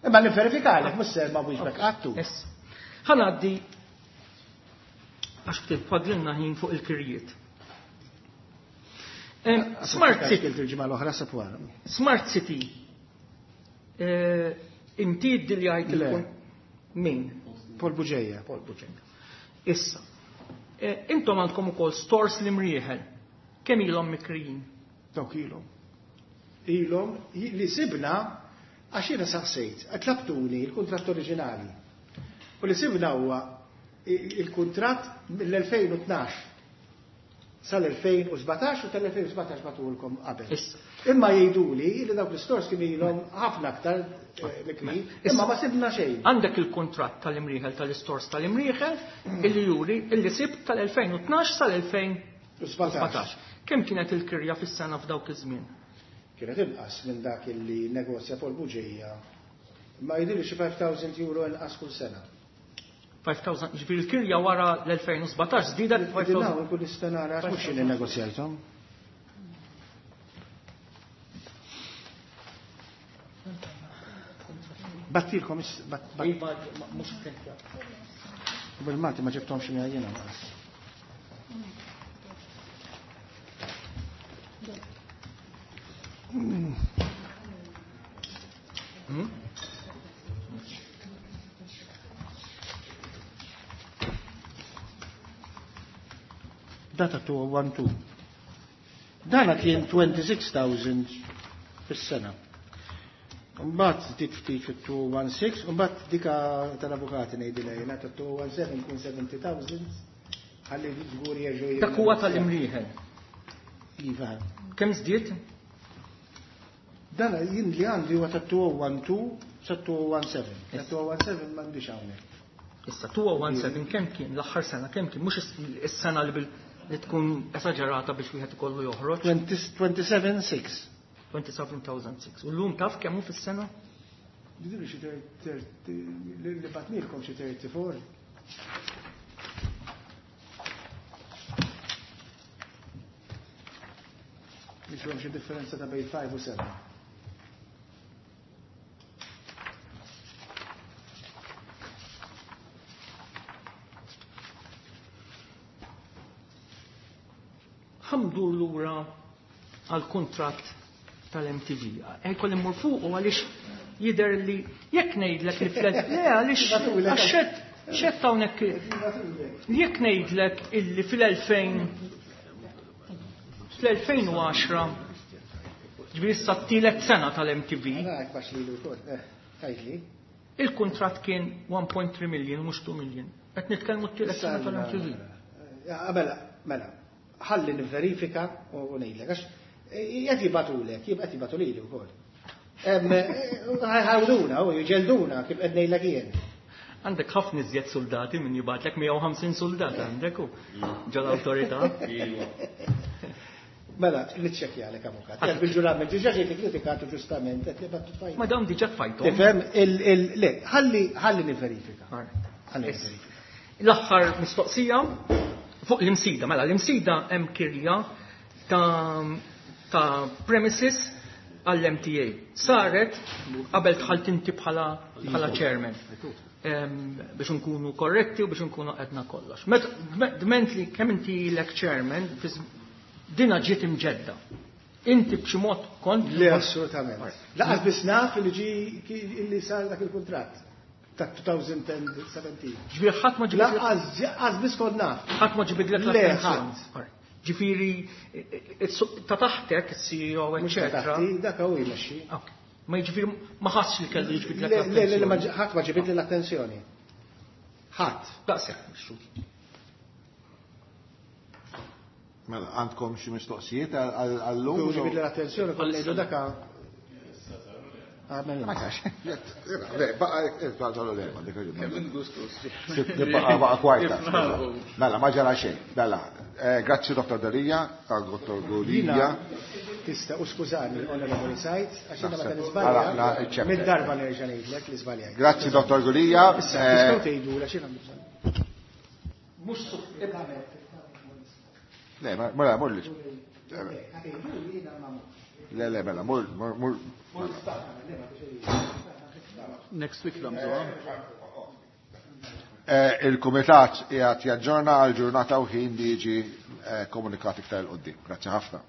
Imma nifverifikalek, mhux se ma wieġbek qatt. Issa. Ħa ngħaddi għax ftit fadlilna ħin fuq il-kirjiet. Em, Smart City. Il-ġimgħa l-oħra sa wara. Smart City. Eh, inti ddiljajt Le. il-kun min? Paul Bugeja. Paul Bugeja. Issa. Eh, intom għandkom ukoll stores li mrieħel. Kemm ilhom mikrijin? Dawk ilhom. Ilhom li sibna għax jiena saqsejt, tlabtuni l-kuntratt oriġinali. U li sibna huwa il-kuntratt mill-elfejn u tnax sal-elfejn u sbatax u tal-elfejn u sbatax batulkom qabel. Issa. Imma jgħiduli li dawk l-istors kienu ilhom ħafna aktar, eh, mikrijin, Issa. imma ma sibna xejn. Għandek il-kuntratt tal-imrieħel tal-istors tal-imrieħel illi juri illi sibt tal-elfejn u tnax sal-elfejn u sbatax. Kemm kienet il-kirja fis-sena f'dawk iż-żmien? Kienet inqas minn dak illi negozja Paul Bugeja. Ma jidhirli xi five thousand euro inqas kull sena. five thousand, ġifieri l-kirja wara l-elfejn u sbatax żdiedet five thousand. Dinnaw, nkun nista' nara għax mhux jien innegozjajthom. Battilkom is-, bat-, bat- Iva, mhux printjat. Bil-Malti ma ġibthomx miegħi jiena naqas. Hmm? Data two oh one two. Dana kien twenty-six thousand fis-sena. Mbagħad żdied ftit fit two oh one six, u mbagħad dika tal-avukati ngħidilha jiena ta' two oh one seven kun seventy thousand, ħalli żgur jerġgħu Dak huwa tal-imrieħel. Iva. Kemm żdied? Dan jien li għandi huwa ta' two oh one two sa two oh one seven. Ta' two oh one seven m'għandix hawnhekk. Issa two oh one seven kemm kien l-aħħar sena, kemm kien mhux is-sena li bil li tkun esaġerata biex wieħed ikollu joħroġ. Twenty-seven six. Twenty-seven thousand six. U llum taf kemm hu fis-sena? Jidhirli xi thirty, li batnilkom xi thirty-four. Biex hemm xi differenza ta' bejn five u seven. Ħamdur lura għal kuntratt tal-M T V. Ejkoll immur fuq u għaliex jidher li jekk ngħidlek li fl-, le, għaliex għax xed, xed hawnhekk jekk ngħidlek illi fil-elfejn, fl-elfejn u għaxra, ġifieri issa t-tielet sena tal-M T V. Għara, hekk baxx lilu wkoll, eh, tgħidli. Il-kuntratt kien one point three million mhux two million. Qed nitkellmu t-tielet sena tal-M T V. Eh, mela, mela, ħalli nivverifika u ngħidlek għax qed jibatulek, qed jibatu lili wkoll. Em, ħawduna u jġelduna kif qed ngħidlek jien. Għandek ħafna iżjed soldati minn jibatlek mija u ħamsin soldat għandek u ġol-awtorità. Mela, niċċekkjalek avukat. Qed bil-ġurament diġà ġejt ikkritikatu ġustament qed li battu tfajt. Ma dawn diġà tfajthom. Tifhem il-, il-, le, ħalli, ħalli nivverifika. All right. Ħalli nivverifika. L-aħħar mistoqsija fuq l-imsida. Mela, l-imsida hemm kirja ta', ta' premises għall-M T A. Saret qabel dħalt inti bħala, bħala chairman. Em, biex nkunu korretti u biex nkunu qedna kollox. Met-, dment li kemm inti lek chairman, fiż-, dina ġiet imġedda. Inti b'xi mod kont Le, assolutament. Laqas biss naf li ġi li sar dak il-kuntratt. ta' twenty seventeen. Ġifieri ħadd ma ġibidlek Lanqas biss kont naf. Ħadd ma ġibidlek Le, l-attenzjoni. Ġifieri ta' taħtek, il-C E O, Mhux ta' eccetera. taħti, dak hu jmexxi. Ok. Ma jiġifieri ma ħassx li kellu jiġbidlek Le, le, le, ma l-attenzjoni. ħadd ma ġibidli l-attenzjoni. Ħadd. Daqshekk, mhux. Mela, għandkom xi mistoqsijiet għallum? Kieku ġibidli l-attenzjoni, kont ngħidu daka. Għamel. Ma tax. Le, baqa, baqa, le, ma dik Baqa, baqa kwarta. Mela, ma ġara xejn. Mela, eh, grazzi Dottor Delia, Dottor Jina Gulia. Tista' u skużani, Onorevoli Said, għax jiena meta Naħseb. nisbalja, Ara, na, iċċepp. mid-darba nerġa' ngħidlek li żbaljajt. Grazzi Dottor Gulia. Issa, Eh, tistgħu tgħidu għax jiena għandi bżonn. Mhux Le, ma- mela, mur li. Le, le, mela, mur, mur, mur. Next week nagħmluha. Eh, Il-Kumitat qiegħed jaġġorna għal ġurnata u ħin li jiġi eh, komunikat iktar 'il quddiem. Grazzi ħafna.